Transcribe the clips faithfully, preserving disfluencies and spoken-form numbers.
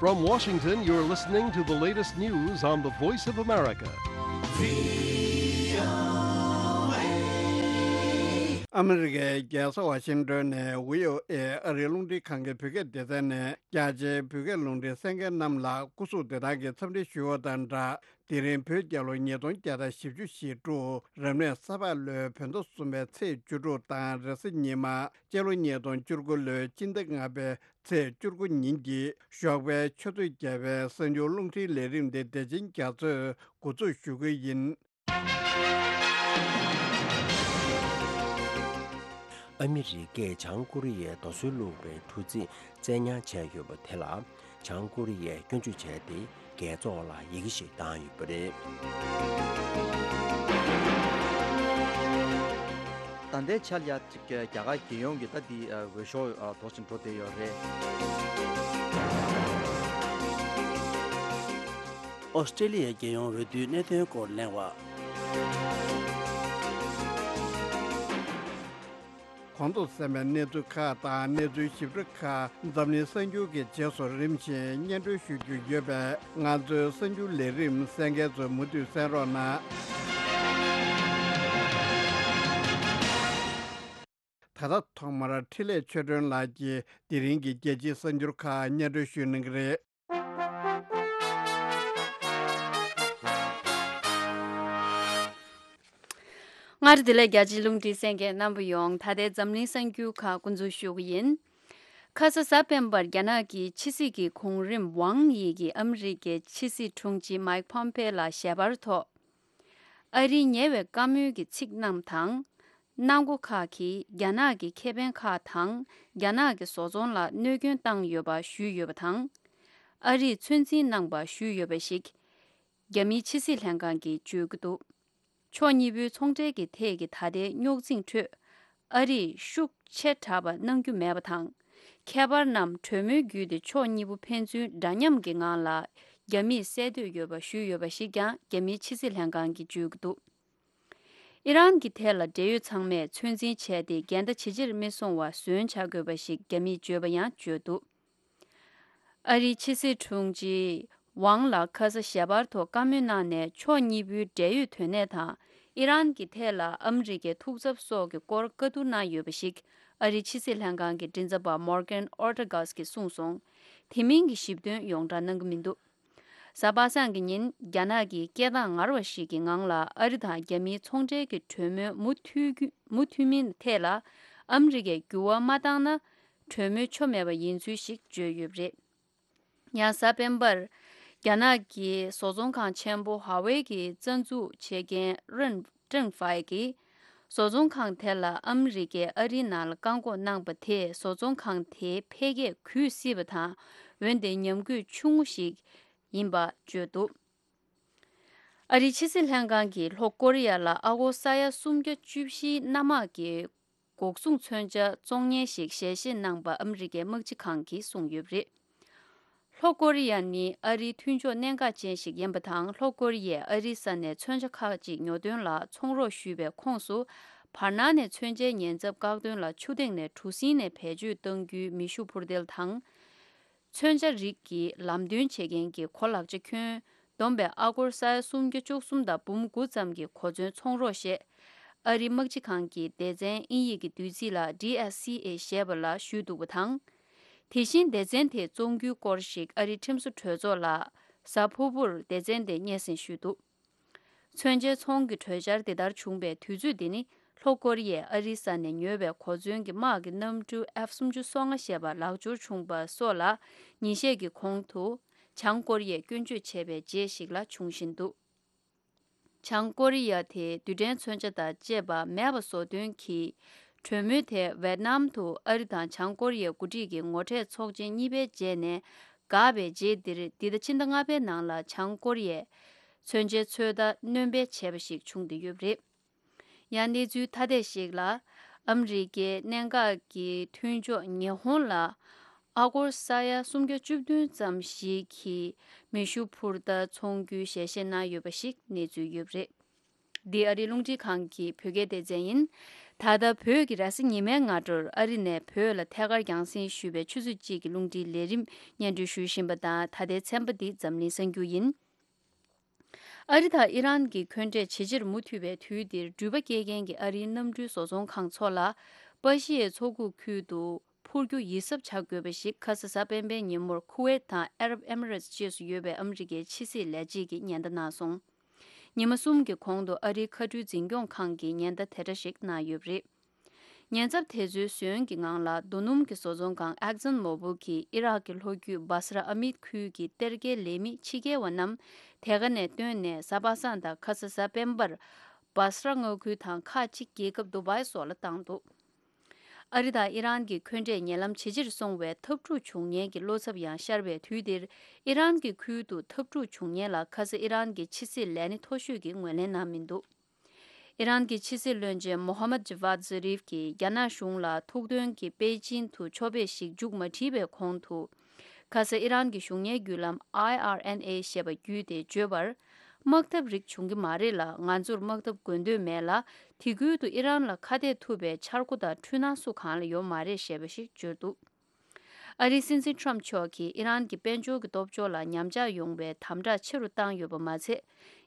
From Washington, you're listening to the latest news on the Voice of America. ཨ་མི་རི་ཀའི་རྒྱལ་ས་ཝ་ཤིང་ཏོན་ནས་བྷི་ཨོ་ཨེ་ཨ་རིའི་རླུང་འཕྲིན་ཁང་གི་བོད་སྐད་སྡེ་ཚན་ནས་རྒྱ་ཆེའི་བོད་སྐད་རླུང་འཕྲིན་གསན་མཁན་རྣམས་ལ་སྐུ་གཟུགས་བདེ་ཐང་གི་འཚམས་འདྲི་ཞུ་བ་དང་སྦྲགས། དེ་རིང་བོད་རྒྱལ་ལོ་ཉིས་སྟོང་བརྒྱ་དང་བཞི་བཅུ་ཞེ་དྲུག་རབ་གནས་ས་ཕག་ལོའི་བོད་ཟླ་གསུམ་པའི་ཚེས་བཅུ་དྲུག་དང་རེས་གཟའ་ཉི་མ་སྤྱི་ལོ་ཉིས་སྟོང་བཅུ་དགུ་ལོའི་སྤྱི་ཟླ་ལྔ་པའི་ཚེས་བཅུ་དགུ་ཉིན་གྱི་ཞོགས་པའི་ཆུ་ཚོད་བརྒྱད་པའི་གསར་འགྱུར་རླུང་འཕྲིན་ལས་རིམ་དེ་བདེ་ཆེན་རྒྱ་མཚོས་འགོ་འཛུགས་ཞུ་གི་ཡིན། ཨ་མི་རི་ཀས་བྱང་ཀོ་རི་ཡའི་རྡོ་སོལ་བླུགས་པའི་འཕྲུལ་ཚིག་བཙན་ཉར་བྱས་ཡོད་པ་དེ་ལ་བྱང་ཀོ་རི་ཡས་སྐྱོན་བརྗོད་བྱས་ཏེ་རྒྱལ་ཚོགས་ལ་ཡི་གེ་ཞིག་བཏང་ཡོད་པ་རེད། ད་ལྟའི་ཆར་ཡ་རྒྱ་གར་རྒྱལ་ཡོངས་ཀྱི་ད་འདི་འོས་ཤོག་དོགས་ཤིང་འགྲོ་བསྡད་ཡོད་རེད། ཨོ་སི་ཀྲེ་ལི་ཡའི་རྒྱལ་ཡོངས་འོས་བསྡུའི་གནད་དོན་སྐོར་གླེང་བ། གོང་དུ་གསན་པའི་གནས་ཚུལ་ཁག་དང་གནས་ཚུལ་ཞིབ་ཕྲ་ཁག་འཛམ་གླིང་གསར་འགྱུར་གྱི་རྗེས་སུ་རིམ་བཞིན་སྙན་སྒྲོན་ཞུ་རྒྱུ་ཡོད་པས། ང་ཚོའི་གསར་འགྱུར་ལས་རིམ་གསན་མཁན་ཚོས་མུ་མཐུད་གསན་རོགས་གནང་། ད་ལྟ་ཐོག་མར་འཕྲིན་ལས་ཆོས་སྒྲོན་ལགས་ཀྱིས་དེ་རིང་གི་རྒྱལ་སྤྱིའི་གསར་འགྱུར་ཁག་སྙན་སྒྲོན་ཞུ་གནང་གི་རེད། སྔར་དེ་ལས་རྒྱལ་སྤྱིའི་རླུང་འཕྲིན་གསན་མཁན་རྣམ་པ་ཡོངས། ད་ལྟའི་འཛམ་གླིང་གསར་འགྱུར་ཁག་འགོ་འཛུགས་ཞུ་གི་ཡིན། ཁ་ས་གཟའ་སྤེན་པར་རྒྱ་ནག་གི་ཕྱི་སྲིད་ཀྱི་གོང་རིམ་ཝང་ཡི་གིས་ཨ་མི་རི་ཀའི་ཕྱི་སྲིད་དྲུང་ཆེ་མཱིག་ཕོམ་པེ་ལ་ཞལ་པར་ཐོག་ཨ་རིའི་ཉེ་བའི་བཀའ་མོལ་གྱི་ཚིག་རྣམས་དང་། གནང་སྒོ་ཁག་གིས་རྒྱ་ནག་གི་ཁེ་ཕན་ཁག་དང་རྒྱ་ནག་གི་བཟོ་ཚོང་ལ་གནོད་སྐྱོན་བཏང་ཡོད་པ་ཞུས་ཡོད་པ་དང་། ཨ་རིས་ཚོད་འཛིན་གནང་པ་ཞུས་ཡོད་པ་ཞིག་རྒྱ་མིའི་ཕྱི་སྲིད་ལྷན་ཁང་གིས་བརྗོད་ཀྱི་འདུག་ཕྱོགས་གཉིས་པོའི་ཚོང་འབྲེལ་གྱི་ཐད་ཀྱི་ད་ལྟའི་རྙོག་འཛིང་ཁྲོད། ཨ་རིས་ཤུགས་ཆེ་དྲགས་པ་གནང་རྒྱུ་མེད་པ་དང་། ཁྱད་པར་རྣམས་གྲོས་མོལ་བརྒྱུད་དེ་ཕྱོགས་གཉིས་པོ་ཕན་ཚུན་འདྲ་མཉམ་གྱི་ངང་ལ་རྒྱ་མིས་སེལ་འདོད་ཡོད་པ་ཞུས་ཡོད་པ་ཞིག་ཀྱང་རྒྱ་མིའི་ཕྱི་སྲིད་ལྷན་ཁང་གིས་བརྗོད་ཀྱི་འདུག་ཨི་རན་གྱི་ཐད་ལ་འབྲེལ་ཡོད་ཚང་མས་ཚོད་འཛིན་བྱས་ཏེ་འགལ་ཟླ་ཇེ་ཆེར་མི་སོང་བ་བཟོ་བྱ་དགོས་པ་ཞིག་རྒྱ་མིས་བརྗོད་པ་ཡང་བརྗོད་འདུག་ཨ་རིའི་ཕྱི་སྲིད་དྲུང་ཆེ་ཝང་ལ་ཁ་ས་ཞལ་པར་ཐོག་བཀའ་མོལ་གནང་ནས་ཕྱོགས་གཉིས་པོའི་འབྲེལ་ཡོད་དོན་གནད་དང་ཨི་རན་གྱི་ཐད་ལ་ཨ་མི་རི་ཀའི་ཐུགས་འཚབ་སོགས་ཀྱི་སྐོར་བཀའ་བསྡུར་གནང་ཡོད་པ་ཞིག་ཨ་རིའི་ཕྱི་སྲིད་ལྷན་ཁང་གི་མགྲིན་ཚབ་པ་མོར་གན་ཨོར་ཏ་གྷས་ཀྱིས་གསུངས་སོང་། དེ་མིན་གྱི་ཞིབ་དོན་ཡོངས་བསྒྲགས་གནང་གི་མི་འདུག་གཟའ་པ་སངས་ཀྱི་ཉིན་རྒྱ་ནག་གིས་སྐད་གདངས་ངར་བ་ཞིག་གི་ངང་ལ་ཨ་རི་དང་རྒྱ་མིའི་ཚོང་འབྲེལ་གྱི་གྲོས་མོལ་མུ་མཐུད་རྒྱུ་མུ་མཐུད་མིན་ཐད་ལ་ཨ་མི་རི་ཀས་འགྱུར་བ་མ་བཏང་ན་གྲོས་མོལ་ཆོ་མེད་པ་ཡིན་ཚུལ་ཞིག་བརྗོད་ཡོད་པ་རེད། ཡང་གཟའ་སྤེན་པར་རྒྱ་ནག་གི་བཟོ་ཚོང་ཁང་ཆེན་པོ་ཧྭ་ཝེ་གི་རྩ་འཛུགས་བྱེད་མཁན་རན་ཀྲེང་ཧྥའེ་གིས་བཟོ་ཚོང་ཁང་དེ་ལ་ཨ་མི་རི་ཀས་ཨ་རིའི་ནང་ལ་བཀག་འགོག་གནང་པ་དེས་བཟོ་ཚོང་ཁང་དེའི་འཕེལ་རྒྱས་གུད་སྲིད་པ་དང་། འོན་ཏེ་ཉམས་རྒུད་ཆུང་ངུ་ཞིག་ཡིན་པ་བརྗོད་འདུག་ཨ་རིའི་ཕྱི་སྲིད་ལྷན་ཁང་གིས་ལྷོ་ཀོ་རི་ཡ་ལ་ཨ་སྒོར་ས་ཡ་སུམ་བརྒྱ་བཅུ་བཞིའི་གནམ་དམག་གི་འགོག་སྲུང་མཚོན་ཆ་བཙོང་ཉེན་ཞིག་ཞལ་བཞེས་གནང་པ་ཨ་མི་རི་ཀའི་དམག་སྤྱི་ཁང་གིས་གསུངས་ཡོད་པ་རེད། ལྷོ་ཀོ་རི་ཡ་ནི་ཨ་རིའི་མཐུན་ཕྱོགས་གནད་འགག་ཅན་ཞིག་ཡིན་པ་དང་། ལྷོ་ཀོ་རི་ཡས་ཨ་རིའི་ས་ནས་མཚོན་ཆ་ཁག་ཅིག་ཉོ་དོན་ལ་ཚོང་རོགས་ཞུས་པའི་ཁོངས་སུ། བར་སྣང་ནས་མཚོན་ཆའི་ཉེན་ཚབས་བཀག་དོན་ལ་ཆུ་ཐིགས་ནས་གྲུ་གཟིངས་ནས་བེད་སྤྱོད་གཏང་རྒྱུའི་མེ་ཤུགས་འཕུར་མདེལ་དང་། མཚོན་ཆ་རིགས་ཀྱི་ལམ་སྟོན་བྱེད་མཁན་གྱི་གོ་ལག་ཆ་ཁྱོན་བསྡོམས་པས་ཨ་སྒོར་ས་ཡ་སུམ་བརྒྱ་བཅུ་གསུམ་དང་འབུམ་དགུ་ཙམ་གྱི་གོ་མཚོན་ཚོང་རོགས་ཞེས། ཨ་རིའི་དམག་སྤྱི་ཁང་གི་སྡེ་ཚན་དབྱིན་ཡིག་གི་བསྡུས་ཚིག་ལ་ཌི་ཨེས་སི་ཨེ་ཞེས་པ་ལ་ཞུས་འདུག་པ་དང་། དེ་བཞིན་སྡེ་ཚན་དེས་བཙོང་རྒྱུའི་སྐོར་ཞིག་ཨ་རིའི་ཁྲིམས་བཟོ་གྲོས་ཚོགས་ལ་གཟའ་ཕུར་བུར་སྡེ་ཚན་དེས་སྙན་སེང་ཞུས་འདུག་མཚོན་ཆའི་ཚོང་གི་གྲོས་འཆར་དེ་ལྟར་བྱུང་བའི་དུས་ཚོད་འདི་ནི། ལྷོ་ཀོ་རི་ཡས་ཨ་རིའི་ས་ནས་ཉོས་པའི་གོ་མཚོན་གྱི་དམག་གི་གནམ་གྲུ་ཨེཕ་སུམ་ཅུ་སོ་ལྔ་ཞེས་པ་ལག་འབྱོར་བྱུང་པ་སོགས་ལ། ཉིན་ཤས་ཀྱི་གོང་དུ་བྱང་ཀོ་རི་ཡས་སྐྱོན་བརྗོད་བྱས་པའི་རྗེས་ཤིག་ལ་འབྱུང་བཞིན་འདུག་བྱང་ཀོ་རི་ཡ་དེ་རྡུལ་ཕྲན་མཚོན་ཆ་དང་བཅས་པ་མེད་པ་བཟོ་དོན་གྱི་གྲོས་མོལ་དེ་ཝེད་ནམ་དུ་ཨ་རི་དང་བྱང་ཀོ་རི་ཡའི་འགོ་ཁྲིད་ཀྱི་ངོ་འཕྲད་ཚོགས་ཆེན་གཉིས་པའི་རྗེས་ནས་འགག་པའི་རྗེས་འདིར། འདི་ཟླ་ཕྱི་ཟླ་ལྔ་པའི་ནང་ལ་བྱང་ཀོ་རི་ཡས་མཚོན་ཆའི་ཚོད་ལྟ་སྣོན་སྤེལ་བྱས་པ་ཞིག་བྱུང་བསྡད་ཡོད་པ་རེད། ཡང་གནས་ཚུལ་ཐ་དད་ཞིག་ལ། ཨ་མི་རི་ཀའི་གནད་འགག་གི་མཐུན་ཕྱོགས་ཉི་ཧོང་ལ་ཨ་སྒོར་ས་ཡ་སུམ་བརྒྱ་བཅུ་བདུན་ཙམ་ཞིག་གི་མེ་ཤུགས་འཕུར་མདའ་འཚོང་རྒྱུའི་ཞལ་བཞེས་གནང་ཡོད་པ་ཞིག་གནས་ཚུལ་ཡོད་པ་རེད། འདི་ཨ་རིའི་རླུང་འཕྲིན་ཁང་གི་བོད་སྐད་སྡེ་ཚན་ཡིན། ད་ལྟ་བོད་ཀྱི་རེས་གཟའ་ཉི་མའི་སྔ་དྲོར་ཨ་རི་ནས་བོད་ལ་ཐད་ཀར་རྒྱང་སྲིང་ཞུས་པའི་ཆུ་ཚོད་གཅིག་གི་རླུང་འཕྲིན་ལས་རིམ་སྙན་སྒྲོན་ཞུ་བཞིན་པ་དང་། ད་ལྟའི་ཚན་པ་འདི་འཛམ་གླིང་གསར་འགྱུར་ཡིན། ཨ་རི་དང་ཨི་རན་གྱི་འཁོན་འགྲས་ཇེ་ཆེར་མུ་མཐུད་པའི་དུས་འདིར། འགྲུལ་པ་སྐྱེལ་མཁན་གྱི་ཨ་རིའི་གནམ་གྲུའི་བཟོ་ཚོང་ཁང་ཚོ་ལ་པ་ཤི་ཡའི་མཚོ་ཁུག་ཁུལ་དུ་འཕུར་རྒྱུ་ཡིད་གཟབ་བྱ་དགོས་པ་ཞིག་ཁ་ས་གཟའ་སྤེན་པའི་ཉིན་མོར་ཁུ་ཝེད་དང་ཨ་རབ་ཨེ་མི་རེ་ཊི་བཅས་སུ་ཡོད་པའི་ཨ་མི་རི་ཀའི་ཕྱི་སྲིད་ལས་བྱེད་ཀྱིས་ཉེན་བརྡ་གནང་སོང་། ཉི་མ་གསུམ་གྱི་གོང་དུ་ཨ་རིའི་མཁའ་འགྲུལ་འཛིན་སྐྱོང་ཁང་གིས་ཉེན་བརྡ་དེ་འདྲ་ཞིག་གནང་ཡོད་པ་རེད། ཉེན་ཚབས་དེ་ཚོའི་ཟོན་གྱི་ངང་ལ། རྡོ་སྣུམ་གྱི་བཟོ་ཚོང་ཁང་ཨེག་ཛོན་མོ་བིལ་གྱིས་ཨི་རག་གི་ལྷོ་རྒྱུད་སྦ་སྲ་ཨ་མིད་ཁུལ་གྱི་གཏེར་སྐལ་ལས་མི་ཕྱི་རྒྱལ་བ་རྣམས་དེ་ག་ནས་བཏོན་ནས། གཟའ་པ་སངས་དང་ཁ་ས་གཟའ་སྤེན་པར་སྦ་སྲ་མངའ་ཁུལ་དང་ཁག་ཅིག་རྒྱལ་ཁབ་དུ་བའི་སོགས་ལ་བཏང་འདུག་ཨ་རི་དང་ཨི་རན་གྱི་འཁོན་འགྲས་ཉེ་ལམ་ཇེ་ཆེར་སོང་བའི་འཐབ་འཁྲུག་བྱུང་ཉེན་གྱི་བློ་འཚབ་ཡང་ཤར་བའི་དུས་འདིར། ཨི་རན་གྱི་ཁུལ་དུ་འཐབ་འཁྲུག་བྱུང་ཉེན་ལ་ཁ་ས་ཨི་རན་གྱི་ཕྱི་སྲིད་ལས་སྣེ་མཐོ་ཤོས་ཀྱིས་ངོས་ལེན་གནང་མི་འདུག་ཨི་རན་གྱི་ཕྱི་སྲིད་བློན་ཆེན་མོ་ཧ་མད་ཇ་ཝཱད་ཛ་རིབ་ཀྱིས་རྒྱ་ནག་གཞུང་ལ་ཐུགས་འདུན་གྱིས་པེ་ཅིན་དུ་ཕྱོགས་ཕེབས་ཤིག་མཇུག་མ་སྒྲིལ་བའི་གོང་དུ། ཁ་ས་ཨི་རན་གྱི་གཞུང་གཉེར་བརྒྱུད་ལམ་ཨའི་ཨར་ཨེན་ཨེ་ཞེས་པ་བརྒྱུད་དེ་བརྗོད་པར། དམག་འཐབ་རིགས་བྱུང་གི་མ་རེད་ལ། ང་ཚོར་དམག་འཐབ་དགོས་འདོད་མེད་ལ། དེ་ཁུལ་དུ་ཨི་རན་ལ་ཁ་གཏད་ཐུབ་པའི་འཆར་སྒོ་དང་འཁྲུལ་སྣང་སུ་གང་ལ་ཡོད་མ་རེད་ཞེས་པ་ཞིག་བརྗོད་འདུག་ཨ་རིའི་སྲིད་འཛིན་ཁྲོམ་མཆོག་གིས་ཨི་རན་གྱི་དཔལ་འབྱོར་གྱི་སྟོབས་འབྱོར་ལ་ཉམས་ཆག་ཡོང་བའི་དམ་དྲག་ཆེ་རུ་བཏང་ཡོད་པ་མ་ཚད།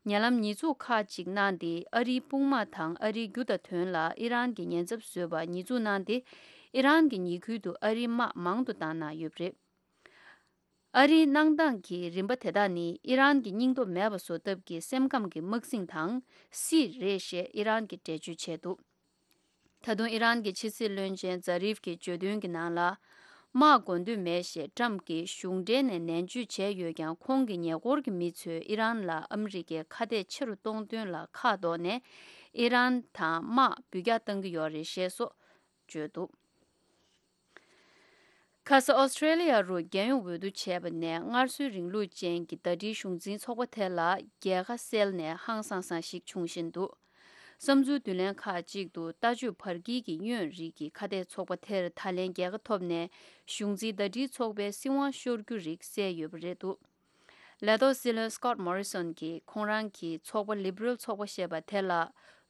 ཉེ་ལམ་ཉེས་འཛུགས་ཁག་ཅིག་གནང་སྟེ། ཨ་རིའི་དཔུང་དམག་དང་ཨ་རིའི་རྒྱུ་དང་དོན་ལ་ཨི་རན་གྱི་ཉེན་ཚབས་བཟོས་པར་ཉེས་འཛུགས་གནང་སྟེ། ཨི་རན་གྱི་ཉེ་ཁུལ་དུ་ཨ་རིའི་དམག་མང་དུ་བཏང་གནང་ཡོད་པ་རེད། ཨ་རིའི་གནང་སྟངས་ཀྱི་རིམ་པ་དེ་དག་ནི་ཨི་རན་གྱི་སྙིང་སྟོབས་མེད་པ་བཟོ་ཐབས་ཀྱི་སེམས་ཁམས་ཀྱི་དམག་ཟིང་དང་སྲིད་རེད་ཞེས་ཨི་རན་གྱིས་འགྲེལ་བརྗོད་བྱས་འདུག་ད་དུང་ཨི་རན་གྱི་ཕྱི་སྲིད་བློན་ཆེན་ཛ་རིབ་ཀྱིས་བརྗོད་དོན་གྱི་ནང་ལ། དམག་དགོས་འདོད་མེད་ཞེས་ཊམ་གྱིས་གཞུང་འབྲེལ་ནས་ནན་བརྗོད་བྱས་ཡོད་ཀྱང་། ཁོང་གི་ཉེ་འཁོར་གྱི་མི་ཚོས་ཨི་རན་ལ་ཨ་མི་རི་ཀའི་ཁ་གཏད་ཆེ་རུ་གཏོང་དོན་ལ་ཁ་འདོགས་ནས། ཨི་རན་དང་དམག་འབུད་རྒྱག་གཏང་གི་ཡོད་རེད་ཞེས་སོགས་བརྗོད་འདུག་ཁ་ས་ཨོ་སི་ཀྲེ་ལི་ཡ་རུ་རྒྱལ་ཡོངས་འོས་བསྡུ་བྱས་པ་ནས། སྔར་སྲོལ་རིང་ལུགས་ཅན་གྱི་ཟླ་སྒྲིལ་གཞུང་འཛིན་ཚོགས་པ་དེ་ལ་རྒྱལ་ཁ་གསལ་ནས་ཧང་སང་སང་ཞིག་འབྱུང་བཞིན་འདུག་བསམ་ཚུལ་བསྡུ་ལེན་ཁག་ཅིག་ཏུ། ལྟ་སྤྱོད་བར་དཀྱིལ་གྱི་གཡོན་རིགས་ཀྱི་ཁ་གཏད་ཚོགས་པ་དེར་ད་ལན་རྒྱལ་ཁ་ཐོབ་ནས། གཞུང་འཛིན་ཟླ་སྒྲིལ་ཚོགས་པའི་སྲིད་དབང་ཤོར་རྒྱུ་རིགས་གསལ་ཡོད་པ་རེད་འདུག་ལས་ཐོག་སྲིད་བློན་སི་ཀོཊ་མོ་རི་སོན་གྱིས་ཁོང་རང་གི་ཚོགས་པ་ལི་བྷི་རལ་ཚོགས་པ་ཞེས་པ་དེ་ལ་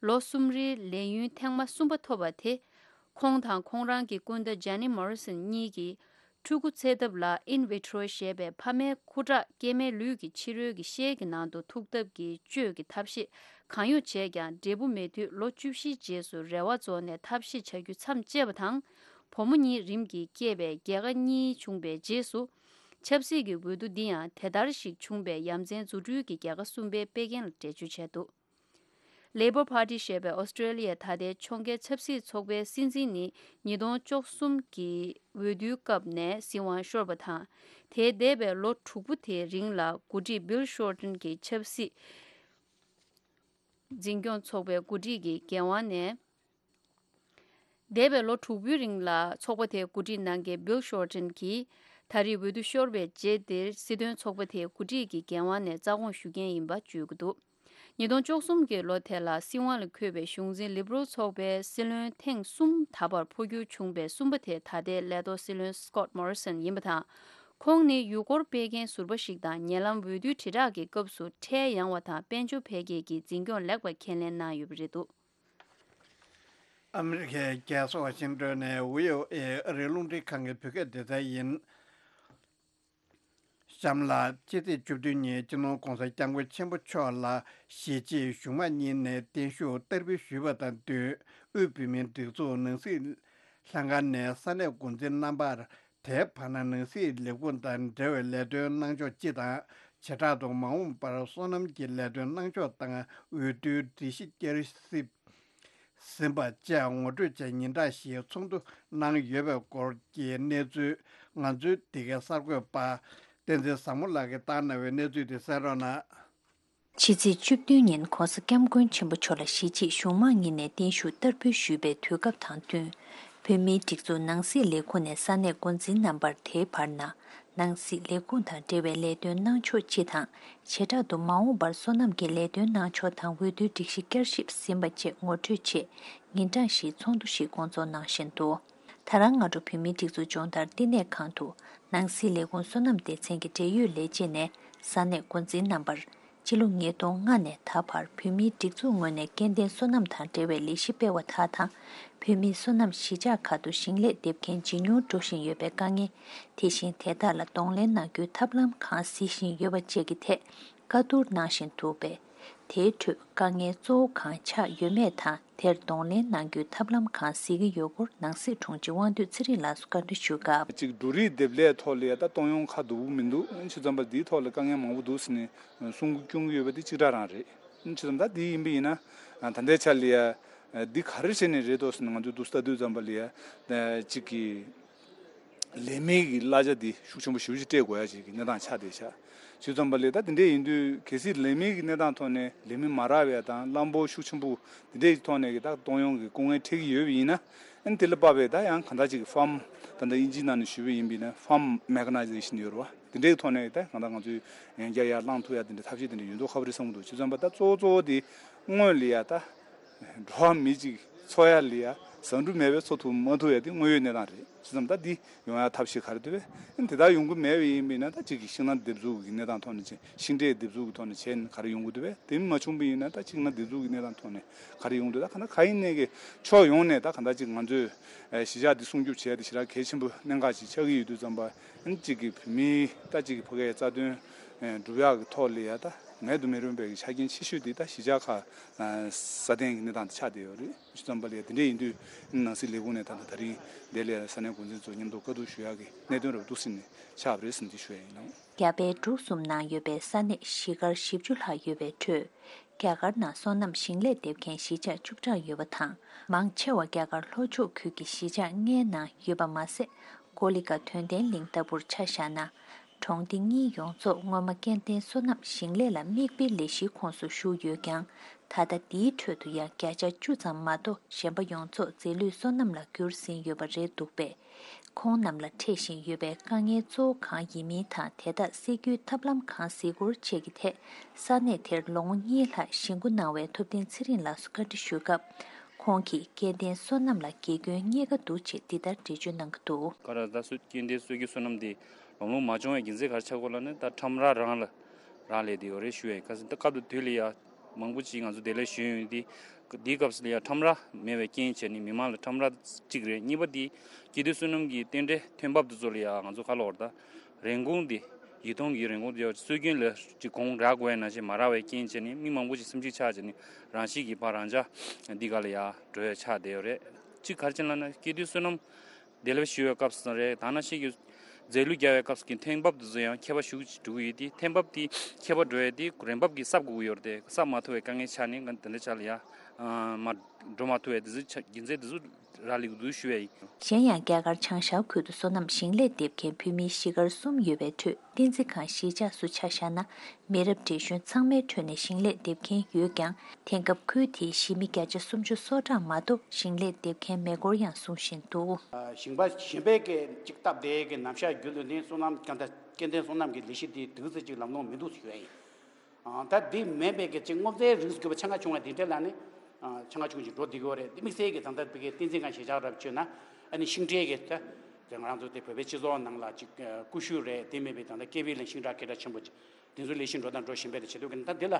ལོ་གསུམ་རེའི་ལས་ཡུན་ཐེངས་མ་གསུམ་པ་ཐོབ་པ་དེ། ཁོང་དང་ཁོང་རང་གི་སྐུ་ཟླ་ཇེ་ནི་མོ་རི་སོན་གཉིས་ཀྱིས་ཕྲུ་གུ་འཚེ་ཐབས་ལ་ཨིན་བི་ཊི་རོ་ཞེས་པའི་ཕ་མའི་ཁུ་ཁྲག་སྐྱེས་མའི་ལུས་ཀྱི་ཕྱི་རོལ་གྱི་ཤེལ་གྱི་ནང་དུ་ཐུག་ཐབས་ཀྱི་བཅོས་ཀྱི་ཐབས་ཤེས་གང་ཡོང་བྱས་ཀྱང་། འབྲས་བུ་མེད་དུས་ལོ་བཅུ་བཞིའི་རྗེས་སུ་རེ་བ་རྫོགས་ནས་ཐབས་ཤེས་བྱ་རྒྱུ་མཚམས་བཅད་པ་དང་། བུ་མོ་གཉིས་རིམ་གྱིས་སྐྱེས་པའི་རྒྱལ་ཁ་གཉིས་བྱུང་བའི་རྗེས་སུ། ཆབ་སྲིད་ཀྱི་འོས་བསྡུ་འདི་ཡང་དེ་ལྟར་ཞིག་བྱུང་བའི་ཡ་མཚན་རྫུ་འཕྲུལ་གྱི་རྒྱལ་ཁ་གསུམ་པའི་དཔེ་རྒྱན་ལ་འགྲེལ་བརྗོད་བྱས་འདུག་ལེ་བོར་པར་ཊི་ཞེས་པའི་ཨོ་སི་ཀྲེ་ལི་ཡའི་ད་ལྟའི་ཕྱོགས་འགལ་ཆབ་སྲིད་ཚོགས་པའི་སྲིད་འཛིན་ནི། ཉིས་སྟོང་བཅུ་གསུམ་གྱི་འོས་བསྡུའི་སྐབས་ནས་སྲིད་དབང་ཤོར་བ་དང་། དེའི་འདས་པའི་ལོ་དྲུག་པོ་དེའི་རིང་ལ་འགོ་ཁྲིད་བྷིལ་ཤོར་ཏན་གྱི་ཆབ་སྲིད་འཛིན་སྐྱོང་ཚོགས་པའི་འགོ་ཁྲིད་ཀྱི་འགན་དབང་ནས། འདས་པའི་ལོ་དྲུག་པོའི་རིང་ལ་ཚོགས་པ་དེའི་འགོ་ཁྲིད་གནང་མཁན་བྷིལ་ཤོར་ཏན་གྱིས། ད་རེས་འོས་བསྡུ་ཤོར་བའི་རྗེས་འདིར་སྲིད་དོན་ཚོགས་པ་དེའི་འགོ་ཁྲིད་ཀྱི་འགན་དབང་ནས་རྩ་དགོངས་ཞུ་མཁན་ཡིན་པ་བརྗོད་ཀྱི་འདུག་ཉིས་སྟོང་བཅུ་གསུམ་གྱི་ལོ་དེ་ལ་སྲིད་དབང་ལ་འཁོད་པའི་གཞུང་འཛིན་ལི་བྷི་རལ་ཚོགས་པའི་སྲིད་བློན་ཐེངས་གསུམ་ད་བར་འཕོ་འགྱུར་བྱུང་བའི་གསུམ་པ་དེ་ད་ལྟའི་ལས་ཐོག་སྲིད་བློན་སི་ཀོཊ་མོ་རི་སོན་ཡིན་པ་དང་། ཁོང་ནི་ཡུལ་སྐོར་སྤེལ་མཁན་ཟུར་པ་ཞིག་དང་། ཉེ་ལམ་འོས་བསྡུའི་དྲིལ་བསྒྲགས་ཀྱི་སྐབས་སུ་ཁྲལ་ཡངས་པ་དང་དཔལ་འབྱོར་འཕེལ་རྒྱས་ཀྱི་འཛིན་སྐྱོང་ལེགས་པར་ཁས་ལེན་གནང་ཡོད་པ་རེད་འདུག་ཨ་མི་རི་ཀའི་རྒྱལ་ས་ཝ་ཤིང་ཏོན་ནས་བྷི་ཨོ་ཨེ་ཨ་རིའི་རླུང་འཕྲིན་ཁང་གི་བོད་སྐད་སྡེ་ཚན་ཡིན། གཤམ་ལ། ཕྱི་ཚེས་བཅུ་བདུན་ཉིན་སྤྱི་ནོར་༧གོང་ས་༧སྐྱབས་མགོན་ཆེན་པོ་མཆོག་ལ་གཞིས་བྱེས་གཞུང་མང་གཉིས་ནས་བརྟན་བཞུགས་བསྟར་འབུལ་ཞུས་པ་དང་བསྟུན། དབུས་བོད་མིའི་སྒྲིག་འཛུགས་ནང་སྲིད་ལྷན་ཁང་ནས་ས་གནས་འགོ་འཛིན་རྣམ་པར། དེའི་བར་ན་ནང་སྲིད་ལས་ཁུངས་དང་འབྲེལ་བའི་ལས་དོན་གནང་ཕྱོགས་སྤྱི་དང་། བྱེ་བྲག་ཏུ་མ་འོངས་པར་སོ་ནམ་གྱི་ལས་དོན་གནང་ཕྱོགས་དང་། འོས་བསྡུའི་སྒྲིག་གཞི་བསྐྱར་ཞིབ་ཟིན་པ་བཅས་ངོ་སྤྲོད་བྱས་ཉིན་གྲངས་ཤིག་ཚོགས་འདུ་གནང་ཡོད་པའི་སྐོར་གྱི་གནས་ཚུལ། ང་ཚོའི་འདི་གའི་གསར་འགོད་པ་བསྟན་འཛིན་བཟང་མོ་ལགས་ཀྱིས་བཏང་གནང་བའི་གནས་ཚུལ་དེ་གསན་རོགས་གནང་། ཕྱི་ཚེས་བཅུ་བདུན་ཉིན་༧གོང་ས་༧སྐྱབས་མགོན་ཆེན་པོ་མཆོག་ལ་གཞིས་བྱེས་གཞུང་མང་གཉིས་ནས་བརྟན་བཞུགས་བསྟར་འབུལ་ཞུས་པའི་དུས་སྐབས་དང་བསྟུན། བོད་མིའི་སྒྲིག་འཛུགས་ནང་སྲིད་ལས་ཁུངས་ནས་ས་གནས་འགོ་འཛིན་རྣམ་པར་དེའི་བར་ན། ནང་སྲིད་ལས་ཁུངས་དང་འབྲེལ་བའི་ལས་དོན་གནང་ཕྱོགས་སྤྱི་དང་། བྱེ་བྲག་ཏུ་མ་འོངས་པར་སོ་ནམ་གྱི་ལས་དོན་གནང་ཕྱོགས་དང་། འོས་བསྡུའི་སྒྲིག་གཞི་བསྐྱར་ཞིབ་ཟིན་པ་བཅས་ངོ་སྤྲོད་ཆེད་ཉིན་གྲངས་ཤིག་ཚོགས་འདུ་ཞིག་སྐོང་ཚོགས་གནང་བཞིན་འདུག་ད་རང་སྔ་དྲོ་བོད་མིའི་སྒྲིག་འཛུགས་སྦྱོང་བརྡར་བསྟི་གནས་ཁང་དུ། ནང་སྲིད་ལས་ཁུངས་སོ་ནམ་སྡེ་ཚན་གྱི་འབྲེལ་ཡོད་ལས་བྱེད་ནས་ས་གནས་འགོ་འཛིན་རྣམ་པར། ཕྱི་ལོ་ཉིས་སྟོང་ལྔ་ནས་ད་བར་བོད་མིའི་སྒྲིག་འཛུགས་ངོས་ནས་སྐྱེ་ལྡན་སོ་ནམ་དང་འབྲེལ་བའི་ལས་གཞི་སྤེལ་བ་དག་དང་། བོད་མིའི་སོ་ནམ་གཞིས་ཆགས་ཁག་ཏུ་ཞིང་ལས་འདེབས་མཁན་ཇེ་ཉུང་འགྲོ་བཞིན་ཡོད་པའི་དཀའ་ངལ། དེ་བཞིན་དེ་དག་ལ་གདོང་ལེན་གནང་རྒྱུའི་ཐབས་ལམ་གང་གཟིགས་བཞིན་ཡོད་པ་བཅས་ཀྱི་ཐད་བཀའ་བསྡུར་གནང་བཞིན་འདུག་པས། དེའི་ཁྲོད་དཀའ་ངལ་གཙོ་བོ་གང་ཆགས་ཡོད་མེད་དང་། དེར་གདོང་ལེན་གནང་རྒྱུའི་ཐབས་ལམ་གང་གཟིགས་ཀྱི་ཡོད་སྐོར་ནང་སྲིད་དྲུང་ཆེ་དབང་འདུས་ཚེ་རིང་ལགས་སུ་བཀའ་འདྲི་ཞུས་སྐབས། གཅིག་འབྲུ་རིགས་འདེབས་ལས་ཐོག་ལ་ཡ་ད་གཏོང་ཡོང་ཁ་སྡུག་པོ་མི་འདུག་བྱས་ཙང་པ་འདིའི་ཐོག་ལ་དཀའ་ངལ་མང་པོ་འདུག་ཟེར་ནས་གསུང་གི་སྐྱོན་གྱི་ཡོད་པ་དེ་གཅིག་རང་རང་རེད། བྱས་ཙང་ད་འདི་ཡིན་པ་ཡིན་ན་ད་ལྟའི་ཆ་ལ་ཡ་འདི་ག་རེ་བྱས་ནས་རེད་འདུག་ཟེར་ནས་ང་ཚོས་འདུག་ལྟ་དུས་ཙམ་པ་ལ་ཡ་གཅིག་གི་ལས་མི་གི་གླ་ཆ་འདི་ཤུགས་ཆེན་པོ་ཞེ་པོ་ཅིག་སྤྲད་དགོས་ཡ་ཅིག་གི་གནས་སྟངས་ཆགས་བསྡད་ཤག་བྱས་ཙང་པ་ལས་ད་དེ་འདྲས་ཡིན་དུས་གལ་སྲིད་ལས་མི་གི་གནས་སྟངས་ཐོག་ནས་ལས་མི་མ་རག་པའི་དང་གླ་འབོར་ཤུགས་ཆེན་པོ་དེ་འདྲས་ཀྱི་ཐོག་ནས་གི་ད་གཏོང་ཡོང་གི་སྐུ་ངལ་འཕྲད་ཀྱི་ཡོད་པ་ཡིན་ན། ཨ་ནི་དེ་ལ་དཔག་པའི་ད་ཡང་གང་ལྟར་ཅིག་གི་ཕཱམ་ད་ལྟ་དབྱིན་ཇིའི་ནང་ནས་ཞུས་པ་ཡིན་པ་ཡིན་ན་ཕཱམ་མེ་ཁ་ནའི་ཛེ་ཤན་ཡོད་རེད་བ། དེ་འདྲའི་ཐོག་ནས་ད་གང་ལྟར་ང་ཚོས་ཡང་བསྐྱར་ཡར་བླངས་ཐུབ་ཡ་དེ་འདྲ་ཐབས་ཤེས་དེ་འདྲ་ཡོད་མདོག་ཁ་པོ་རེད་བསམ་གྱི་འདུག་བྱས་ཙང་པ་ད་གཙོ་བོ་གཙོ་བོ་དེ་སྔོན་ལ་ཡ་ད་འགྲོ་བ་མི་གཅིག་འཚོ་ཡ་ལ་ཡ་ཟ་འབྲུ་མེད་པའི་འཚོ་ཐུབ་མ་ཐུབ་ཡ་དེ་དངོས་ཡོད་གནས་སྟངས་རེད། བྱས་ཙང་ད་འདི་ཡོང་ཡ་ཐབས་ཤེས་ག་རེ་འདུག་པས། ཨ་ནི་དེ་དག་ཡོང་གི་མེད་པ་ཡིན་པ་ཡིན་ན་ད་གཅིག་གི་ཤིང་ནགས་འདེབས་འཛུགས་ཀྱི་གནས་སྟངས་ཐོག་ནས་བྱས། ཤིང་འབྲས་འདེབས་འཛུགས་ཀྱི་ཐོག་ནས་བྱས་ནས་ག་རེ་ཡོང་གི་འདུག་པས། དེ་མ་བྱུང་པ་ཡིན་ན་ད་གཅིག་ན་འདེབས་འཛུགས་ཀྱི་གནས་སྟངས་ཐོག་ནས་ག་རེ་ཡོང་གི་འདུག་ད་ག་ན་ག་ཡིན་ནའི་གི་ཕྱོགས་ཡོངས་ནས་ད་ག་འདྲ་གཅིག་ང་ཚོས་ཨ་གཞིས་ཆགས་འདི་སྲུང་སྐྱོབ་བྱེད་ཡ་དེ་ཞེ་དྲག་གལ་ཆེན་པོ་གནད་འགག་ཅིག་ཆགས་ཀྱི་ཡོད་དུས་ཙམ་པ། ཨ་ནི་གཅིག་གི་བོད་མིའི་ད་གཅིག་གི་ཕ་གིའི་རྩ་དོན་ཨ་སྒྲུབ་ཡག་གི་ཐོག་ལ་ཡ་ད་ངལ་དུ་མི་རུང་བའི་གི་ཆ་རྐྱེན་ཆེ་ཤོས་དེ་ད་གཞིས་ཆགས་ཁག་ཨ་སྲ་བརྟན་གྱི་གནས་སྟངས་དེ་ཆགས་བསྡད་ཡོད་རེད། བྱས་ཙང་པ་ལ་ཡ་དེ་འདྲ་ཡིན་དུས་ཨ་ནི་ནང་སྲིད་ལས་ཁུངས་ནས་ད་ལྟ་ད་རིང་འདི་ལ་ས་གནས་འགོ་འཛིན་ཚོ་མཉམ་དུ་བཀའ་བསྡུར་ཞུ་ཡག་གི་གནད་དོན་རབ་ཏུ་ཟིན་ནས་ཆགས་པ་རེད་ཟེར་ནས་དེ་ཞུ་ཡ་ཡིན་ནོ། རྒྱ་བལ་འབྲུག་གསུམ་ནང་ཡོད་པའི་ས་གནས་གཞིས་སྒར་བཞི་བཅུ་ལྷག་ཡོད་པའི་ཁྲོད། རྒྱ་གར་ནང་སོ་ནམ་ཞིང་ལས་འདེབས་མཁན་གཞིས་ཆགས་བཅུ་གྲངས་ཡོད་པ་དང་། མང་ཆེ་བ་རྒྱ་གར་ལྷོ་ཕྱོགས་ཁུལ་གྱི་གཞིས་ཆགས་ལྔའི་ནང་ཡོད་པ་མ་ཟད། ཀོ་ལི་གྷལ་དོན་ལྡན་གླིང་ལྟ་བུར་ཆ་བཞག་ན། གྲོང་སྡེ་གཉིས་ཡོངས་རྫོགས་སྔོན་མ་སྐྱེ་ལྡན་སོ་ནམ་ཞིང་ལས་ལ་དམིགས་པའི་ལས་གཞིའི་ཁོངས་སུ་ཞུགས་ཡོད་ཀྱང་། ད་ལྟ་འདིའི་ཁྲོད་དུ་ཡང་བརྒྱ་ཆ་བཅུ་ཙམ་མ་གཏོགས་གཞན་པ་ཡོངས་རྫོགས་རྫས་ལུད་སོ་ནམ་ལ་བསྒྱུར་ཟིན་ཡོད་པ་རེད་འདུག་པས། ཁོང་རྣམས་ལ་འཕྲད་བཞིན་ཡོད་པའི་དཀའ་ངལ་གཙོ་བོ་གང་ཡིན་མིན་དང་། དེ་དག་སེལ་རྒྱུའི་ཐབས་ལམ་གང་གཟིགས་སྐོར་བཅས་ཀྱི་ཐད། ས་གནས་དེར་ལོ་ངོ་གཉིས་ལྷག་གཞིས་འགོ་གནང་བའི་ཐུབ་བསྟན་ཚེ་རིང་ལགས་སུ་བཀའ་འདྲི་ཞུས་སྐབས། ཁོང་གིས་སྐྱེ་ལྡན་སོ་ནམ་ལ་དགེ་སྐྱོན་གཉིས་ཀ་འདུག་ཅེས་འདི་ལྟར་འགྲེལ་བརྗོད་གནང་གི་འདུག། ག་ར་ད་སུ་སྐྱེ་ལྡན་སོ་རྒྱུས་སོ་ནམ་དེ་ལམ་ལྷོང་མ་བྱུང་བའི་རྒྱུ་མཚན་ག་རེ་ཆགས་ཀྱི་ཡོད་ལབ་ན། ད་ཁྲོམ་ར་རང་ལ་རག་ལས་བསྡད་ཡོད་རེད་ཞུ་ཡ་ཡིན། ག་ཚོད་ད་སྐབས་དེ་དུས་ལ་ཡ། མང་པོ་ཅིག་ང་ཚོ་བདེ་ལེགས་ཞུ་ཡོང་དུས། འདིའི་སྐབས་སུ་ལ་ཡ་ཁྲོམ་ར་མེད་པའི་རྐྱེན་བྱས་ནས་མི་མང་ལ་ཁྲོམ་ར་གཅིག་རེད། གཉིས་པ་དེ་སྐྱེ་ལྡན་སོ་ནམ་གྱི་རྟེན་འབྲེལ་ཐོན་འབབ་དེ་ཚོ་ལ་ཡ་ང་ཚོ་ག་ལབ་དགོས་རེད། ད་རིན་གོང་དེ་ཡིག་ཐོག་གི་རིན་གོང་དེ་སྲོལ་རྒྱུན་ལས་ཀྱི་གོང་རག་དགོས་ཡ་ནང་བཞིན་མ་རག་པའི་རྐྱེན་བྱས་ནས་མི་མང་པོ་ཅིག་སེམས་ཤུགས་ཆག་བྱས་ནས་རང་ཤི་གི་ཕར་རང་འཇགས་འདི་ག་ལ་ཡ་འགྲོ་ཡ་ཆགས་བསྡད་ཡོད་རེད། གཅིག་ག་རེ་བྱས་ལབ་ན་སྐྱེ་ལྡན་སོ་ནམ་དེ་ལས་ཞུ་བའི་སྐབས་སུ་རེད། ད་ནང་བཞིན་གྱི་རྫས་ལུད་རྒྱག་པའི་སྐབས་སུ་གི་ཐོན་འབབ་དེ་ཚོ་ཡང་ཁྱད་པར་ཞེ་པོ་ཅིག་འགྲོ་གི་ཡོད་དེ། ཐོན་འབབ་དེ་ཁྱད་པར་འགྲོ་ཡ་དེ་རིན་འབབ་ཀྱིས་གསབ་དགོས་ཀྱི་ཡོད་རེད་དེ། གསབ་མ་ཐུབ་པའི་དཀའ་ངལ་ཆགས་ནས་ང་དེ་འདྲ་ཆགས་ལ་ཡ་མར་འགྲོ་མ་ཐུབ་པའི་དེ་ཚོ་ཆ་རྒྱུ་མཚན་དེ་ཚོ་རག་ལས་ཀྱི་འདུག་ཞུ་བ་ཡིན། གཞན་ཡང་རྒྱ་གར་བྱང་ཤར་ཁུལ་དུ་སོ་ནམ་ཞིང་ལས་འདེབས་མཁན་བོད་མིའི་གཞིས་སྒར་གསུམ་ཡོད་པའི་ཁྲོད། བསྟན་འཛིན་ཁང་གཞིས་ཆགས་སུ་ཆ་བཞག་ན། མི་རབས་བགྲེས་གཞོན་ཚང་མའི་ཁྲོད་ནས་ཞིང་ལས་འདེབས་མཁན་ཡོད་ཀྱང་། དེང་སྐབས་ཁུལ་དེའི་གཞིས་མི་བརྒྱ་ཆ་སུམ་ཅུ་སོ་གྲངས་མ་གཏོགས་ཞིང་ལས་འདེབས་མཁན་མེད་སྐོར་ཡང་གསུང་བཞིན་འདུག། ཞིང་པ་གཞན་པས་ཀྱིས་ཅིག་སྟབས་བདེ་གི་ནམ་ཞག་རྒྱུན་དུ་ནི་སོ་ནམ་སྐྱེ་ལྡན་སོ་ནམ་གྱི་ལས་གཞི་འདི་དུས་ཚོད་ཅིག་ལམ་ལྷོང་མི་འདུག་ཟེར་ཞུ་ཡ་ཡིན། ད་འདི་མེད་པའི་གི་ཅིག་སྔོ་ཚལ་རིགས་ཀྱི་ཆ་ང་ཆུང་བ་འདི་འདྲ་ལ་ནི་ཆ་ང་ཆུང་ཅིག་འགྲོ་བསྡད་ཀྱི་ཡོད་རེད། འདི་དམིགས་བསལ་གྱི་ད་ལྟ་བི་གའི་བསྟན་འཛིན་ཁང་གཞིས་ཆགས་རབ་བྱོས་ན་ཨ་ནི་ཤིང་འབྲས་ཀྱི་ད་ང་རང་ཚོ་དེ་བོད་པའི་སྤྱི་ཚོགས་ནང་ལ་ཅིག་ཀུ་ཤུ་རེད། དེ་མེད་པའི་ད་ལྟ་ཀེ་བི་ལ་ཤིང་འབྲས་སྐད་གྲགས་ཆེན་པོ་ཅིག་དེ་ཚོ་ལས་གཞི་འགྲོ་དང་འགྲོ་བཞིན་པའི་ཆེད་དུ་གི་ད་འདི་ལ་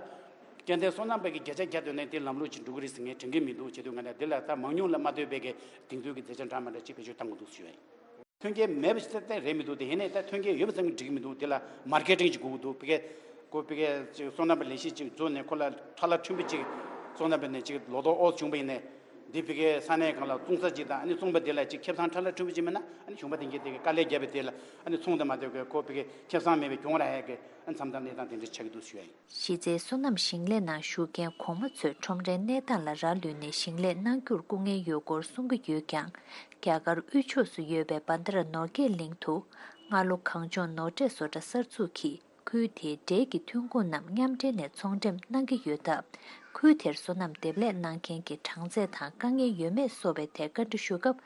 སྐྱེ་ལྡན་སོ་ནམ་པའི་གི་བརྒྱ་ཆ་བརྒྱ་དོན་ནས་དེ་ལམ་ལུགས་ཅིག་འགྲོ་གི་རེད་ཟེར་ངས་དྲན་གི་མི་འདུག། བྱེད་དུས་ང་ལ་འདི་ལ་ད་མང་ཉུང་ལ་མ་ལྟོས་པའི་གི་དེང་དུས་ཀྱི་མཛེས་ཆ་འདྲ་མ་འདྲ་ཅིག་བེད་སྤྱོད་གཏང་དགོས་འདུག་ཞུ་བ་ཡིན། ཐོན་སྐྱེད་མེད་པ་ཞིག་ཏན་ཏན་རེད་མི་འདུག། དེ་ཡིན་ནའི་ད་ཐོན་སྐྱེད་ཡོད་པ་ཙམ་གྱིས་འགྲིག་གི་མི་འདུག། དེ་ལ་མར་ཀེ་ཊིང་ཅིག་དགོས་ཀྱི་འདུག། ཕ་གི་ཁོ་ཕ་གི་ཅིག་སོ་ནམ་པའི་ལས་གཞི་ཅིག་བཟོས་ནས་ཁོ་ལ་ཁྲ་ལ་ཁྲིམས་པ་ཅིག་སོ་ནམ་པའི་ནས་ཅིག་ལོ་ཏོག་ཨོ་བྱུང་པ་ཡིན་ནའི། འདི་ཕ་གི་ས་གནས་གང་ལ་བཙོང་ས་ཅིག་དང་ཨ་ནི་བཙོང་པ་དེ་ལ་ཅིག་ཁེ་བཟང་ཁྲ་ལ་ཁྲིམས་པ་ཅིག་མེད་ན་ཨ་ནི་གཞུང་པ་དེ་འགས་དེ་གི་དཀའ་ལས་བརྒྱབ་པའི་དེ་ལ་ཨ་ནི་ཚོང་དང་མ་ལྟོས་པའི་ཁོ་ཕ་གི་ཁེ་བཟང་མེད་པའི་གྱོང་རག་ཡས་ཀྱི་ཨ་མཚམས་དང་གནས་སྟངས་དེ་འདྲ་ཆགས་ཀྱི་འདུག་ཞུ་ཡ་ཡིན། གཞི་རྩའི་སོ་ནམ་ཞིང་ལས་ནང་ཞུགས་མཁན་གོང་མ་ཚོས་ཁྲོམ་རའི་གནས་སྟངས་ལ་རག་ལུས་ནས་ཞིང་ལས་གནང་རྒྱུར་སྐུ་ངལ་ཡོད་སྐོར་གསུང་གི་ཡོད་ཀྱང་། རྒྱ་གར་དབུས་ཕྱོགས་སུ་ཡོད་པའི་བྷན་དྷ་ར་ནོར་རྒྱས་གླིང་དུ་སྔ་ལོ་གངས་ལྗོངས་ནོར་འཁྲུག་བཟོ་གྲྭ་གསར་འཛུགས་ཀྱིས་ཁུལ་དེའི་འབྲས་ཀྱི་ཐོན་ཁུངས་རྣམས་མཉམ་འབྲེལ་ནས་ཚོང་འགྲེམས་གནང་གི་ཡོད་སྟབས། ཁུལ་དེར་སོ་ནམ་འདེབས་ལས་གནང་མཁན་གྱི་གྲངས་ཚད་དང་དཀའ་ངལ་ཡོད་མེད་སོགས་པའི་ཐད་བཀའ་འདྲི་ཞུ་སྐབས།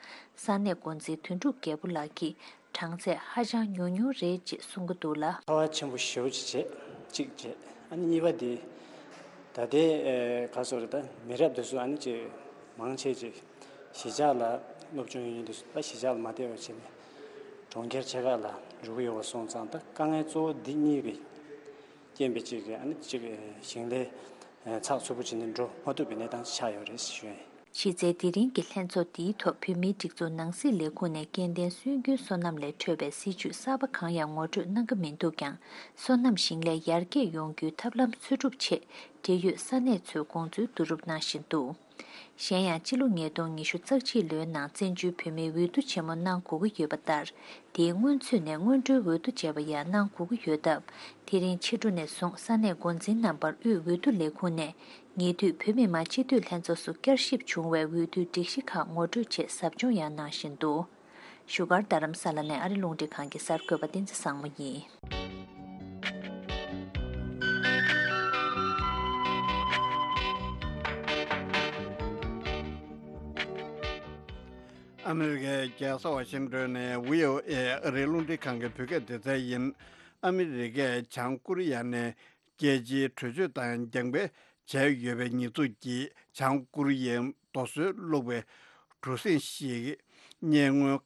ས་གནས་འགོ་འཛིན་དོན་གྲུབ་རྒྱལ་པོ་ལགས་ཀྱིས། གྲངས་ཚད་ཧ་ཅང་ཉུང་ཉུང་རེད་ཅེས་གསུང་གི་འདུག་ལ། ཁ་བ་ཆེན་པོ་ཞེ་པོ་ཅིག་བྱས། གཅིག་བྱས། ཨ་ནི་གཉིས་པ་དེ། ད་ལྟའི་ཨེ་ག་སོགས་རེད། ད་མི་རབས་དེ་ཚོ་ཨ་ནི་ཅིག་མང་ཆེ་ཅིག་གཞིས་ཆགས་ལ་སློབ་སྦྱོང་ཡོད་མཁན་དེ་ཚོ་ད་གཞིས་ཆགས་ལ་མ་བསྡད་པ་བྱས་ནས་གྲོང་ཁྱེར་ཆེ་ཁག་ལ་འགྲོ་གི་ཡོད་པ་སོང་ཙང་། ད་དཀའ་ངལ་གཙོ་བོ་འདི་གཉིས་ཀྱི་ རྐྱེན་པས་ཅིག་གི་ཨ་ནི་ཅིག་ཞིང་ལས་ཚགས་ཚུད་པོ་བྱས་ནས་འགྲོ་མ་ཐུབ་པའི་གནས་སྟངས་ཆགས་ཡོད་རེད་ཞུ་ཡ་ཡིན། གཞི་རྩའི་དེ་རིང་གི་ལྷན་ཚོགས་འདིའི་ཐོག་བོད་མིའི་སྒྲིག་འཛུགས་ནང་སྲིད་ལས་ཁུངས་ནས་སྐྱེ་ལྡན་སྲོལ་རྒྱུན་སོ་ནམ་ལས་འཕྲོས་པའི་སྲིད་ཇུས་གསར་པ་གང་ཡང་ངོ་སྤྲོད་གནང་གི་མི་འདུག་ཀྱང་། སོ་ནམ་ཞིང་ལས་ཡར་རྒྱས་ཡོང་རྒྱུའི་ཐབས་ལམ་འཚོལ་སྒྲུབ་ཆེད་འབྲེལ་ཡོད་ས་གནས་ཚོས་དགོངས་ཚུལ་བསྡུ་རུབ་གནང་བཞིན་འདུག་གཞན་ཡང་། སྤྱི་ལོ་ཉིས་སྟོང་ཉི་ཤུ་རྩ་གཅིག་ལོའི་ནང་བཙན་བྱོལ་བོད་མིའི་འོས་བསྡུ་ཆེན་མོ་གནང་དགོས་ཀྱི་ཡོད་པ་ལྟར། དེའི་སྔོན་ཚུད་ནས་སྔོན་འགྲོའི་འོས་བསྡུ་བྱས་པ་ཡང་གནང་དགོས་ཀྱི་ཡོད་སྟབས། དེ་རིང་ཕྱི་དྲོ་ནས་བཟུང་ས་གནས་འགོ་འཛིན་རྣམ་པར་དབུས་འོས་བསྡུ་ལས་ཁུངས་ནས་ཉེ་དུས་བོད་མི་མང་སྤྱི་འཐུས་ལྷན་ཚོགས་སུ་བསྐྱར་ཞིབ་བྱུང་བའི་འོས་བསྡུའི་སྒྲིག་གཞི་ཁག་ངོ་སྤྲོད་ཆེད་ཟབ་སྦྱོང་ཡང་གནང་བཞིན་འདུག་བཞུགས་སྒར་རྡ་རམ་ས་ལ་ནས་ཨ་རི་རླུང་འཕྲིན་ཁང་གི་གསར་འགོད་པ་བསྟན་འཛིན་བཟང་མོ་ཡིན། ཨ་མི་རི་ཀའི་རྒྱལ་ས་ཝ་ཤིང་ཏོན་ནས་བྷི་ཨོ་ཨེ་ཨ་རིའི་རླུང་འཕྲིན་ཁང་གི་བོད་སྐད་སྡེ་ཚན་ཡིན། ཨ་མི་རི་ཀས་བྱང་ཀོ་རི་ཡ་ནས་རྒྱལ་སྤྱིའི་གྲོས་ཆོད་དང་རྒྱབ་འགལ་བྱས་ཡོད་པའི་ཉེས་འཛུགས་ཀྱིས་བྱང་ཀོ་རི་ཡའི་རྡོ་སོལ་བླུགས་པའི་གྲུ་གཟིངས་ཤིག་ཉེ་སྔོན་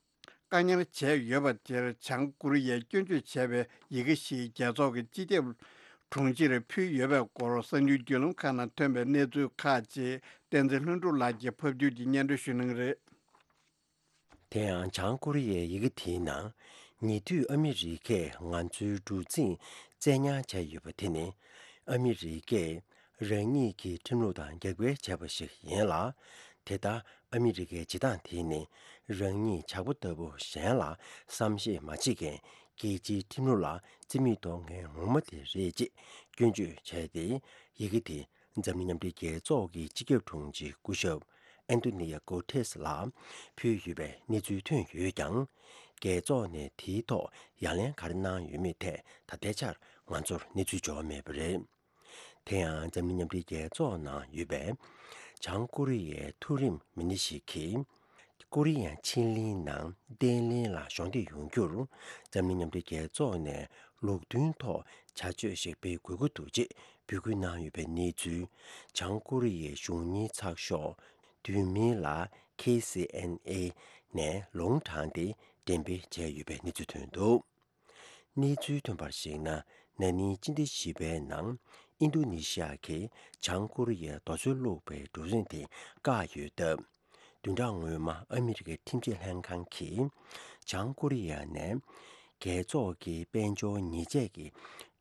བཀག་ཉར་བྱས་ཡོད་པ་དེར་བྱང་ཀོ་རི་ཡས་སྐྱོན་བརྗོད་བྱས་པའི་ཡི་གེ་ཞིག་རྒྱལ་ཚོགས་ཀྱི་སྤྱི་ཁྱབ་དྲུང་ཆེར་ཕུལ་ཡོད་པའི་སྐོར་གསར་འགྱུར་བརྒྱུད་ལམ་ཁག་ནང་ཐོན་པའི་གནས་ཚུལ་ཁག་ཅིག་བསྟན་འཛིན་ལྷུན་གྲུབ་ལགས་ཀྱིས་ཕབ་བསྒྱུར་གྱིས་སྙན་སྒྲོན་ཞུ་གནང་གི་རེད། དེ་ཡང་བྱང་ཀོ་རི་ཡའི་ཡི་གེ་དེའི་ནང་། ཉེ་དུས་ཨ་མི་རི་ཀས་ང་ཚོའི་གྲུ་གཟིངས་བཙན་ཉར་བྱས་ཡོད་པ་དེ་ནི། ཨ་མི་རི་ཀས་རང་ཉིད་ཀྱི་ཁྲིམས་ལུགས་དང་རྒྱབ་འགལ་བྱས་པ་ཞིག་ཡིན་ལ། དེ་ལྟར་ཨ་མི་རི་ཀའི་བྱེད་སྟངས་དེ་ནི། རང་ཉིད་ཇག་པ་ལྟ་བུ་གཞན་ལ་བསམ་ཤེས་མ་བྱེད་མཁན་རྒྱལ་སྤྱིའི་ཁྲིམས་ལུགས་ལ་རྩིས་མེད་གཏོང་མཁན་ངོ་མ་དེ་རེད་ཅེས་སྐྱོན་བརྗོད་བྱས་ཏེ། ཡི་གེ་དེ་འཛམ་གླིང་མཉམ་འབྲེལ་རྒྱལ་ཚོགས་ཀྱི་སྤྱི་ཁྱབ་དྲུང་ཆེ་སྐུ་ཞབས་ཨན་ཏོ་ནི་ཡ་གོ་ཐེས་ལ་ཕུལ་ཡོད་པའི་གནས་ཚུལ་ཐོན་ཡོད་ཀྱང་། རྒྱལ་ཚོགས་ནས་དེའི་ཐོག་ཡ་ལན་ག་རེ་གནང་ཡོད་མེད་ཐད་ད་ལྟའི་ཆར་ང་ཚོར་གནས་ཚུལ་འབྱོར་མེད་པ་རེད། དེ་ཡང་འཛམ་གླིང་མཉམ་འབྲེལ་རྒྱལ་ཚོགས་ནང་ཡོད་པའི་བྱང་ཀོ་རི་ཡའི་མཐོ་རིམ་མི་སྣ་ཞིག་གིས། ཀོ་རི་ཡའི་ཕྱེད་གླིང་ནང་བརྟན་ལྷིང་ལ་གཞོགས་འདེགས་ཡོང་རྒྱུར། འཛམ་གླིང་མཉམ་འབྲེལ་རྒྱལ་ཚོགས་ནས་ལུགས་མཐུན་ཐོག་བྱ་སྤྱོད་ཞིག་སྤེལ་དགོས་ཀྱི་འདུག་ཅེས་འབོད་སྐུལ་གནང་ཡོད་པའི་གནས་ཚུལ། བྱང་ཀོ་རི་ཡའི་གཞུང་གཉེར་ཚགས་ཤོག་བསྡུས་མིང་ལ་ཁེ་སི་ཨེན་ཨེ་ནས་ལུང་དྲངས་ཏེ་འགྲེམས་སྤེལ་བྱས་ཡོད་པའི་གནས་ཚུལ་ཐོན་འདུག་གནས་ཚུལ་ཐོན་པར་གཞིགས་ན། ན་ནིང་སྤྱི་ཟླ་བཞི་པའི་ནང་། ཨིན་རྡུ་ནི་ཤི་ཡ་གིས་བྱང་ཀོ་རི་ཡའི་རྡོ་སོལ་བླུགས་པའི་གྲུ་གཟིངས་དེ་བཀག་ཡོད་སྟབས། བདུན་ཕྲག་སྔོན་མ་ཨ་མི་རི་ཀའི་ཁྲིམས་ཆད་ལྷན་ཁང་གིས། བྱང་ཀོ་རི་ཡ་ནས་རྒྱལ་ཚོགས་ཀྱི་དཔལ་འབྱོར་ཉེས་ཆད་ཀྱི་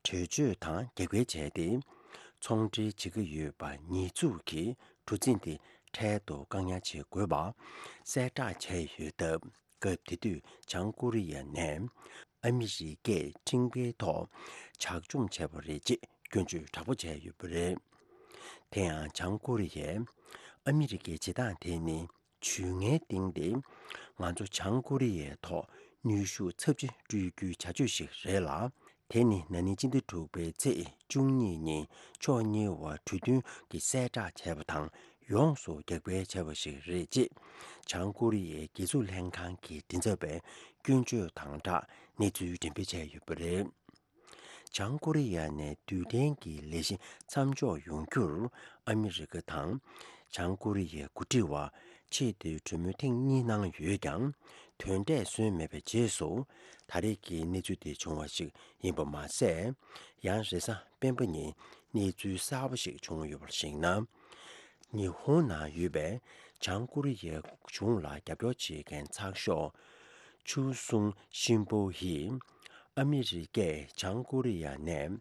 གྲོས་ཆོད་དང་རྒྱབ་འགལ་བྱས་ཏེ། ཚོང་འབྲེལ་བྱེད་ཀྱི་ཡོད་པ་ཉེས་འཛུགས་ཀྱིས་གྲུ་གཟིངས་དེ་འཕྲལ་དུ་བཀག་ཉར་བྱེད་དགོས་པ་གསལ་བསྒྲགས་བྱས་ཡོད་སྟབས། སྐབས་དེ་དུས་བྱང་ཀོ་རི་ཡ་ནས་ཨ་མི་རི་ཀས་ཁྲིམས་འགལ་ཐོག་ཇག་བཅོམ་བྱས་པ་རེད་ཅེས་སྐྱོན་བརྗོད་དྲག་པོ་བྱས་ཡོད་པ་རེད། དེ་ཡང་བྱང་ཀོ་རི་ཡས་ཨ་མི་རི་ཀའི་བྱེད་སྟངས་དེ་ནི་ཇུས་ངན་བཏིང་སྟེ། ང་ཚོ་བྱང་ཀོ་རི་ཡའི་ཐོག་ནུས་ཤུགས་ཚབས་ཆེ་སྤྲོད་རྒྱུའི་བྱ་སྤྱོད་ཞིག་རེད་ལ། དེ་ནི་ན་ནིང་སྤྱི་ཟླ་དྲུག་པའི་ཚེས་བཅུ་གཉིས་ཉིན་ཕྱོགས་གཉིས་བར་གྲོས་མཐུན་གྱི་གསལ་བསྒྲགས་བྱས་པ་དང་ཡོངས་སུ་རྒྱབ་འགལ་བྱས་པ་ཞིག་རེད་ཅེས་བྱང་ཀོ་རི་ཡའི་རྒྱལ་སྲུང་ལྷན་ཁང་གི་མགྲིན་ཚབ་པས་སྐྱོན་བརྗོད་དང་སྦྲགས་གནས་ཚུལ་འགྲེམས་སྤེལ་བྱས་ཡོད་པ་རེད། བྱང་ཀོ་རི་ཡ་ནས་རྡུལ་ཕྲན་གྱི་ལས་གཞི་མཚམས་འཇོག་ཡོང་རྒྱུར་ཨ་མི་རི་ཀ་དང་བྱང་ཀོ་རི་ཡའི་འགོ་ཁྲིད་བར་ཆེས་མཐོའི་གྲོས་མོལ་ཐེངས་གཉིས་གནང་ཡོད་ཀྱང་། དོན་འབྲས་སོན་མེད་པའི་རྗེས་སུ། ད་རེས་ཀྱི་གནས་ཚུལ་དེ་བྱུང་བ་ཞིག་ཡིན་པ་མ་ཟད། ཡང་རེས་གཟའ་སྤེན་པ་ཉིན་གནས་ཚུལ་གསར་པ་ཞིག་བྱུང་ཡོད་པར་གཞིགས་ན། ཉི་ཧོང་ནང་ཡོད་པའི་བྱང་ཀོ་རི་ཡའི་གཞུང་ལ་རྒྱབ་སྐྱོར་བྱེད་མཁན་ཚགས་ཤོག་ཆུ་སུང་ཤིན་པོ་ཡིས། ཨ་མི་རི་ཀས་བྱང་ཀོ་རི་ཡ་ནས་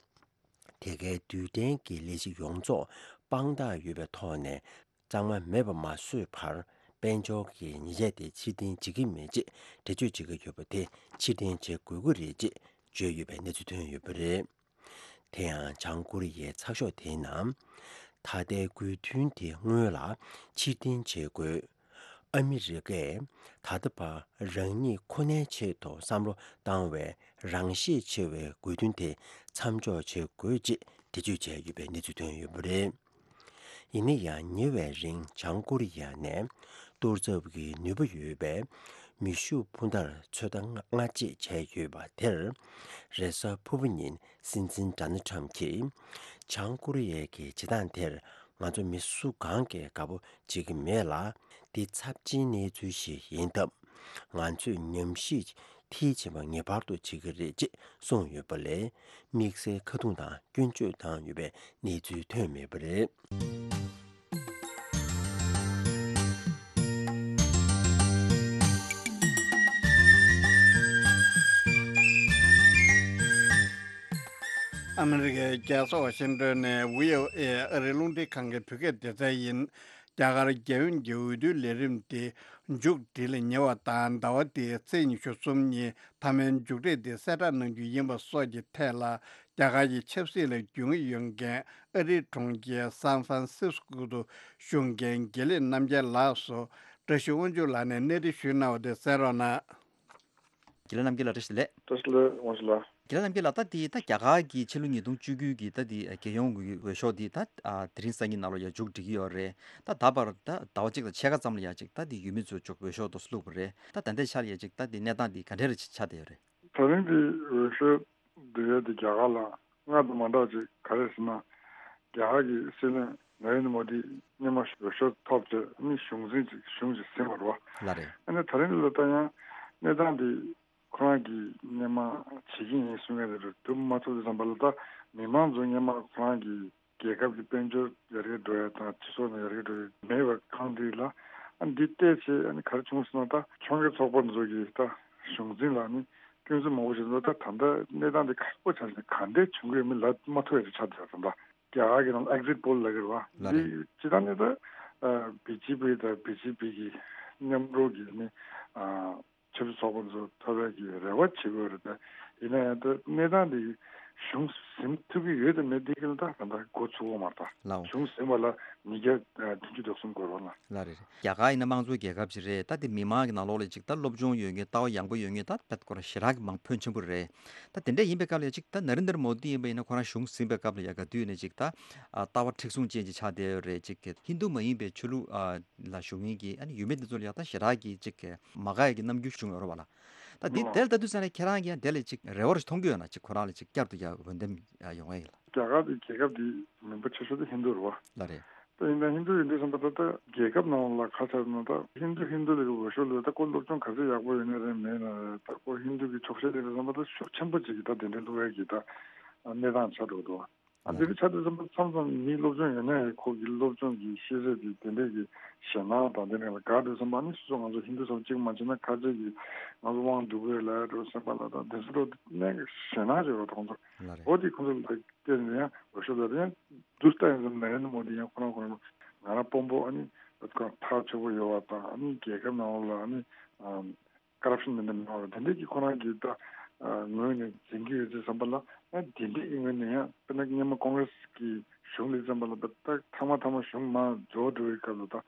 དེ་གའི་རྡུལ་ཕྲན་གྱི་ལས་གཞི་ཡོངས་རྫོགས་དཔང་རྟགས་ཡོད་པའི་ཐོག་ནས་གཙང་མ་མེད་པ་མ་བཟོས་བར། དཔལ་འབྱོར་གྱི་ཉེས་ཆད་དེ་ཕྱིར་འཐེན་བྱེད་ཀྱི་མེད་ཅེས་འགྲེལ་བརྗོད་བྱེད་ཀྱི་ཡོད་པ་དེ་ཕྱིར་འཐེན་བྱེད་དགོས་ཀྱི་རེད་ཅེས་བརྗོད་ཡོད་པའི་གནས་ཚུལ་ཐོན་ཡོད་པ་རེད། དེ་ཡང་བྱང་ཀོ་རི་ཡའི་ཚགས་ཤོག་དེའི་ནང་། ད་ལྟའི་དགོས་འདུན་དེ་སྔོན་ལ་ཕྱིར་འཐེན་བྱེད་དགོས། ཨ་མི་རི་ཀས་ད་ལྟ་བར་རང་ཉིད་ཁོ་ནའི་ཆེད་དུ་བསམ་བློ་བཏང་བའི་རང་ཤེད་ཆེ་བའི་དགོས་འདུན་དེ་མཚམས་འཇོག་བྱེད་དགོས་ཅེས་འགྲེལ་བརྗོད་བྱས་ཡོད་པའི་གནས་ཚུལ་ཐོན་ཡོད་པ་རེད། ཡིན་ན་ཡང་ཉེ་བའི་རིང་བྱང་ཀོ་རི་ཡ་ནས་གཏོར་ཚབ་ཀྱི་ནུས་པ་ཡོད་པའི་མེ་ཤུགས་འཕུར་མདའ་ཚོད་ལྟ་སྔ་རྗེས་བྱས་ཡོད་པ་དེར། རེས་གཟའ་ཕུར་བུ་ཉིན་སྲིད་འཛིན་ཌོ་ནལ་ཊམ་གྱིས། བྱང་ཀོ་རི་ཡའི་གི་བྱེད་སྟངས་དེར་ང་ཚོ་མི་སུ་གང་གིས་དགའ་པོ་བྱེད་ཀྱི་མེད་ལ། འདི་ཚབས་ཆེན་གནས་ཚུལ་ཞིག་ཡིན་སྟབས། ང་ཚོས་ཉམས་ཞིབ་ མཐིལ་ཕྱིན་པ་ངེས་པར་དུ་བྱེད་ཀྱི་རེད་ཅེས་གསུངས་ཡོད་པ་ལས། དམིགས་བསལ་ཁ་རྡུང་དང་སྐྱོན་བརྗོད་བཏང་ཡོད་པའི་གནས་ཚུལ་ཐོན་མེད་པ་རེད། ཨ་མི་རི་ཀའི་རྒྱལ་ས་ཝ་ཤིང་ཏོན་ནས་བྷི་ཨོ་ཨེ་ཨ་རིའི་རླུང་འཕྲིན་ཁང་གི་བོད་སྐད་སྡེ་ཚན་ཡིན། རྒྱ་གར་རྒྱལ་ཡོངས་ཀྱི་འོས་བསྡུའི་ལས་རིམ་དེ་མཇུག་སྒྲིལ་ཉེ་བ་དང་ཟླ་བ་འདིའི་ཚེས་ཉི་ཤུ་གསུམ་ཉིན་མཐའ་མའི་མཇུག་འབྲས་དེ་གསལ་བསྒྲགས་གནང་རྒྱུ་ཡིན་པ་སོགས་ཀྱི་ཐད་ལ། རྒྱ་གར་གྱི་ཆབ་སྲིད་ལ་རྒྱུས་མངའ་ཡོད་མཁན་ཨ་རིའི་གྲོང་ཁྱེར་སན་ཧྥ་རན་སིས་ཀོ་དུ་བཞུགས་མཁན་དགེ་ལེགས་རྣམ་རྒྱལ་ལགས་སུ་བཀྲ་ཤིས་དབང་ཕྱུག་ལགས་ནས་གནས་འདྲི་ཞུས་གནང་བ་དེ་གསན་རོགས་གནང་། དགེ་ལེགས་རྣམ་རྒྱལ་ལགས། བཀྲ་ཤིས་བདེ་ལེགས། བཀྲ་ཤིས་བདེ་ལེགས། དབང་ཕྱུག་ལགས། དགེ་ལེགས་རྣམ་རྒྱལ་ལགས། ད་དེ་ད་རྒྱ་གར་གྱི་ཕྱི་ལོ་ཉིས་སྟོང་བཅུ་དགུ་གི་ད་དེ་རྒྱལ་ཡོངས་ཀྱི་འོས་ཤོག་དེ་ད་ཨ་དེ་རིང་སང་ཉིན་ནང་ལོགས་ཡ་མཇུག་སྒྲིལ་གྱི་ཡོད་རེད། ད་ད་བར་ད་ཟླ་བ་གཅིག་དང་ཕྱེད་ཀ་ཙམ་ལ་ཡ་གཅིག་ད་དེ་ཡུལ་མི་ཚོས་ཅིག་འོས་ཤོག་དེ་ཚོ་བླུགས་པ་རེད། ད་ད་ལྟའི་ཆར་ཡ་གཅིག་ད་དེ་གནས་སྟངས་དེ་ག་འདྲ་རེ་ཆགས་བསྡད་ཡོད་རེད། ད་རིང་གི་འོས་ཤོག་བསྡུ་ཡས་དེ་རྒྱ་གར་ལ་སྔར་དང་མ་འདྲ་བ་ཅིག་ག་རེ་ཟེར་ན། རྒྱ་གར་གྱི་སྲིད་བློན་ནཱ་རེན་དྲ་མོ་དི་སྔོན་མ་འོས་ཤོག་ཐོབ་རྗེས་ནི་གཞུང་འཛིན་ཅིག་གཞུང་ཅིག་ཟིན་པ་རེད་བ། ལགས་རེད། ཨ་ནི་ད་རིང་ལ་ད་ཡང་གནས་སྟངས་འདི་ཁོ་རང་གིས་སྔོན་མ་བྱེད་ཀྱི་ཡིན་གསུང་མཁན་དེ་འདྲ་འགྲུབ་མ་ཐུབ་དུས་ཙམ་པ་ལ། ད་མི་མང་ཚོ་སྔོན་མ་ཁོ་རང་གི་རྒྱལ་ཁབ་ཀྱི་དཔལ་འབྱོར་ཡར་རྒྱས་འགྲོ་ཡ་དང་སྤྱི་ཚོགས་ནང་ཡར་རྒྱས་འགྲོ་ཡ་མེད་པའི་ཁང་འདི་ལ། ཨ་འདི་བལྟས་བྱས་ཨ་ནི་ག་རེ་བྱུང་སོང་ན། ད་ཕྱོགས་འགལ་ཚོགས་པ་ཚོ་གིས་ད་གཞུང་འཛིན་ལ་ནི་སྐྱོན་འཛུགས་མང་པོ་བྱས་སོང་། ད་ད་ལྟ་གནས་སྟངས་འདི་ཁག་པོ་ཆགས་ནས་ག་འདྲས་བྱུང་གི་ཡོད་མེད་ལབ་མ་ཐུབ་ཡ་ཅིག་ཆགས་བསྡད་ཡོད་རེད། ད་རྒྱ་གར་གྱི་ནང་ཨེག་ཛིཊ་པོལ་ལབ་ཀྱི་རེད་བ། ལགས་རེད། འདི་སྤྱིར་བཏང་ནི་ད་བི་ཇེ་པི་དང་བི་ཇེ་པི་གི་མཉམ་རོགས་ཀྱི་ནི་ཆབ་སྲིད་ཚོགས་པ་ཚོ་ཐོབ་ཡག་གི་རེ་བ་བྱེད་དགོས་རེད། ད་ཡིན་ན་ཡང་ད་གནས་སྟངས་འདི་གཞུང་ཟིན་ཐུབ་ཀྱི་ཡོད་དམ་མེད་འདི་གི་ལ་ད་ད་ལྟ་འགོ་ཚུགས་ཡོད་མ་རེད། ད་ལའོ། གཞུང་ཟིན་པ་ལ་ཉིས་བརྒྱ་བདུན་ཅུ་དོན་གསུམ་འགོར་བ་ལ། ལགས་རེད། རྒྱ་གར་ཡིན་ན་དམངས་གཙོའི་རྒྱལ་ཁབ་ཅིག་རེད། ད་དེ་མི་མང་གི་ནང་ལོགས་ལ་ཅིག་ད་སློབ་སྦྱོང་ཡོད་མཁན་ལྟ་བ་ཡག་པོ་ཡོད་མཁན་ད་དཔེ་ཁོ་རང་ཞེ་དྲག་གི་མང་ཕོན་ཆེན་པོ་རེད། ད་དེ་འདྲ་ཡིན་པའི་སྐབས་ལ་ཅིག་ད་ནཱ་རེན་དྲ་མོ་དི་ཡིན་པ་ཡིན་ན་ཁོ་རང་གཞུང་ཟིན་པའི་སྐབས་ལ་ཡ་ག་དུས་ནས་ཅིག་ད་ཨ་ལྟ་བ་མཁྲེགས་བཟུང་ཅན་ཅིག་ཆགས་བསྡད་ཡོད་རེད། ཅིག་ཧིན་རྡུ་མ་ཡིན་པའི་ཆོས་ལུགས་ཨ་ལ་ཞུགས་མཁན་གྱི་ཨ་ནི་ཡུལ་མི་དེ་ཚོ་ལ་ཡ་ད་ཞེ་དྲག་གི་ཅིག་མ་དགའ་ཡ་གི་རྣམ་འགྱུར་བྱུང་ཡོད་རེད་བ་ལ། ད་འདི་ཨོ། དེར་ལྟ་དུས་ཙང་ནས་ཁྱེད་རང་གིས་ཡང་དེ་ལ་ཅིག་རེ་བ་རེ་མཐོང་གི་ཡོད་ན། ཅིག་ཁོ་རང་ལ་ཅིག་བསྐྱར་དུ་ཡ་འོས་འདེམས་ཡ་ཡོང་ཡ་ཡིན་ལ། རྒྱ་གར་དེ་རྒྱལ་ཁབ་དེ་མིང་པ་ཆེ་ཤོས་དེ་ཧིན་རྡུ་རེད་བ། ལགས་རེད། ད་ཡིན་ན་ཧིན་རྡུ་ཡིན་དུས་ཙམ་པ་ད་ལྟ་རྒྱལ་ཁབ་ནང་ལ་ཁ་ཆགས་ན་ད་ཧིན་རྡུ་ཧིན་རྡུ་ལ་གི་འོས་ཤོག་ལ་ད་ཁོ་སློབ་སྦྱོང་ག་ཚོད་ཡག་པོ་ཡོད་ན་རེད་མེད་ན་རེད། ད་ཁོ་ཧིན་རྡུ་གི་ཕྱོགས་ཞེན་དེ་དུས་ཙམ་པ་ད་ཤུགས་ཆེན་པོ་ཅིག་གི་ད་དེ་འདྲའི་བླུག་ཡ་གི་ད་གནས་སྟངས་ཆགས་འགྲོ་འདུག་ཨ་ལགས་འདི་རེད། འདྲ་ཆགས་དུས་ཙམ་པ་མཚམས་མཚམས་མི་སློབ་སྦྱོང་ཡོད་ན་ཡང་ཁོ་གི་སློབ་སྦྱོང་གི་ཤེས་ཚད་དེ་དེ་འདྲས་ཀྱི་ཞེད་སྣང་དང་དེ་འདྲས་ལ་དགའ་དུས་ཙམ་པ་ནི་སོ་སོ་ང་ཚོ་ཧིན་རྡུ་ཚོ་གཅིག་མ་བྱས་ན་ཁ་ཆེ་གི་ང་ཚོ་དབང་སྡུག་གི་ལ་འགྲོ་སེམས་པ་ལ་དང་དེ་ཚོ་འགྲོ་གནས་ཞེད་སྣང་བྱེད་རོགས་ཁོང་ཚོ། ལགས་རེད། འོ་དེ་ཁོང་ཚོ་ལ་བལྟས་ནས་ཡང་འོས་ཤོག་ལ་ཡང་དུས་ལྟ་ཡིན་ཙམ་ནཱ་རེན་དྲ་མོ་དི་ཡང་ཁོ་རང་ཁོ་རང་ང་རང་དཔོན་པོ་ཨ་ནི་ཁོ་རང་ཐག་ཆོད་པོ་ཡོད་པ་དང་ཨ་ནི་རྒྱལ་ཁབ་ནང་ལ་ཨ་ནི། ཀ་རབ་ཤན་མི་འདྲ་མི་འདྲ་དེ་འདྲས་ཀྱི་ཁོ་རང་གི་ད་ངོས་ནས་འཛིན་གྱི་ཡོད་ཚེ་བསམ་པ་ལ། ཨ་དེ་འདྲས་ཀྱི་ངོས་ནས་ཡང་དཔེར་ན་སྔོན་མ་ཀོང་རེ་སི་གི་གཞུང་ལ་བསམ་པ་ལ་ད་ཐ་མ་ཐ་མ་གཞུང་མར་འཇོག་འགྲོ་བའི་སྐབས་ལ་ད་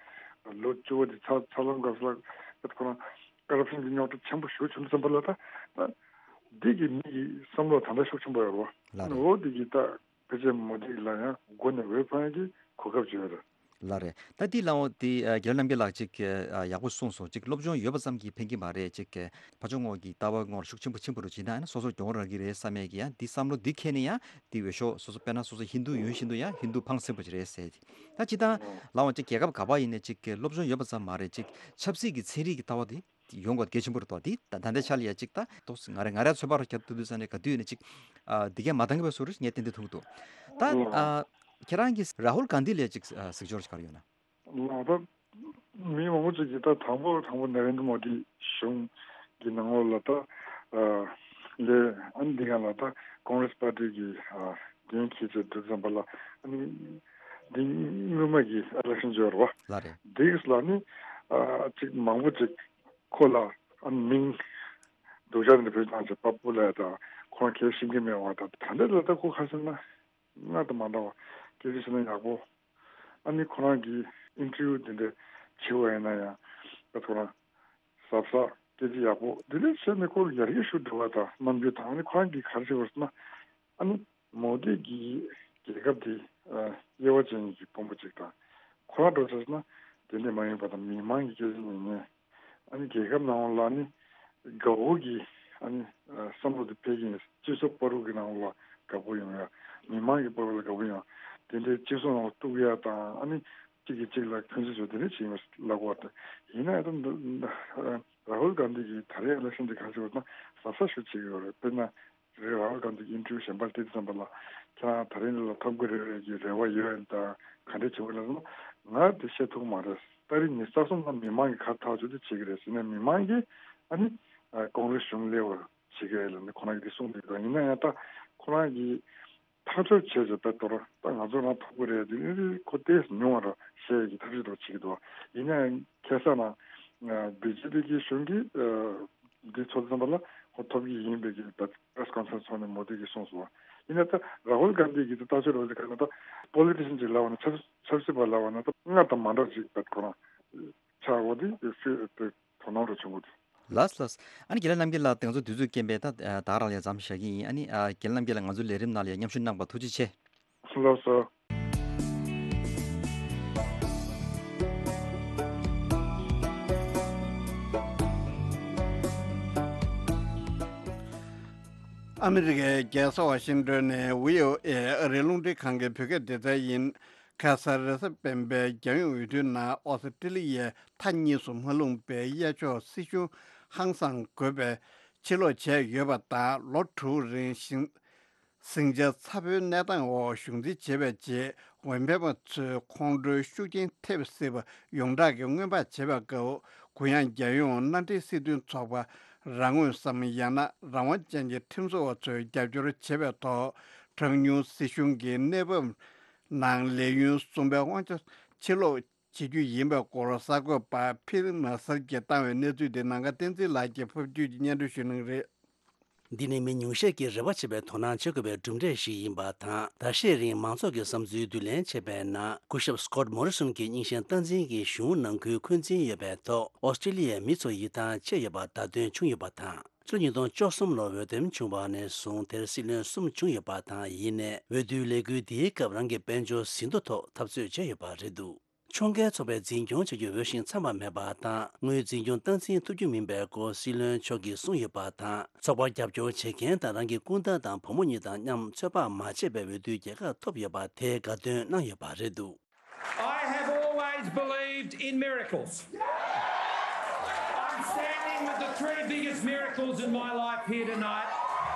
ལོ་བཅུ་པ་དེ་ཚར་ཚར་ལམ་སྐབས་སུ་ལ་ད་ཁོ་རང་ཀ་རབ་ཤན་གྱི་རྙོག་དྲ་ཆེན་པོ་ཞེ་པོ་བྱུང་བསམ་པ་ལ་ད་ད་འདི་གི་མི་གི་བསམ་བློ་ད་ལྟ་ཤུགས་ཆེན་པོ་ཡོད་རེད་བ། ལགས་རེད། འོ་འདི་གི་ད་ཕལ་ཆེར་མོ་དི་ལ་ཡང་མགོ་ནས་འོས་འཕང་ཡ་གི་གོ་སྐབས་ཅིག་ཡོད་རེད། ལགས་རེད། ད་འདི་ལའང་དེ་ཨ་རྒྱལ་བ་རྣམ་རྒྱལ་ལགས་ཅིག་གིས་ཨ་ཡག་པོ་གསུངས་སོང་། ཅིག་སློབ་སྦྱོང་ཡོད་པ་ཙམ་གྱིས་ཕན་གྱི་མ་རེད། ཅིག་ཕར་ཕྱོགས་ངོས་ཀྱི་ལྟ་བ་ངོས་ཤུགས་ཆེན་པོ་ཆེན་པོ་རུ་བྱེད་ན་ཡང་ན་སོ་སོ་གྱོང་རག་གི་རེད་བསམ་ཡས་ཀྱི་ཡང་འདི་བསམ་བློ་འདི་འཁྱེར་ནས་ཡང་འདི་འོས་ཤོག་སོ་སོ་དཔེར་ན་སོ་སོ་ཧིན་རྡུ་ཡིན་བཞིན་དུ་ཡང་ཧིན་རྡུ་ཕངས་སེམས་པོ་ཅིག་རེད་ཟེར། ད་ཅི་ད་ལའང་ཅིག་རྒྱལ་ཁབ་ག་པར་ཡིན་ནས་ཅིག་སློབ་སྦྱོང་ཡོད་པ་ཙམ་མ་རེད། ཅིག་ཆབ་སྲིད་ཀྱི་ཚན་རིག་གི་ལྟ་བ་འདི་ཡོང་དགོས་གལ་ཆེན་པོ་རེད་དོ། འདི་ད་ད་ལྟའི་ཆ་ལ་ཡ་གཅིག་ད་ཏོག་ཙམ་ང་རེ་ང་རེ་ཚོད་དཔག་རུ་བརྒྱབ་ཐུབ་དུས་ཙང་ནས་ག་དུས་ནས་གཅིག་ཨ་འདི་གས་མ་འདང་གི་བས་སུ་རུ་ངས་ཏན་ཏན་ཐུག་འདུག་ད་ཨ་ཁྱེད་རང་གིས་རཱ་ཧུལ་གྷན་དྷི་ལ་ཡ་གཅིག་ཨ་གཟིགས་སྐོར་ཞིག་ག་རེ་ཡོད་ན། ལགས། ད་མི་མང་པོ་ཅིག་གིས་ད་དང་པོ་དང་པོ་ནཱ་རེན་དྲ་མོ་དི་གཞུང་གི་ནང་ལོགས་ལ་ད་ཨ་ལས་ཨ་ནི་འདི་ག་ལ་ད་ཀོང་རེ་སི་པར་ཊི་གི་ཨ་འགན་འཁྱེར་བྱས་འདུག་ཙམ་པ་ལ་ཨ་ནི་འདི་སྔོན་མ་གི་ཨ་ལེག་ཤན་ཅིག་ཡོད་རེད་བ། ལགས་རེད། འདི་གི་ལ་ནི་ཨ་ཅིག་མང་པོ་ཅིག་ཁོ་ལ་ཨ་མིང་སྡུག་ཅག་འདི་བོད་ནང་ཆེ་པ་པུ་ལ་དང་ཁོང་ཁས་ཤིང་གི་མེད་པ་དང་ད་འདི་ལ་ད་ཁོ་ཁ་སང་ན་ང་དང་མ་འདྲ་བ་སྐད་ཆ་བཤད་ན་ཡག་པོ། ཨ་ནི་ཁོ་རང་གི་ཨིན་ཊར་བིའུ་འདི་འདྲ་བྱེད་པ་ཡིན་ན་ཡང་ད་ཁོ་རང་གཟབ་གཟབ་སྐད་ཆ་ཡག་པོ་འདི་འདྲ་བཤད་ནས་ཁོ་ཡར་རྒྱས་ཤུགས་འགྲོ་བ་དང་རྣམ་འགྱུར་དང་ཨ་ནི་ཁོ་རང་གིས་ག་རེ་བྱེད་པ་ཟེར་ན། ཨ་ནི་མོ་དི་གིས་རྒྱལ་ཁབ་དེ་ཨ་དབྱེ་བ་ཕྱེ་མཁན་གྱི་དཔོན་པོ་ཅིག་དང་། ཁོ་རང་འགྲོ་ཆགས་ན་དེ་འདྲ་མ་ཡིན་པ་དང་མི་མང་གི་སྐད་ཆ་ཉན་ཉན། ཨ་ནི་རྒྱལ་ཁབ་ནང་ལ་ནི་དགའ་བོ་གི་ཨ་ནི་ཨ་བསམ་བློ་དེ་འཕེལ་གྱི་ཡིན། སྤྱི་ཚོགས་བར་དུ་གི་ནང་ལ་དགའ་བོ་ཡོང་ཡ། མི་མང་གི་བར་ལ་དགའ་བོ་ཡོང་། དེ་འདྲའི་སྤྱི་ཚོགས་ནང་ལ་གཏུག་ཡ་དང་ཨ་ནི་གཅིག་གིས་གཅིག་ལ་འཁོན་འཛིན་བཟོ་དེ་འདྲ་བྱེད་ཡིན་ལབ་དགོས་པ་དང་ཡིན་ན་ཡང་ད་ཨ། རཱ་ཧུལ་གྷན་དྷི་གིས་ད་རེས་ཨི་ལེག་ཤན་དེ་ག་རེ་བྱེད་པ་ན་གཟབ་གཟབ་ཞིག་བྱེད་ཀྱི་ཡོད་རེད། དཔེར་ན། རེད། རཱ་ཧུལ་གྷན་དྷི་གི་ཨིན་ཊར་བིའུ་གཞན་པ་དེ་དུས་ཙམ་པ་ལ་ཁྱེད་རང་ད་རིང་ལ་ཐོབ་ཀྱི་རེད་རེད་ཀྱི་རེ་བ་ཡོད་ཡིན་དང་ག་འདྲས་བྱེད་དགོས་ལབ་ན། ང་དེ་བཤད་ཐུབ་མ་རེད། ཏ་རིག་ཉི་ཤུ་རྩ་གསུམ་ལ་མི་མང་གིས་ག་ཐག་ཆོད་དེ་བྱེད་ཀྱི་རེད་ཟེར་ནས་མི་མང་གིས་ཨ་ནི་ཀོང་རེས་གཞུང་སླེབས་པར་བྱེད་ཀྱི་རེད་ལབ་ནས་ཁོ་རང་གིས་དེ་གསུངས་འདུག་ཡིན་ན་ཡང་ད་ཁོ་རང་གིས་ཐག་གཅོད་བྱས་ཚེ་དཔེ་དོར་ད་ང་ཚོ་རང་ཐོབ་ཀྱི་རེད། དེ་ནི་ཁོ་ཏོག་ཙམ་ཉུང་བ་རེད་བཤད་ཀྱི་ཐབས་ཤེས་འདྲ་བོ་བྱེད་ཀྱི་འདུག་ཡིན་ན་ཡང་ཁ་སང་ན་བི་ཇེ་པི་གི་གཞུང་གིས་འདི་ཚོ་ཙམ་པ་ལ་ཁོ་ཐོབ་ཀྱི་ཡིན་པའི་གི་ད་པེ་རེ་སི་ཀོན་ཕ་རེན་སི་ཚོགས་ནས་མོ་དི་གིས་གསུངས་སོང་། ཡིན་ན་ད་རཱ་ཧུལ་གྷན་དྷི་གིས་ད་ལྟ་ཚོད་རོགས་ཀྱི་ཁ་ན་ད་པོ་ལི་ཊི་ཤན་ཅིག་ལབ་པ་ན་ཆབ་ཆབ་སྲིད་པ་ལབ་པ་ན་ད་སྔར་དང་མ་འདྲ་ཅིག་ད་ཁོ་རང་ཆགས་འོ་དེ་ཕི་དེ་དོ་སྣང་རུ་བྱུང་གི་འདུག་ལགས་ལགས། ཨ་ནི་རྒན་ལགས་རྣམ་རྒྱལ་ལགས་དེ་ང་ཚོ་དུས་ཚོད་རྐྱེན་པས་ད་ད་རང་ལ་མཚམས་བཞག་གི་ཡིན། ཨ་ནི་རྒན་ལགས་རྣམ་རྒྱལ་ལགས་ང་ཚོའི་ལས་རིམ་ནང་ལ་ཡང་མཉམ་ཞུགས་གནང་བར་ཐུགས་རྗེ་ཆེ། ལགས་སོ། ཨ་མི་རི་ཀའི་རྒྱལ་ས་ཝ་ཤིང་ཏོན་ནས་བྷི་ཨོ་ཨེ་ཨ་རིའི་རླུང་འཕྲིན་ཁང་གི་བོད་སྐད་སྡེ་ཚན་ཡིན། ཁ་སང་རེས་གཟའ་སྤེན་པའི་རྒྱལ་ཡོངས་འོས་བསྡུའི་ནང་ཨོ་སི་ཀྲི་ལི་ཡའི་མཐའ་གཉིས་སུ་མ་ལྷུང་པའི་གཡས་ཕྱོགས་སྲིད་གཞུང་ཧང་སངས་དགོས་པའི་ཕྱིར་ལོག་བྱས་ཡོད་པ་དང་། ལོ་དྲུག་རིང་ཞིང་ཟིང་ཆ་ཚ་པོའི་གནས་སྟངས་འོག་གཞུང་འཛིན་བྱས་པའི་རྗེས། འོས་འཕེན་པ་ཚོས་ཁོང་ཁྲོའི་ཤུགས་རྐྱེན་ཐེབས་སྲིད་པ་ཡོངས་གྲགས་ཀྱིས་སྔོན་དཔག་བྱས་པའི་སྐབས། གུ་ཡངས་རྒྱལ་ཡོངས་མནའ་འབྲེལ་སྲིད་དོན་ཚོགས་པ་རང་ངོས་སམ། ཡང་ན་རང་དབང་ཅན་གྱི་ཁྲིམས་བཟོ་བ་ཚོས་རྒྱབ་སྐྱོར་བྱས་པའི་ཐོག་གྲངས་ཉུང་སྲིད་གཞུང་གི་གནས་བབ་ནང་ལས་ཡུན་གསུམ་པའི་དབང་ཆ་ཕྱིར་སློག་བྱེད་རྒྱུ་ཡིན་པའི་སྐོར། གསར་འགོད་པ་ཕིལ་མ་སར་གྱིས་བཏང་བའི་གནས་ཚུལ་དེ་ནམ་མཁའ་བསྟན་འཛིན་ལགས་ཀྱིས་ཕབ་བསྒྱུར་གྱིས་སྙན་སྒྲོན་ཞུ་གནང་གི་རེད། འདི་ནི་མི་ཉུང་ཤས་ཀྱིས་རེ་བ་བྱེད་པའི་དོ་སྣང་བྱེད་དགོས་པའི་གྲུབ་འབྲས་ཤིག་ཡིན་པ་དང་། ཟླ་ཤས་རིང་མང་ཚོགས་ཀྱི་བསམ་ཚུལ་བསྡུ་ལེན་བྱས་པའི་ནང་། སྐུ་ཞབས་སི་ཀོཊ་མོ་རི་སོན་གྱི་རྙིང་ཞེན་སྟངས་འཛིན་གྱི་གཞུང་ནང་ཁུལ་འཁོན་འཛིན་ཡོད་པའི་ཐོག་ཨོ་སི་ཀྲི་ལི་ཡའི་མི་ཚོ་ཡིད་ཐང་ཆད་ཡོད་པ་བརྡ་སྟོན་བྱུང་ཡོད་པ་དང་། ཕྱི་ལོ་ཉིས་སྟོང་བཅུ་གསུམ་ལོར་འོས་འདེམས་བྱུང་བ་ནས་བཟུང་དེར་སྲིད་བློན་གསུམ་བྱུང་ཡོད་པ་དང་། ཡིན་ནའི་འོས་བསྡུའི་ལས་འགུལ་འདིའི་སྐབས་རང་གི་དཔལ་འབྱོར་ཟིན་ཐོ་ཐོག་འཐབ་རྩོད་བྱས་ཡོད་པ་རེད་འདུག་ཕྱོགས་འགལ་ཚོགས་པས་འཛིན་སྐྱོང་བྱ་རྒྱུ་འོས་ཤིང་འཚམ་པ་མེད་པ་དང་། དངུལ་འཛིན་སྐྱོང་སྟངས་འཛིན་ཐུབ་རྒྱུ་མིན་པའི་སྐོར་སྲིད་བློན་མཆོག་གིས་གསུངས་ཡོད་པ་དང་། ཚོགས་པར་རྒྱབ་སྐྱོར་བྱེད་མཁན་དང་རང་གི་སྐུ་ཟླ་དང་བུ་མོ་གཉིས་དང་མཉམ་ཚོད་དཔག་མ་བྱས་པའི་འོས་བསྡུའི་རྒྱལ་ཁ་ཐོབ་ཡོད་པ་དེ་དགའ་སྟོན་གནང་ཡོད་པ་རེད་འདུག I have always believed in miracles. I'm standing with the three biggest miracles in my life here tonight.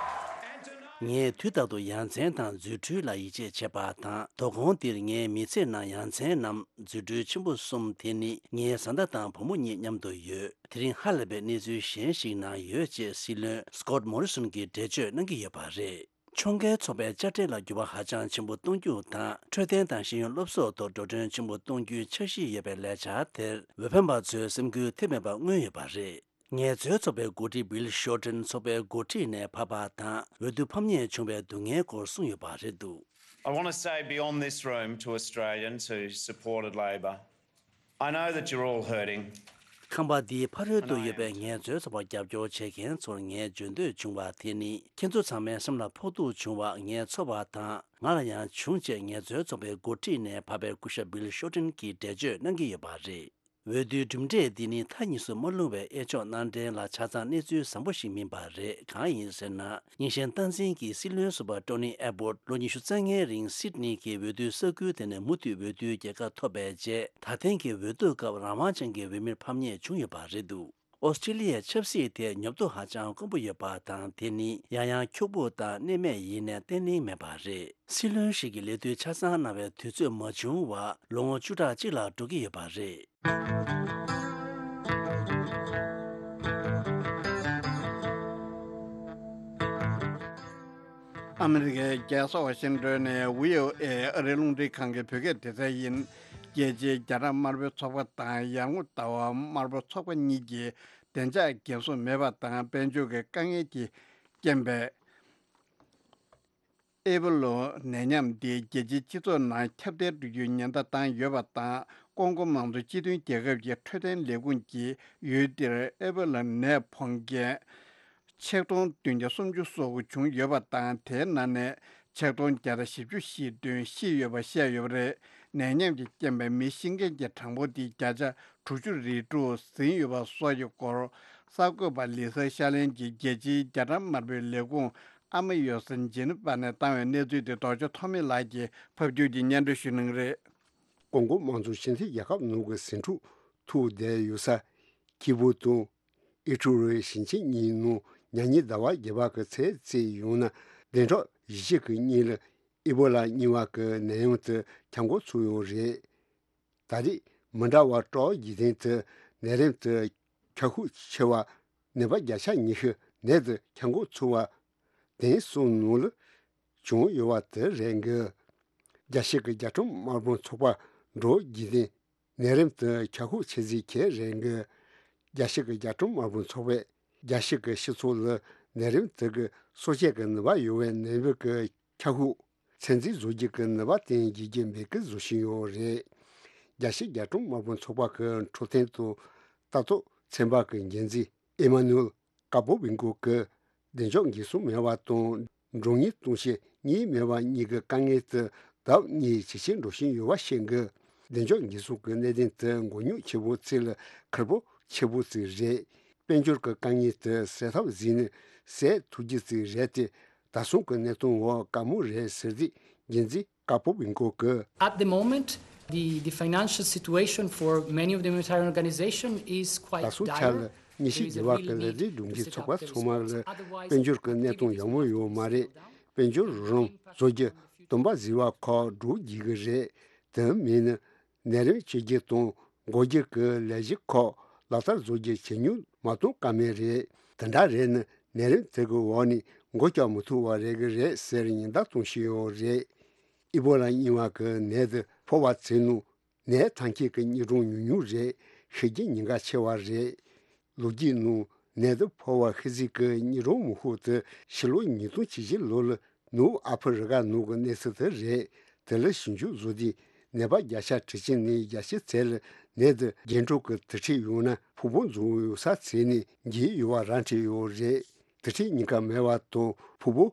And tonight ངས་དུས་རྟག་ཏུ་ཡ་མཚན་དང་རྫུ་འཕྲུལ་ལ་ཡིད་ཆེས་བྱེད་པ་དང་། དོ་དགོང་འདིར་ངའི་མི་ཚེ་ནང་ཡ་མཚན་ནམ་རྫུ་འཕྲུལ་ཆེན་པོ་གསུམ་དེ་ནི་ངའི་བཟའ་ཟླ་དང་བུ་མོ་གཉིས་མཉམ་དུ་ཡོད། དེ་རིང་ཧ་ལས་པའི་གནས་ཚུལ་གཞན་ཞིག་ནང་ཡོད་ཅེས་སྲིད་བློན་སི་ཀོཊ་མོ་རི་སོན་གྱིས་འགྲེལ་བརྗོད་གནང་གི་ཡོད་པ་རེད། ཕྱོགས་འགལ་ཚོགས་པའི་དཔྱ་ཁྲལ་ལ་འགྱུར་བ་ཧ་ཅང་ཆེན་པོ་གཏོང་རྒྱུ་དང་། འཕྲོད་བསྟེན་དང་ཤེས་ཡོན་སློབ་གསོ་ཐོག་འགྲོ་གྲོན་ཆེན་པོ་གཏོང་རྒྱུའི་འཆར་གཞི་ཡོད་པའི་ལས་འཆར་དེར་འོས་འཕེན་པ་ཚོས་སེམས་འགུལ་ཐེབས་མེད་པ་མངོན་ཡོད་པ་རེད། ངལ་རྩོལ་ཚོགས་པའི་འགོ་ཁྲིད་བྷིལ་ཤོར་ཏན་ཚོགས་པའི་འགོ་ཁྲིད་ནས་ཕབ་པ་དང་། འོས་བསྡུ་ཕམ་ཉེས་བྱུང་བའི་སྡུག་བསྔལ་སྐོར་གསུངས་ཡོད་པ་རེད་འདུག I want to say beyond this room to Australians who supported Labor, I know that you're all hurting. ཁང་པ་འདིའི་ཕ་རོལ་ཏུ་ཡོད་པའི་ངལ་རྩོལ་ཚོགས་པར་རྒྱབ་སྐྱོར་བྱེད་མཁན་ཚོར་ངའི་འབྱོན་འདོད་བྱུང་བ་དེ་ནི། ཁྱེད་ཚོ་ཚང་མའི་སེམས་ལ་ཕོག་ཐུག་བྱུང་བ་ངས་ཚོར་བ་དང་། ང་ལ་ཡང་བྱུང་ཅེས་ངལ་རྩོལ་ཚོགས་པའི་འགོ་ཁྲིད་ནས་ཕབ་པའི་སྐུ་ཞབས་བྷིལ་ཤོར་ཏན་གྱིས་འགྲེལ་བརྗོད་གནང་གི་ཡོད་པ་རེད། འོས་བསྡུའི་གྲུབ་འབྲས་འདི་ནི་མཐའ་གཉིས་སུ་མ་ལྷུང་བའི་གཡས་ཕྱོགས་མནའ་འབྲེལ་ལ་ཆ་ཚང་གནས་ཚུལ་བཟང་པོ་ཞིག་མིན་པ་རེད། གང་ཡིན་ཟེར་ན། རྙིང་ཞེན་སྟངས་འཛིན་གྱི་སྲིད་བློན་ཟུར་པ་ཀྲོ་ནི་ཨེ་བྷོར་ལོ་ཉི་ཤུ་རྩ་ལྔའི་རིང་སིད་ནི་གི་འོས་བསྡུའི་ས་ཁུལ་དེ་ནས་མུ་མཐུད་འོས་བསྡུའི་རྒྱལ་ཁ་ཐོབ་པའི་རྗེས། ད་ཐེངས་ཀྱི་འོས་བསྡུ་སྐབས་རང་དབང་ཅན་གྱི་འོས་མིར་ཕམ་ཉེས་བྱུང་ཡོད་པ་རེད་འདུག་ཨོ་སི་ཀྲི་ལི་ཡའི་ཆབ་སྲིད་དེ་ཉོབ་ཏོ་ཧ་ཅང་དཀོན་པོ་ཡོད་པ་དང་། དེ་ནི་ཡང་ཡང་འཁྱུག་པོ་དང་གནས་མེད་ཡིན་ནའི་བརྟན་བརླིང་མེད་པ་རེད། སྲིད་བློན་ཞིག་གིས་ལས་དུས་ཆ་ཚང་གནང་བའི་དུས་ཚོད་མ་བྱུང་བར་ལོ་ངོ་བཅུ་ཕྲག་གཅིག་ལྷག་འགྲོ་གི་ཡོད་པ་རེད། ཨ་མི་རི་ཀའི་རྒྱལ་ས་ཝ་ཤིང་ཏོན་ནས་བྷི་ཨོ་ཨེ་ཨ་རིའི་རླུང་འཕྲིན་ཁང་གི་བོད་སྐད་སྡེ་ཚན་ཡིན། རྒྱལ་སྤྱིའི་རྒྱ་གྲམ་དམར་པོའི་ཚོགས་པ་དང་ཡར་ངོ་ཟླ་བ་དམར་པོའི་ཚོགས་པ་གཉིས་ཀྱིས་བདེ་འཇགས་འགན་སྲུང་མེད་པ་དང་། དཔལ་འབྱོར་གྱི་དཀའ་ངལ་གྱི་རྐྱེན་པས། ཨེ་པོ་ལོ་ནད་ཡམས་འདི་རྒྱལ་སྤྱིའི་སྤྱི་ཚོགས་ནང་ཁྱབ་གདལ་འགྲོ་རྒྱུའི་ཉེན་བརྡ་བཏང་ཡོད་པ་དང་། ཀོང་ཀོ་མང་གཙོ་སྤྱི་མཐུན་རྒྱལ་ཁབ་ཀྱི་འཕྲོད་བསྟེན་ལས་ཁུངས་ཀྱིས་ཡུལ་འདིར་ཨེ་པོ་ལོ་ནད་ཕོག་མཁན་ཆིག་སྟོང་བདུན་བརྒྱ་སུམ་ཅུ་སོ་དགུ་བྱུང་ཡོད་པ་དང་། དེའི་ནང་ནས་ཆིག་སྟོང་བརྒྱ་དང་བཞི་བཅུ་ཞེ་བདུན་ཤི་ཡོད་པ་བཤད་ཡོད་པ་རེད། ནད་ཡམས་ཀྱི་རྐྱེན་པས་མི་ཤི་མཁན་གྱི་གྲངས་འབོར་འདི་བརྒྱ་ཆ་དྲུག་ཅུ་རེ་དྲུག་ཟིན་ཡོད་པ་སོགས་ཀྱི་སྐོར། གསར་འགོད་པ་ལི་སར་ཤ་ལན་གྱིས་རྒྱལ་སྤྱིའི་རྒྱ་གྲམ་དམར་པོའི་ལས་ཁུངས་ཨ་མ་ཡོ་སན་ཇི་ནི་ཝ་ནས་བཏང་བའི་གནས་ཚུལ་དེ་རྡོ་རྗེ་ཐོགས་མེད་ལགས་ཀྱིས་ཕབ་སྒྱུར་གྱིས་སྙན་སྒྲོན་ཞུ་གནང་གི་རེད། ཀོང་ཀོ་དམངས་གཙོ་སྤྱི་མཐུན་རྒྱལ་ཁབ་ནང་གི་ཟིང་འཁྲུག་ཐུག་བསྡད་ཡོད་ས་ཁི་བུ་དང་ ཨི་ཊ་ལི་ཞིང་ཆེན་གཉིས་ནང་ཉ་ཉི་ཟླ་བ་བརྒྱད་པ་གི་ཚེས་གཅིག་ཡོང་ན་བདུན་ཕྲག་བཞི་གི་སྔོན་ལ་ཨི་བོ་ལ་གཉིས་པ་གི་ནད་ཡམས་དེ་ཁྱབ་འགོ་ཚུགས་ཡོད་རེད། ད་རེས་མི་འདྲ་བ་སྤྲོ་བ་བརྒྱུད་ལྡན་དུ་ནད་རིམས་དེ་ཁྱབ་ཤུགས་ཆེ་བ་ནད་པ་བརྒྱ་ཆ་ཉི་ཤུ་ནད་དེ་ཁྱབ་འགོ་ཚུགས་པ་དེང་སང་ནང་ལ་བྱུང་ཡོད་པ་དེ་རེད་འགི། རྒྱལ་སྤྱི་གི་རྒྱལ་ཁྲིམས་དམག་དཔོན་ཚོགས་པ་འགྲོ་བརྒྱུད་ལྡན་ནད་རིམས་དེ་ཁྱབ་ཤུགས་ཆེ་ཟིག་ཁྱེད་རེད་འགི། རྒྱལ་སྤྱི་གི་རྒྱལ་ཁྲིམས་དམག་དཔོན་ཚོགས་པས་རྒྱལ་སྤྱི་གི་སྤྱི་ཚོགས་ལ་ནད་རིམས་དེ་གི་གསོ་བྱེད་ཀྱི་ནུས་པ་ཡོད་པའི་ནད་འབུ་གི་ཁྱབ་ཤུགས་ཚོད་འཛིན་བཟོ་རྒྱུ་གི་ནུས་པ་བསྟན་རྒྱུ་གི་འབོད་སྐུལ་བཟོ་བཞིན་ཡོད་རེད། རྒྱལ་སྤྱི་རྒྱལ་ཁྲིམས་དམག་དཔོན་ཚོགས་པ་གི་འཕྲོད་བསྟེན་དང་ལྟ་རྟོག་ཚན་པ་གི་འགན་འཛིན་ཨེ་མ་ནུ་ཨེལ་ཀ་པོ་བི་འགོ་གི་བདེ་འཇགས་འགན་སྲུང་མེད་པ་དང་འགྲོ་ཉེན་གཏོང་བྱེད་གཉིས་མེད་པ་གཉིས་ཀྱི་དཀའ་ངལ་དུ་ལྡབ་གཉིས་ཇེ་ཆེར་འགྲོ་བཞིན་ཡོད་པ་ཤེས་དགོས། བདེ་འཇགས་འགན་སྲུང་གི་གནད་དོན་དུ་མགོ་རྙོག་ཆེ་པོ་ཚིག་ལ་ཁུར་པོ་ཆེ་པོ་ཚིག་རེད། དཔལ་འབྱོར་གྱི་དཀའ་ངལ་དུ་སེལ་ཐབས་ཟིན་ནས་སེལ་ཐུབ་རྒྱུ་ཚིག་རེད་དེ་ད་སོང་གི་གནད་དོན་འོག་དཀའ་མོ་རེད་ཟེར་དུས་འགན་འཛིན་ཀ་པོ་བི་འགོ་གི། At the moment, the, the financial situation for many of the humanitarian organizations is quite dire. ད་སོང་ཆ་ལ་ཉི་ཤུ་བརྒྱད་པ་གི་ལས་རིགས་སྒྲུབ་མཁན་ཚོགས་པ་ཚང་མ་ལ་དཔལ་འབྱོར་གྱི་གནས་སྟངས་ཡག་མོ་ཡོད་མ་རེད། དཔལ་འབྱོར་རོགས་རམ་བཟོ་རྒྱུ་དུམ་པ་ཟེར་བ་ཁག་སྒྲུབ་བགྱིད་གི་རེད། དེ་མིན་ན་ནད་རིམས་བཅོས་བསྒྱུར་དང་འགོག་རྒྱུ་གི་ལས་གཞི་ཁག་ལག་བསྟར་བཟོ་རྒྱུ་ཇེ་ཉུང་མ་གཏོང་ཀ་མེད་རེད། དེ་འདྲ་རེད་ན་ནད་རིམས་དེ་གི་འོག་ནས་འགོ་བཀྱག་མི་ཐུབ་པ་རེད་གི་རེད་ཟེར་ཉེན་བརྡ་གཏོང་བཞིན་ཡོད་རེད། ཨི་བོ་ལ་གཉིས་པ་གི་ནད་དེ་ཕོ་བ་ཚོའི་ནང་ནད་ཐོན་མཁན་གྱི་དངོས་གྲངས་ཉུང་ཉུང་རེད། ཤི་རྒྱུ་ཉེན་ཁ་ཆེ་བ་རེད། ལོ་རྒྱུས་ནང་ནད་དེ་ཕོ་བ་ཤི་གཟུགས་ཀྱི་དངོས་གྲངས་མང་ཤོས་དེ་ཕྱི་ལོ་ཉིས་སྟོང་བཅུ་བཞི་ལོ་ལ་ནུབ་ཨ་ཕི་རི་ཀ་ནང་གི་གནས་ཚུལ་དེ་རེད། དེ་ལ་ཞིབ་འཇུག་བཟོ་དུས་ནད་པ་བརྒྱ་ཆ་ཁྲི་གཅིག་ནས་བརྒྱད་ཅུ་ཚོད་ལ་ནད་དེ་རྒྱུན་འཕྲོད་ཀྱི་དུར་ཁྲོད་ཡོང་ན་ཕུང་པོ་འཛོམས་ཡོད་ས་ཚོད་ནས་འགོས་ཡོད་པ་ར་འཕྲོད་ཡོད་རེད། དུར་ཁྲོད་ཉེན་ཁ་མེད་པ་དང་ཕུང་པོ་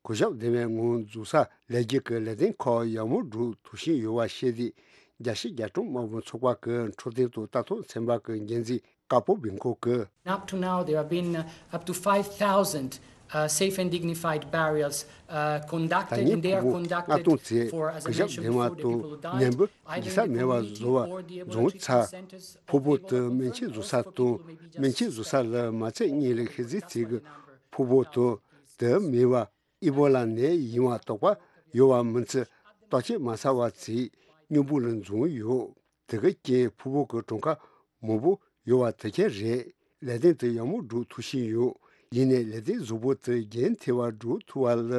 གུ་ཞབས་ལྡན་པའི་ངང་འཛུགས་ས་ལས་རྒྱུ་གི་ལས་དོན་ཁག་ཡག་མོ་སྒྲུབ་ཐུབ་བཞིན་ཡོད་པ་ཤེས་དུས་རྒྱལ་སྤྱི་རྒྱལ་ཁྲིམས་དམག་དཔོན་ཚོགས་པ་གི་འཕྲོད་བསྟེན་དང་ལྟ་རྟོག་ཚན་པ་གི་འགན་འཛིན་ཀ་པོ་བི་འགོ་གི། Up to now, there have been uh, up to five thousand uh, safe and dignified burials uh, ད་conducted, ནི་and they are ཕུང་པོ་ལྔ་conducted སྟོང་ཚེ་for, as I གུ་ཞབས་mentioned ལྡན་པ་before, the people དང་who died, ཉམས་པོ་either འགོས་ས་མེད་པ་བཟོ་བ་འཛོམས་ཚར། ཕུང་པོ་དེ་སྨན་བཅོས་བཟོ་ས་དང་སྨན་བཅོས་བཟོ་ས་ལ་མ་ཚད་གཉིས་ལས་ཤི་གཟུགས་ཚིག་གི་ཕུང་པོ་དང་དེ་མེད་པ། ཨི་བོ་ལ་ནད་ཡིན་པ་དོགས་པ་ཡོད་པ་མི་ཚེ་བརྟག་དཔྱད་མ་ཚར་བ་ཚེ་སྙིང་པོ་ལ་འཛོམས་ཡོད། དེ་གི་རྐྱེན་ཕུང་པོ་གི་གྲངས་ཀ་མང་པོ་ཡོད་པ་དེ་ཁྱེད་རེད། ལས་དོན་དེ་ཡག་མོ་སྒྲུབ་ཐུབ་བཞིན་ཡོད། ཡིན་ནའི་ལས་དོན་གཟུགས་པོ་དེ་རྒྱུན་མཐུད་པ་སྒྲུབ་ཐུབ་པ་ལ་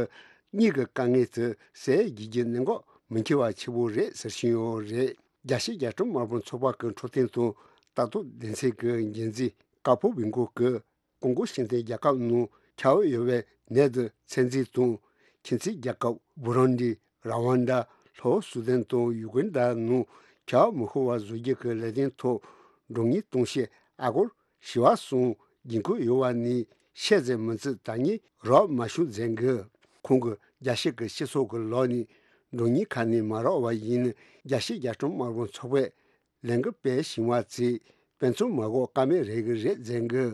གཉིས་ཀྱི་དཀའ་ངལ་དེ་སེལ་རྒྱུ་གི་གནད་འགག་མི་འཁྱོལ་བ་ཆེ་པོ་རེད་ཟེར་བཞིན་ཡོད་རེད། རྒྱལ་སྤྱི་རྒྱལ་ཁྲིམས་དམག་དཔོན་ཚོགས་པ་གི་འཕྲོད་བསྟེན་དང་ལྟ་རྟོག་སྡེ་ཚན་གྱི་འགན་འཛིན་ཀ་པོ་བི་འགོ་གི། ཀོང་ཀོ་ཤིང་ཏན་རྒྱལ་ཁབ་ནང་ཁྱབ་ཡོད་པའི་ནད་དེ་ཚོད་འཛིན་དང་ཁྱིམ་མཚེས་རྒྱལ་ཁབ་བུ་རུན་ཌི། ར་ཝན་ཌ། ལྷོ་སུ་དན་དང་ཡུ་གན་ཌ་ནང་ཁྱབ་མི་ཤོར་བ་བཟོ་རྒྱུ་གི་ལས་དོན་ཐོག་འགྲོ་ངེས་གཏོང་བཤད་ཨ་སྒོར་བཞི་བ་གསུམ་འགན་ཁུར་ཡོད་པ་ནི་ཤེས་ཚད་མི་ཚེ་ད་ངས་རག་མ་བྱུང་མཛད་གི། ཁོང་གི་རྒྱལ་སྤྱི་གི་སྤྱི་ཚོགས་ཀྱི་ལོགས་ནས་འགྲོ་ངེས་ཁ་ནས་མ་རག་པ་ཡིན་ན་རྒྱལ་སྤྱི་རྒྱལ་ཁྲིམས་དམག་དཔོན་ཚོགས་པས་ལན་གི་དཔེ་ཞིང་བ་ཚེ་དཔེ་མཚོན་མ་གོ་ཀ་མེད་རེ་གི་རེད་ཟེར་གི།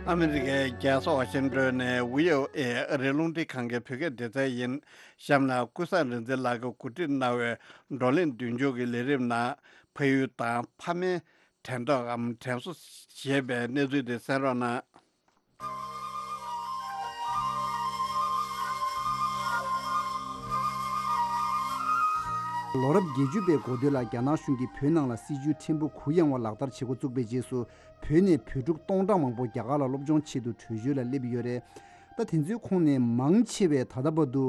ཨ་མི་རི་ཀའི་རྒྱལ་ས་ཝ་ཤིང་ཏོན་ནས་ཝི་ཨོ་ཨེ་ཨ་རིའི་རླུང་འཕྲིན་ཁང་གི་བོད་སྐད་སྡེ་ཚན་ཡིན། གཤམ་ལ་ཀུན་བཟང་རིག་འཛིན་ལགས་ཀྱིས་གོ་སྒྲིག་གནང་བའི་བགྲོ་གླེང་མདུན་སྐྱོད་ཀྱི་ལས་རིམ་ནང་ཕ་ཡུལ་དང་ཕ་མའི་དྲན་ཐོག་གམ་དྲན་གསོ་ཞེས་པའི་གནས་ཚུལ་དེ་གསན་རོགས་གནང་། ལོ་རབས་བརྒྱད་ཅུ་པའི་འགོ་སྟོད་ལ་རྒྱ་ནག་གཞུང་གིས་བོད་ནང་ལ་སྲིད་ཇུས་ཕྲན་བུ་གུ་ཡངས་པ་ལག་བསྟར་བྱེད་འགོ་བཙུགས་པའི་རྗེས་སུ་བོད་ནས་བོད་ཕྲུག་སྟོང་ཕྲག་མང་པོ་རྒྱ་གར་ལ་སློབ་སྦྱོང་ཆེད་དུ་བྲོས་བྱོལ་ལ་སླེབས་ཡོད་རེད། ད་དེ་ཚོའི་ཁོངས་ནས་མང་ཆེ་བས་ད་ལྟ་བར་དུ་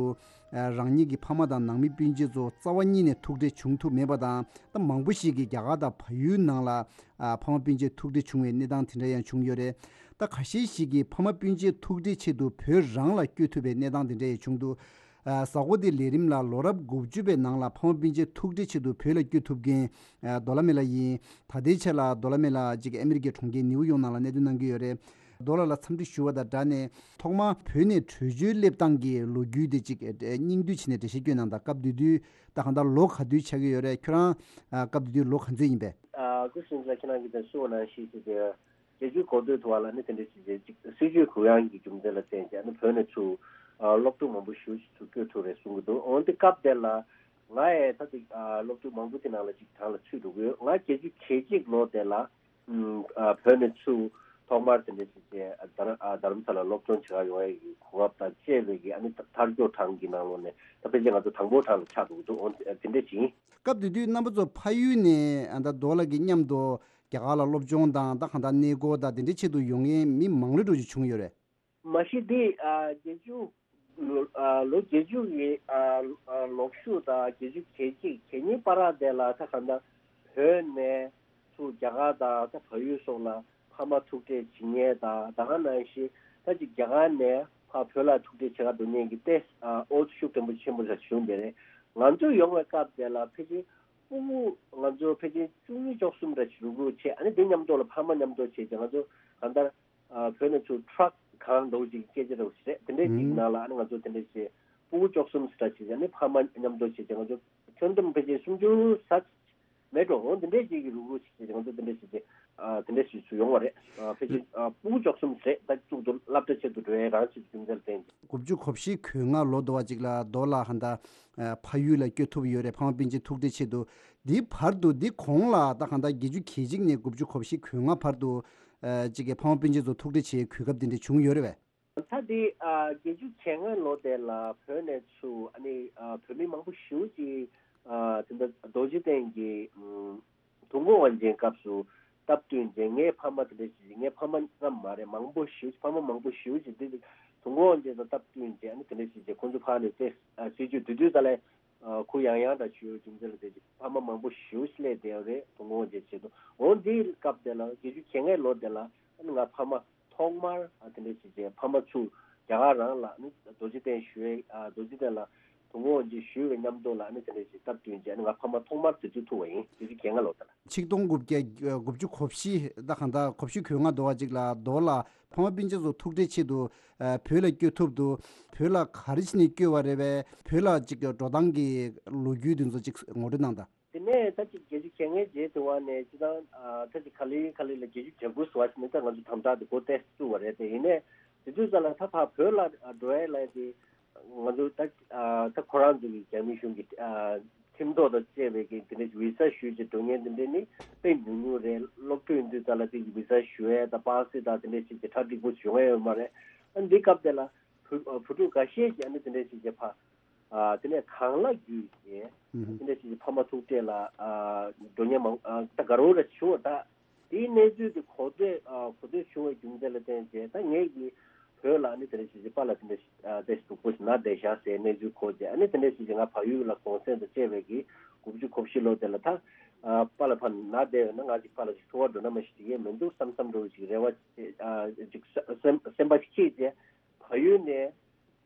རང་ཉིད་ཀྱི་ཕ་མ་དང་ནང་མི་སྤུན་མཆེད་ཚོ་རྩ་བ་ཉིད་ནས་ཐུག་འཕྲད་བྱུང་ཐུབ་མེད་པ་དང་། ད་མང་པོ་ཞིག་གིས་རྒྱ་གར་དང་བལ་ཡུལ་ནང་ལ་ཨ་ཕ་མ་སྤུན་མཆེད་ཐུག་འཕྲད་བྱུང་བའི་གནས་སྟངས་དེ་འདྲ་ཡང་བྱུང་ཡོད་རེད། ད་ཁ་ཤས་ཤིག་གིས་ཕ་མ་སྤུན་མཆེད་ཐུག་འཕྲད་ཆེད་དུ་བོད་རང་ལ་བསྐྱོད་ཐུབ་པའི་གནས་སྟངས་དེ་འདྲ་ཡང་བྱུང་འདུག་ཨ་གཟའ་འཁོར་འདིའི་ལས་རིམ་ལ་ལོ་རབས་དགུ་བཅུ་པའི་ནང་ལ་ཕ་མ་སྤུན་མཆེད་ཐུག་འཕྲད་ཆེད་དུ་བོད་ལ་བསྐྱོད་ཐུབ་མཁན་ཨ་རྡོ་ལ་མེ་ལགས་ཡིན། ད་ལྟའི་ཆར་ལ་རྡོ་ལ་མེ་ལགས་ཅིག་ཨ་མི་རི་ཀའི་གྲོང་ཁྱེར་ནིའུ་ཡོག་ནང་ལ་གནས་སྡོད་གནང་གི་ཡོད་རེད། རྡོ་ལགས་ལ་འཚམས་འདྲི་ཞུ་བ་དང་སྦྲགས་ནས་ཐོག་མར་བོད་ནས་བྲོས་བྱོལ་སླེབས་སྟངས་ཀྱི་ལོ་རྒྱུས་དེ་ཅིག་ཨ་སྙིང་བསྡུས་བྱས་ནས་འགྲེལ་བཤད་སྐྱོན་གནང་དང་། སྐབས་དེ་དུས་ད་གང་ལྟར་ལོ་ག་དུས་ཆགས་ཀྱི་ཡོད་རེད། ཁྱོད་རང་ཨ་སྐབས་དེ་དུས་ལོ་ག་ཚོད་ཡིན་པས། ཨ་སྐུ་ཞབས་ལགས་ཁྱེད་རང་གིས་ད་གསུངས་པ་ནང་བཞིན་ཞིག་དེ་བརྒྱད་ཅུའི་འགོ་སྟོད་དུ་བ་ལ་ནི་དེ་འདྲ་ཞིག་རེད། ཅིག་སྲིད་ཇུས་གུ་ཡངས་ཀྱི་རྒྱུ་མཚན་ལ་བརྟེན་བྱས་ནི་བོད་ནས་ཚུར་ ཨ་སློབ་ཕྲུག་མང་པོ་ཞེ་པོ་ཅིག་ཚུར་བསྐྱོད་ཐུབ་རེད་གསུང་གི་འདུག་འོན་ཏེ་སྐབས་དེ་ལ་ང་ཡང་ད་ལྟ་ཨ་སློབ་ཕྲུག་མང་པོ་དེ་ནང་ལ་ཅིག་གྲངས་ལ་ཚུད་འགྲོ་གི་ཡོད། ང་བརྒྱད་ཅུ་གྱ་གཅིག་ལོ་དེ་ལ་ཨམ་ཨ་བོད་ནས་ཚུར་ཐོག་མར་དེ་འདྲ་ཞིག་བྱས་ཨ་དྷ་ར་ཨ་དྷ་རམ་ས་ལ་སློབ་སྦྱོང་བྱེད་ག་ཡོང་ཡས་ཀྱི་གོ་སྐབས་དང་བཅས་པའི་གི་ཨ་ནི་ཐ་མཐར་འཁྱོལ་གྲངས་ཀྱི་ནང་ལོགས་ནས་ད་ཕལ་ཆེར་ང་ཚོ་དང་པོ་གྲངས་ལ་ཆགས་འགྲོ་གི་འདུག་འོན་ཏེ་དེ་འདྲ་ཞིག་ཡིན། སྐབས་དེ་དུས་རྣམ་པ་ཚོ་ཕ་ཡུལ་ནས་ཨ་ད་རྡོ་ལགས་ཀྱི་མཉམ་དུ་རྒྱ་གར་ལ་སློབ་སྦྱོང་དང་ད་གང་ལྟར་གནས་སྐོར་དང་དེ་འདྲའི་ཆེད་དུ་ཡོང་མཁན་མི་མང་རུ་འགྲོ་ཞིག་བྱུང་ཡོད་རེད། མ་གཞི་འདི་ཨ་བརྒྱད་ཅུ་ལོ་ཨ་ལོ་བརྒྱད་ཅུ་ཡི་ཨ་ཨ་ལོ་གཞུག་དང་བརྒྱད་ཅུ་གྱ་གཅིག་གྱ་གཉིས་བར་དེ་ལ་ད་གང་ལྟར་བོད་ནས་ཚུར་རྒྱ་གར་དང་ད་བལ་ཡུལ་སོགས་ལ་ཕ་མ་ཐུག་འཕྲད་བྱེད་མཁན་དང་ད་ག་ནང་བཞིན་ད་ཅིག་རྒྱ་གར་ནས་ཕར་བོད་ལ་ཐུག་འཕྲད་བྱེད་ག་འགྲོ་མཁན་གྱི་ཏེ་ཨ་འོ་ཤུགས་ཆེན་པོ་ཆེན་པོ་ར་བྱུང་བསྡད་རེད། ང་ཚོ་ཡོང་བའི་སྐབས་དེ་ལ་ཕལ་ཆེར་ཕྲུ་གུ་ང་ཚོ་ཕལ་ཆེར་བཅུ་གཉིས་བཅུ་གསུམ་ར་ཞིག་རུག་རུག་བྱས། ཨ་ནི་དེ་མཉམ་དུ་ལ་ཕ་མ་མཉམ་དུ་བྱས་ཏེ་ང་ཚོ་གང་ལྟར་ཨ་བོད་ནས་ཚུར་ཁྲག་གང་འདྲ་བོ་ཅིག་སྐད་ཆ་འདྲ་བོ་ཞིག་རེད། དེ་འདྲའི་ཅིག་ཨུམ། ནང་ལ་ཨ་ནི་ང་ཚོ་དེ་འདྲའི་ཞིག་ཕྲུ་གུ་བཅུ་གསུམ་ཞིག་ར་ཞིག་ཨ་ནི་ཕ་མ་མཉམ་དུ་བྱས་ཏེ་ང་ཚོ་ཁྱོན་བསྡོམས་ཕལ་ཆེར་སུམ་ཅུ་ས་མེད་འགྲོ། འོ་དེ་འདྲའི་ཅིག་གི་རུག་རུག་ཞིག་བྱས་ཏེ་ང་ཚོ་དེ་འདྲའི་ཞིག་ཅིག་ཨ་དེ་འདྲའི་ཞིག་སུ་ཡོང་བ་རེད། ཨ་ཕལ་ཆེར་ཨ་ཕྲུ་གུ་བཅུ་གསུམ་རེད། ད་གཙུག་ཏུ་སློབ་གྲྭ་ཆེད་དུ་འགྲོ་ཡའི་རང་ཆེད་དུ་རྒྱུ་མཚན་ལ་བརྟེན་ཏེ། དགུ་བཅུ་གོ་བཞི་གོ་ལྔ་ལོ་དོ་བ་ཅིག་ལ་རྡོ་ལགས་ཧན་ད་ཕ་ཡུལ་ལ་བསྐྱོད་ཐུབ་ཡོད་རེད། ཕ་མ་སྤུན་མཆེད་ཐུག་འཕྲད་ཆེད་དུ། འདིའི་བར་དུ་འདི་གོང་ལ་ད་གང་ལྟར་བརྒྱད་ཅུ་གྱ་གཅིག་ནས་དགུ་བཅུ་གོ་བཞི་གོ་ལྔ་བར་དུ་ཨ་ཅིག་གི་ཕ་མ་སྤུན་མཆེད་ཚོ་ཐུག་འཕྲད་བྱེད་གོ་སྐབས་དེ་འདྲ་བྱུང་ཡོད་རེད་པས། ད་འདི་ཨ་བརྒྱད་ཅུ་གྱ་ལྔ་ལོ་དེ་ལ་བོད་ནས་ཚུར་ཨ་ནི་ཨ་བོད་མི་མང་པོ་ཞེ་པོ་ཅིག་ཨ་དེ་འདྲ་རྡོ་རྗེ་གདན་གྱི་ཨམ་དུས་འཁོར་དབང་ཆེན་སྐབས་སུ་སྟབས་བསྟུན་བྱས། ངའི་ཕ་མ་དེ་འདྲ་ཞིག་ངའི་ཕ་མ་ཙམ་མ་རེད། མང་པོ་ཞེ་པོ་ཅིག་ཕ་མ་མང་པོ་ཞེ་པོ་ཅིག་འདི་དུས་འཁོར་དབང་ཆེན་དང་སྟབས་བསྟུན་བྱས། ཨ་ནི་དེ་འདྲ་ཞིག་བྱས་ཁོང་ཚོ་ཕར་ནས་ཏེ་ཨ་སྲིད་ཇུས་དེ་དུས་ཙ་ལ་ཨ་ཁུ་ཡང་ཡང་འདྲ་ཞུ་རྒྱུ་མཚན་ལ་དེ་ཅིག་ཕ་མ་མང་པོ་ཞེ་པོ་ཅིག་སླེབས་བསྡད་ཡོད་རེད། དུས་འཁོར་དབང་ཆེན་ཆེད་དུ། འོ་འདིའི་སྐབས་དེ་ལ་བརྒྱད་ཅུ་གྱ་ལྔའི་ལོ་དེ་ལ་ཨ་ནི་ང་ཕ་མ་ཐོག་མར་ཨ་དེ་འདྲ་ཞིག་བྱས་ཕ་མ་ཚུར་རྒྱ་གར་རང་ལ་ཨ་ནི་རྡོ་རྗེ་གདན་ཞུ་བའི་ཨ་རྡོ་རྗེ་གདན་ལ་དུས་འཁོར་དབང་ཆེན་ཞུ་བའི་མཉམ་དུ་ལ་ཨ་ནི་དེ་འདྲ་ཞིག་སྟབས་བསྟུན་བྱས། ཨ་ནི་ང་ཕ་མ་ཐོག་མར་དེ་ཚོ་ཐུག་པ་ཡིན། བརྒྱད་ཅུ་གྱ་ལྔ་ལོ་དེ་ལ། ཆིག་སྟོང་དགུ་བརྒྱ་དགུ་བཅུ་གོ་བཞི་ད་གང་ལྟར་གོ་བཞི་གོ་ལྔ་དོ་བ་ཅིག་ལ་རྡོ་ལ་ཕ་མ་སྤུན་མཆེད་ཚོ་ཐུག་འཕྲད་ཆེད་དུ་ཨ་བོད་ལ་བསྐྱོད་ཐུབ་འདུག་བོད་ལ་ག་རེ་བྱས་ནས་བསྐྱོད་པ་རེད་པས། བོད་ལ་ཅིག་འགྲོ་སྟངས་ཀྱི་ལོ་རྒྱུས་དེ་ཚོ་ཅིག་ངོ་སྤྲོད་གནང་དང་། དེ་ནས་ད་ཅིག་བརྒྱད་ཅུ་གྱ་ལྔའི་རྗེས་དེ་བ་ནས་སྤྱི་བཏང་ཨ་ད་ཅིག་ག་ལེ་ག་ལེ་ལ་བརྒྱད་ཅུ་གྱ་དགུ་ཟེར་བ་ཞིག་ནས་ད་ང་ཚོ་དམ་དྲག་དེ་འགོ་ཏོག་ཙམ་བཙུགས་པ་རེད། དེ་ཡིན་ནའི་དེ་དུས་ཙམ་ལ་ད་ཕར་བོད་ལ་འགྲོ་ཡས་ལ་དེ་ང་ཚོ་ད་ཨ་ད་ཁོ་རང་ཚོ་གི་རྒྱ་མི་གཞུང་གི་ཨ་ཁྲིམས་ཐོག་དང་བཅས་པའི་གི་དེ་འདྲའི་བི་ས་ཞུས་བྱས་འགྲོ་མཁན་དེ་འདྲ་ནི་དཔེ་ཉུང་ཉུང་རེད། སློབ་ཕྲུག་ཡིན་དུས་ཙམ་ལ་དེ་གི་བི་ས་ཞུ་ཡས་དང་པ་སེ་དང་དེ་འདྲ་ཞིག་གི་གྲ་འགྲིག་པོ་བྱུང་ཡས་ཡོད་མ་རེད། ཨ་འདི་སྐབས་དེ་ལ་བུ་ཨ་བུ་ཕྲུག་འགའ་ཤས་ཀྱིས་ཨ་ནི་དེ་འདྲ་ཞིག་གི་ཕ་ཨ་དེ་ནས་གང་ལ་བརྒྱུད་བྱས་ཨ་ནི་དེ་འདྲ་ཞིག་གི་ཕ་མ་ཐུག་འཕྲད་ལ་ཨ་འགྲོ་མཁན་མང་ཨ་ད་དགའ་རབ་ར་བྱུང་བ་ད། དེའི་གནས་ཚུལ་དེ་གོ་ཐོས་ཨ་གོ་ཐོས་བྱུང་བའི་རྒྱུ་མཚན་ལ་བརྟེན་བྱས་ད་ངས་ཀྱིས་བོད་ལ་ནི་དེ་འདྲ་ཞིག་ཅིག་པཱ་ལགས་དེ་འདྲ་ཞིག་ཨ་དེ་ཞིག་སྡུག་པོ་ཞིག་ན་བསྡད་བཞག་ཟེར་གནས་ཚུལ་གོ་རྗེས་ཨ་ནི་དེ་འདྲ་ཞིག་ཅིག་ང་བལ་ཡུལ་ལ་གུང་སེང་དང་བཅས་པའི་གི་དགུ་བཅུ་གོ་བཞི་ལོ་དེ་ལ་ད་ཨ་པཱ་ལགས་ཕར་ན་བསྡད་ཡོད་ན་ང་ཅིག་པཱ་ལགས་ཅིག་ཚོར་བ་འགྲོ་ན་མ་ཤེས་དེ་གས་མི་འདུག་བསམ་བསམ་འདྲ་བོ་ཅིག་རེ་བ་ཅིག་ཨ་ཅིག་སེམས་སེམས་པ་ཅིག་སྐྱེས་རྗེས་བལ་ཡུལ་ནས།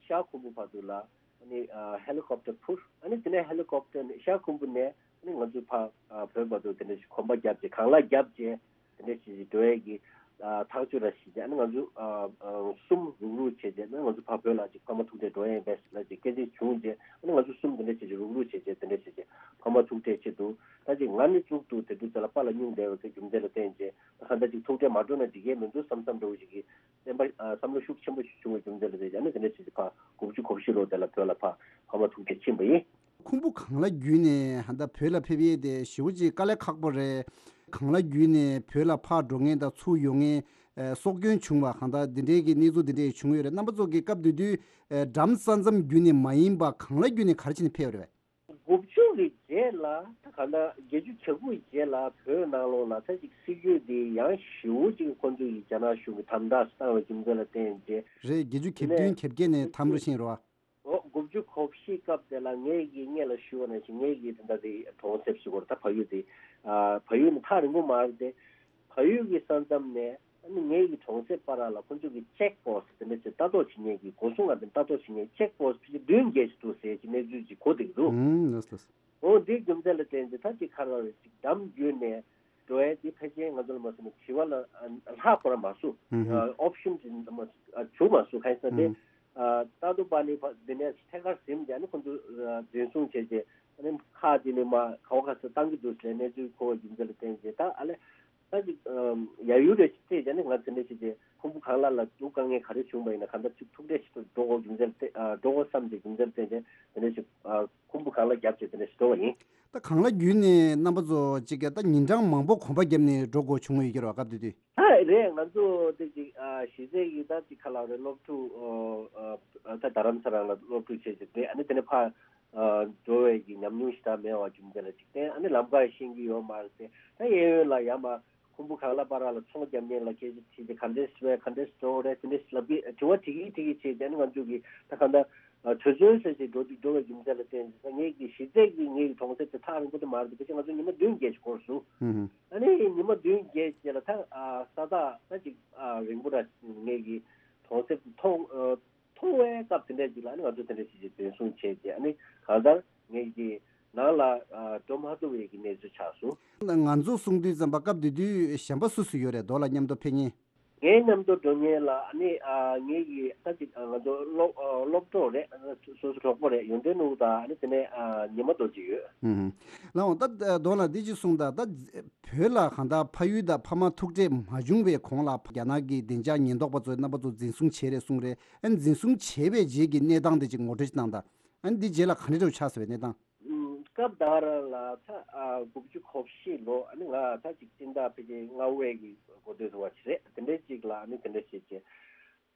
ཤར་ཁུམ་བུ་བར་དུ་ལ་ཨ་ནི་ཨ་ཧེ་ལི་ཀོབ་ཊར་འཕུར། ཨ་ནི་དེ་ནས་ཧེ་ལི་ཀོབ་ཊར་ནས་ཤར་ཁུམ་བུ་ནས་ཨ་ནི་ང་ཚོ་ཕར་ཨ་བོད་བར་དུ་དེ་འདྲ་ཞིག་གོམ་པ་བརྒྱབ་རྗེས་གང་ལ་བརྒྱབ་རྗེས་དེ་འདྲ་ཞིག་འགྲོ་ཡས་ཀྱི་ཨ་ཐག་གཅོད་ར་བྱས་རྗེས་ཨ་ནི་ང་ཚོ་ཨ་ཨ་གསུམ་རུག་རུག་བྱས་རྗེས་ཨ་ནི་ང་ཚོ་ཕར་བོད་ལ་ཅིག་ཕ་མ་ཐུག་འཕྲད་འགྲོ་ཡས་ཡིན་པས་ལ་ཅིག་སྐད་ཆ་བྱུང་རྗེས་ཨ་ནི་ང་ཚོ་གསུམ་དེ་འདྲ་བྱས་རྗེས་རུག་རུག་བྱས་རྗེས་དེ་འདྲ་བྱས་རྗེས་ཕ་མ་ཐུག་འཕྲད་ཆེད་དུ་ད་ཅིག་ང་ནི་གཙུག་ཏུ་དེ་དུས་ཚོད་ལ་པཱ་ལགས་སྙུང་བསྡད་པ་གི་རྒྱུ་མཚན་ལ་བརྟེན་རྗེས་ད་གང་ལྟར་ཅིག་ཐུག་འཕྲད་མ་འགྲོ་ན་འགྲིག་གི་མི་འདུག་བསམ་བསམ་འདྲ་བོ་ཞིག་གི་སེམས་པ་ཨ་བསམ་བློ་ཤུགས་ཆེན་པོ་ཞིག་བྱུང་བའི་རྒྱུ་མཚན་ལ་བརྟེན་ཨ་ནི་དེ་འདྲ་ཞིག་ཕར་དགུ་བཅུ་གོ་བཞི་ལོ་དེ་ལ་བོད་ལ་ཕར་ཕ་མ་ཐུག་འཕྲད་ཕྱིན་པ་ཡིན། ཁུམ་བུ་གངས་ལ་བརྒྱུད་ནས་ཧ་ད་བོད་ལ་ཕེབས་ཡས་དེ་ཞེ་པོ་ཅིག་དཀའ་ལས་ཁག་པོ་རེད། གངས་ལ་བརྒྱུད་ནས་བོད་ལ་ཕར་འགྲོ་མཁན་དང་ཚུར་ཡོང་མཁན་ཨ་སྲོག་སྐྱོན་བྱུང་བ་གང་ལྟར་འདི་འདྲའི་གི་གནས་ཚུལ་འདི་འདྲ་བྱུང་ཡོད་རེད། རྣམ་པ་ཚོ་གི་སྐབས་དེ་དུས་ཨ་འགྲམ་ས་མཚམས་བརྒྱུད་ནས་མ་ཡིན་པ་གངས་ལ་བརྒྱུད་ནས་ག་རེ་བྱས་ནས་ཕེབས་ཡོད་རེད་པས། དགུ་བཅུ་གི་རྗེས་ལ་ད་ག་ལ་བརྒྱད་ཅུ་གྱ་དགུ་རྗེས་ལ་བོད་ནང་ལོགས་ལ་ད་ཅིག་སྲིད་ཇུས་འདི་ཡང་ཞེ་པོ་ཅིག་ཁོང་ཚོ་ཡིས་རྒྱ་ནག་གཞུང་གིས་དམ་དྲག་བཏང་བའི་རྒྱུ་མཚན་ལ་བརྟེན་རྗེས་རེད། བརྒྱད་ཅུ་གྱ་བདུན་གྱ་བརྒྱད་ནས་དམ་རུ་ཕྱིན་རོ། འོ་དགུ་བཅུ་གོ་བཞི་སྐབས་དེ་ལ་ངས་ཀྱིས་སྔོན་ལ་ཞུས་པ་ནང་བཞིན་ངས་ཀྱིས་དེ་འདྲ་དེ་གྲོང་གསེབ་ཞིག་བར་ད་བལ་ཡུལ་དེ་བལ་ཡུལ་ནི་ཐག་རིང་པོ་མ་རེད་དེ། བལ་ཡུལ་གྱི་ས་མཚམས་ནས་ཨ་ནི་ངེད་ཀྱི་གྲོང་གསེབ་བར་ལ་ཁོ་ཚོ་གི་ཅེག་པོ་སི་ཊི་དེ་འདྲ་ཅིག་ལྟ་རྟོག་བྱེད་མཁན་གྱི་སྒོ་སྲུང་ལ་དེ་ལྟ་རྟོག་བྱེད་མཁན་ཅེག་པོ་སི་ཊི་ཕལ་ཆེར་བདུན་བརྒྱད་ཅིག་འདུག་ཟེར་གྱི་གནས་ཚུལ་ཅིག་གོ་བསྡད་ཀྱི་འདུག་ཨང་། ལགས་སོ། འོ་འདིའི་རྒྱུ་མཚན་ལ་བརྟེན་ཏེ་ད་ཅིག་ཁ་ལ་ཅིག་འགྲམ་བརྒྱུད་ནས་འགྲོ་ཡས་འདི་ཕལ་ཆེར་ང་ཚོ་ལ་མ་སོང་ན་བྱིས་པ་ལ་ཨ་ལྷག་པར་མ་སོང་། ཨང་། ཨ་ཨོབ་ཤན་ཅིག་མ་ཨ་བྱུང་མ་སོང་། གང་ཡིན་ཟེར་ན་དེ་ཨང་། ཨ་ད་དུང་པ་ནི་ཕ་འདི་ནས་ཐད་ཀར་ཟིན་བྱས་ནས་ཁོ་ཚོ་ཨ་འཛིན་བཟུང་བྱས་རྗེས་ཨ་ནི་ཁག་ཅིག་ནས་མར་ག་བ་ག་ས་བཏང་གི་འདུག་ཟེར་གནས་ཚུལ་གོ་བའི་རྒྱུ་མཚན་ལ་བརྟེན་བྱས་ད་ཨ་ལས། ད་ཅིག་ཡ་ཡུལ་རེ་ཞིག་བལྟས་ཀྱང་ནི་ང་དེ་འདྲ་ཞིག་ཅེས་ཁུམ་བུ་གང་ལ་ལ་སྡུག་དཀའ་ངལ་ག་རེ་བྱུང་བ་ཡིན་ན་གང་ལྟར་ཅིག་ཐུག་འཕྲད་ཞིག་ཏུ་འགྲོ་དགོས་རྒྱུ་མཚན་ལ་བལྟས་འགྲོ་དགོས་བསམ་ཅིག་རྒྱུ་མཚན་ལ་བལྟས་ཀྱང་དེ་འདྲ་ཞིག་ཁུམ་བུ་གང་ལ་བརྒྱབ་ཅེས་དེ་འདྲ་ཞིག་འགྲོ་བ་ཡིན། ད་གང་ལ་བརྒྱུད་ནས་རྣམ་པ་ཚོ་ཅིག་ག་ད་ཉིན་གྲངས་མང་པོ་གོམ་པ་བརྒྱབ་ནས་འགྲོ་དགོས་བྱུང་བའི་ཡོད་རེད་བ་སྐབས་དེ་དུས། ཨ་རེད། ང་ཚོ་དེ་ཅིག་ཨ་གཞི་རྩའི་གི་ད་ཅིག་ཁ་ལག་རེད་སློབ་ཕྲུག་ཨ་ད་རྡ་རམ་ས་རང་ལ་སློབ་ཕྲུག་བྱས་ཅིག་རེད། ཨ་ནི་དེ་ནས་ཕ་འགྲོ་བའི་གི་ཉམས་མྱོང་ཞིག་ད་མེད་བ་རྒྱུ་མཚན་ལ་ཅིག་བརྟེན་ཨ་ནི་ལམ་ཁ་ཤེས་ཀྱི་ཡོད་མ་རེད་དེ། ད་གཡས་གཡོན་ལ་ཡར་མར་ཁུམ་བུ་གང་ལ་པ་ར་ལ་ཚོང་རྒྱག་མཁན་ལ་སྐད་ཆ་དྲིས་ཏེ་ག་འདྲས་བས་ག་འདྲས་འགྲོ་རེད་དེ་འདྲས་ལབ་ཀྱི་དྲི་བ་དྲི་གི་དྲི་གི་བྱས་ཏེ་ཨ་ནི་ང་ཚོ་གི་ད་གང་ལྟར་གྲོས་ཚོད་ཟེར་ཅིག་འགྲོ་དུས་འགྲོ་བའི་རྒྱུ་མཚན་ལ་བརྟེན་ཅིག་ད་ངེད་ཀྱི་གཞི་རྩའི་གི་ངེད་ཀྱི་གྲོང་གསེབ་དེ་ཐག་རིང་པོ་དེ་མ་རེད་དེ་ཕལ་ཆེར་ང་ཚོ་ཉི་མ་བདུན་བརྒྱད་ཅིག་འགོར་སོང་། ཨ་ནི་ཉི་མ་བདུན་བརྒྱད་རྗེས་ལ་ད་ས་ཐག་ད་ཅིག་རིང་པོ་ར་ངེད་ཀྱི་གྲོང་གསེབ་དེ་མཐོང་མཐོང་བའི་སྐབས་དེ་འདྲ་ཅིག་ལ་ཨ་ནི་ང་ཚོ་དེ་འདྲ་ཞིག་ཅིག་འཛིན་བཟུང་བྱས་རྗེས་ཨ་ནི་གང་ལྟར་ངེད་ཀྱི་ནང་ལ་འགྲོ་མ་ཐུབ་པའི་གི་གནས་ཚུལ་ཆགས་སོང་། ང་ཚོ་གསུང་དུས་ཙམ་པ་སྐབས་དེ་དུས་གཞན་པ་སུ་སུ་ཡོད་རེད་མདོ་ལ་མཉམ་དུ་ཕེབས་མཁན། ངའི་མཉམ་དུ་འགྲོ་མཁན་ལ་ཨ་ནི་ཨ་ངེད་ཀྱི་ད་ཅིག་ཨ་ང་ཚོ་སློབ་ཨ་སློབ་གྲོགས་རེད། ཨ་སོ་སོ་གྲོགས་པོ་རེད། ཡོན་ཏན་ནོར་བུ་དང་ཨ་ནི་དེ་ནས་ཨ་ཉི་མ་རྡོ་རྗེ་ཡོད། ཨུ་ཧུམ། ལགས་འོང་། ད་མདོ་ལ་འདི་ཅིག་གསུངས་དང་། ད་བོད་ལ་གང་ལྟར་ཕ་ཡུལ་དང་ཕ་མ་ཐུག་འཕྲད་མ་བྱུང་བའི་གོང་ལ་རྒྱ་ནག་གི་བདེ་འཇགས་ཉེན་རྟོག་པ་ཚོས་རྣམ་པ་ཚོ་འཛིན་བཟུང་བྱས་རེད་གསུངས་རེད། ཨ་ནི་འཛིན་བཟུང་བྱས་པའི་རྗེས་ཀྱི་གནས་སྟངས་དེ་ཅིག་ངོ་སྤྲོད་ཅིག་གནང་དང་། ཨ་ནི་འདི་རྗེས་ལ་ག་འདྲ་འདྲ་བོ་ཆགས་ཟེར་བའི་གནས་སྟངས། ཨུམ། སྐབས་ད་ག་རང་ལ་ད་ཨ་དགུ་བཅུ་གོ་བཞི་ལོ་ཨ་ནི་ང་ད་ཅིག་སྤྱི་ཟླ་ཕལ་ཆེར་ལྔ་པའི་གི་འགོ་སྟོད་དུ་བ་ཞིག་རེད། དེ་འདྲའི་ཅིག་ལ་ཨ་ནི་དེ་འདྲ་ཞིག་བྱས།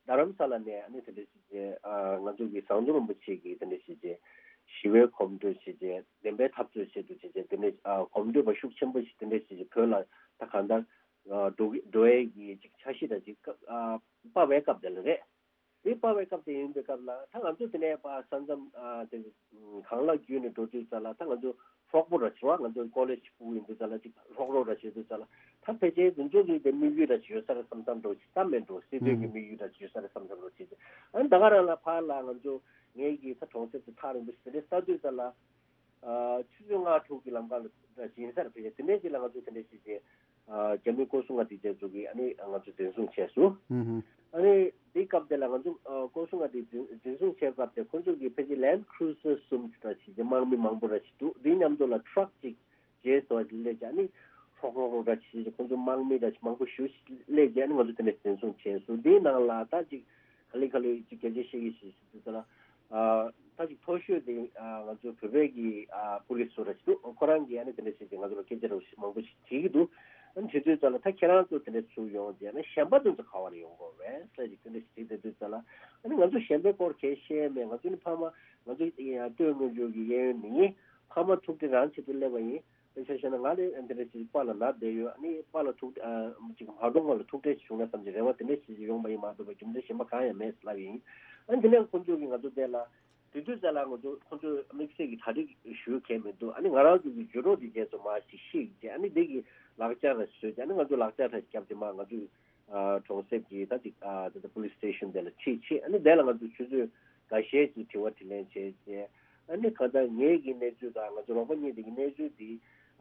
རྡ་རམ་ས་ལ་ནས་ཨ་ནི་དེ་འདྲ་ཞིག་བྱས། ཨ་ང་ཚོ་གི་ཟམ་གདོང་རིན་པོ་ཆེ་གི་དེ་འདྲ་ཞིག་བྱས། ཞི་བའི་གོམ་བགྲོད་བྱས་བྱས། བདེན་པའི་འཐབ་རྩོད་བྱེད་དུ་བྱས་བྱས། དེ་འདྲ་ཨ་གོམ་བགྲོད་པ་ཤུགས་ཆེན་པོ་ཞིག་དེ་འདྲ་ཞིག་བྱས། བོད་ལ་ད་གང་ལྟར་ཨ་འགྲོ་གི་འགྲོ་ཡས་ཀྱི་ཅིག་འཆར་གཞི་དང་ཅིག་ཨ་སྤར་བའི་སྐབས་དེ་ལ་རེད། དེ་སྤར་བའི་སྐབས་དེ་ཡིན་པའི་སྐབས་ལ་ད་ང་ཚོ་དེ་ནས་པ་ས་མཚམས་ཨ་དེ་གང་ལ་བརྒྱུད་ནས་འགྲོ་དུས་ཙ་ལ་ད་ང་ཚོ་ཧྲོག་པོ་ར་བྱེད་པ། ང་ཚོ་ཀོ་ལེ་ཇི་ཕྲུ་གུ་ཡིན་དུས་ཙ་ལ་ཅིག་ཧྲོག་རོག་ར་བྱེད་དུས་ཙ་ལ་ད་ཕལ་ཆེར་དེ་ཚོ་གི་དེ་དམིགས་ཡུལ་ར་བྱེད་ཡོད་ས་རེད་བསམ་བསམ་འགྲོ་ཅིག་ད་མེད་འགྲོ། སྲིད་དོན་གྱི་དམིགས་ཡུལ་ར་བྱེད་ཡོད་ས་རེད་བསམ་བསམ་འགྲོ་ཅིག་ཨ་ནི་ད་ག་རང་ལ་ཕར་ལ་ང་ཚོ་ངེད་ཀྱི་ད་གྲོང་གསེབ་དེ་ཐག་རིང་པོ་ཞིག་དེ་འདྲའི་ལྟ་དུས་ཙ་ལ། ཆུ་ཚོད་ལྔ་དྲུག་གི་ལམ་ཁ་ལ་འདྲ་ཞིག་ཡིན་ས་རེད། ཕལ་ཆེར་དེ་འདྲའི་ཅིག་ལ་ང་ཚོ་དེ་འདྲའི་ཞིག་གི་རྒྱ་མི་སྐོར་སྲུང་བ་དེ་ཚོ་གིས་ཨ་ནི་ང་ཚོ་འཛིན་བཟུང་བྱས་སོང་། ཨ་ནི་དེའི་སྐབས་དེ་ལ་ང་ཚོ་སྐོར་སྲུང་བ་དེ་འཛིན་འཛིན་བཟུང་བྱས་སྐབས་དེ་ཁོ་ཚོ་གིས་ཕལ་ཆེར་Land Cruiser་གསུམ་ཅིག་འདྲ་ཞིག་གི་དམག་མི་མང་པོ་འདྲ་ཞིག་འདུག་དེའི་མཉམ་དུ་ལ་ཊརག་ཅིག་རྗེས་སུ་སླེབས་ཀྱི་ཨ་ནི་ཧྲོག་ཧྲོག་ཧྲོག་འདྲ་ཞིག་ཁོ་ཚོ་དམག་མི་འདྲ་ཞིག་མང་པོ་ཞེ་ཅིག་སླེབས་ཀྱི་ཨ་ནི་ང་ཚོ་དེ་འདྲ་འཛིན་བཟུང་བྱས་སོང་། དེའི་ནང་ལ་ད་ཅིག་ག་ལེ་ག་ལེ་ཅིག་སྐད་ཆ་བཤད་ཀྱི་ཞིག་ཞིག་དུས་ཙ་ལ། ཨ་ད་ཅིག་མཐོ་ཤོས་དེ་ཨ་ང་ཚོ་བོད་པའི་གི་ཨ་པུ་ལིས་ཚོ་ར་ཞིག་འདུག་ཁོ་རང་གིས་ཨ་ནི་དེ་འདྲ་བྱས་ཏེ་ང་ཚོ་ལ་སྐད་ཆ་ར་ཞིག་མང་པོ་ཞིག་དྲིས་ཀྱི་འདུག་ཨ་ནི་དྲིས་དུས་ཙ་ལ་ད་ཁྱེད་རང་ཚོ་དེ་འདྲ་ཚུར་ཡོང་རྗེས་ཨ་ནི་གཞན་པ་དེ་ཚོ་ག་བ་ནས་ཡོང་དགོས་རེད་ཟེར་ཅིག་དེ་འདྲ་ཞིག་དྲིས་དེ་དུས་ཙ་ལ་ཨ་ནི་ང་ཚོ་གཞན་པའི་སྐོར་གས་བཤད་མེད། ང་ཚོ་ནི་ཕ་མ་ང་ཚོ་ཡང་སྟོད་སྔོན་འཇུག་གི་གཡས་གཡོན་ནས་ཕ་མ་ཐུག་འཕྲད་རང་བྱེད་དུ་སླེབས་པ་ཡིན། དཔེ་ཆ་བཤད་ན་ང་ནི་འདི་འདྲ་ཞིག་པཱ་ལགས་ན་བསྡད་ཡོད། ཨ་ནི་པཱ་ལགས་ཐུག་ཨ་ཅིག་མ་གཏོང་བ་ལ་ཐུག་འཕྲད་བྱུང་ན་བསམ་གྱི་རེ་བ་དེ་འདྲ་ཞིག་ཡོང་བ་ཡིན་མ་གཏོགས་པའི་རྒྱུ་མཚན་གཞན་པ་གང་ཡང་མེད་ལབ་ཡིན། ཨ་ནི་དེ་ནས་ཁོང་ཚོ་གིས་ང་ཚོ་དེ་ལ་དེ་དུས་ཙ་ལ་ང་ཚོ་ཁོང་ཚོས་དམིགས་བསལ་གྱི་གྲ་སྒྲིག་ཞུ་མཁན་མི་འདུག་ཨ་ནི་ང་རང་ཚོ་གི་འགྱུར་རོགས་དེ་རྗེས་སུ་མར་ཞིག་ཤེས་ཀྱི་ཨ་ནི་དེ་གི་ལག་ཆ་ར་བཟོས་ཀྱི་ཨ་ནི་ང་ཚོ་ལག་ཆ་ར་བརྒྱབ་སྟེ་མར་ང་ཚོ་གྲོང་གསེབ་ཀྱི་ད་ཅིག་ཨ་ད་ལྟ་police station་དེ་ལ་ཁྲིད་ཆེད་ཨ་ནི་དེ་ལ་ང་ཚོ་ཆུ་ཚོད་འགའ་ཤས་ཀྱི་དྲི་བ་དྲིས་ལན་བྱས་རྗེས་ཨ་ནི་གང་ལྟར་ངེད་ཀྱི་གནས་ཚུལ་དང་ང་ཚོ་རོགས་པ་གཉིས་དེ་གི་གནས་ཚུལ་དེ་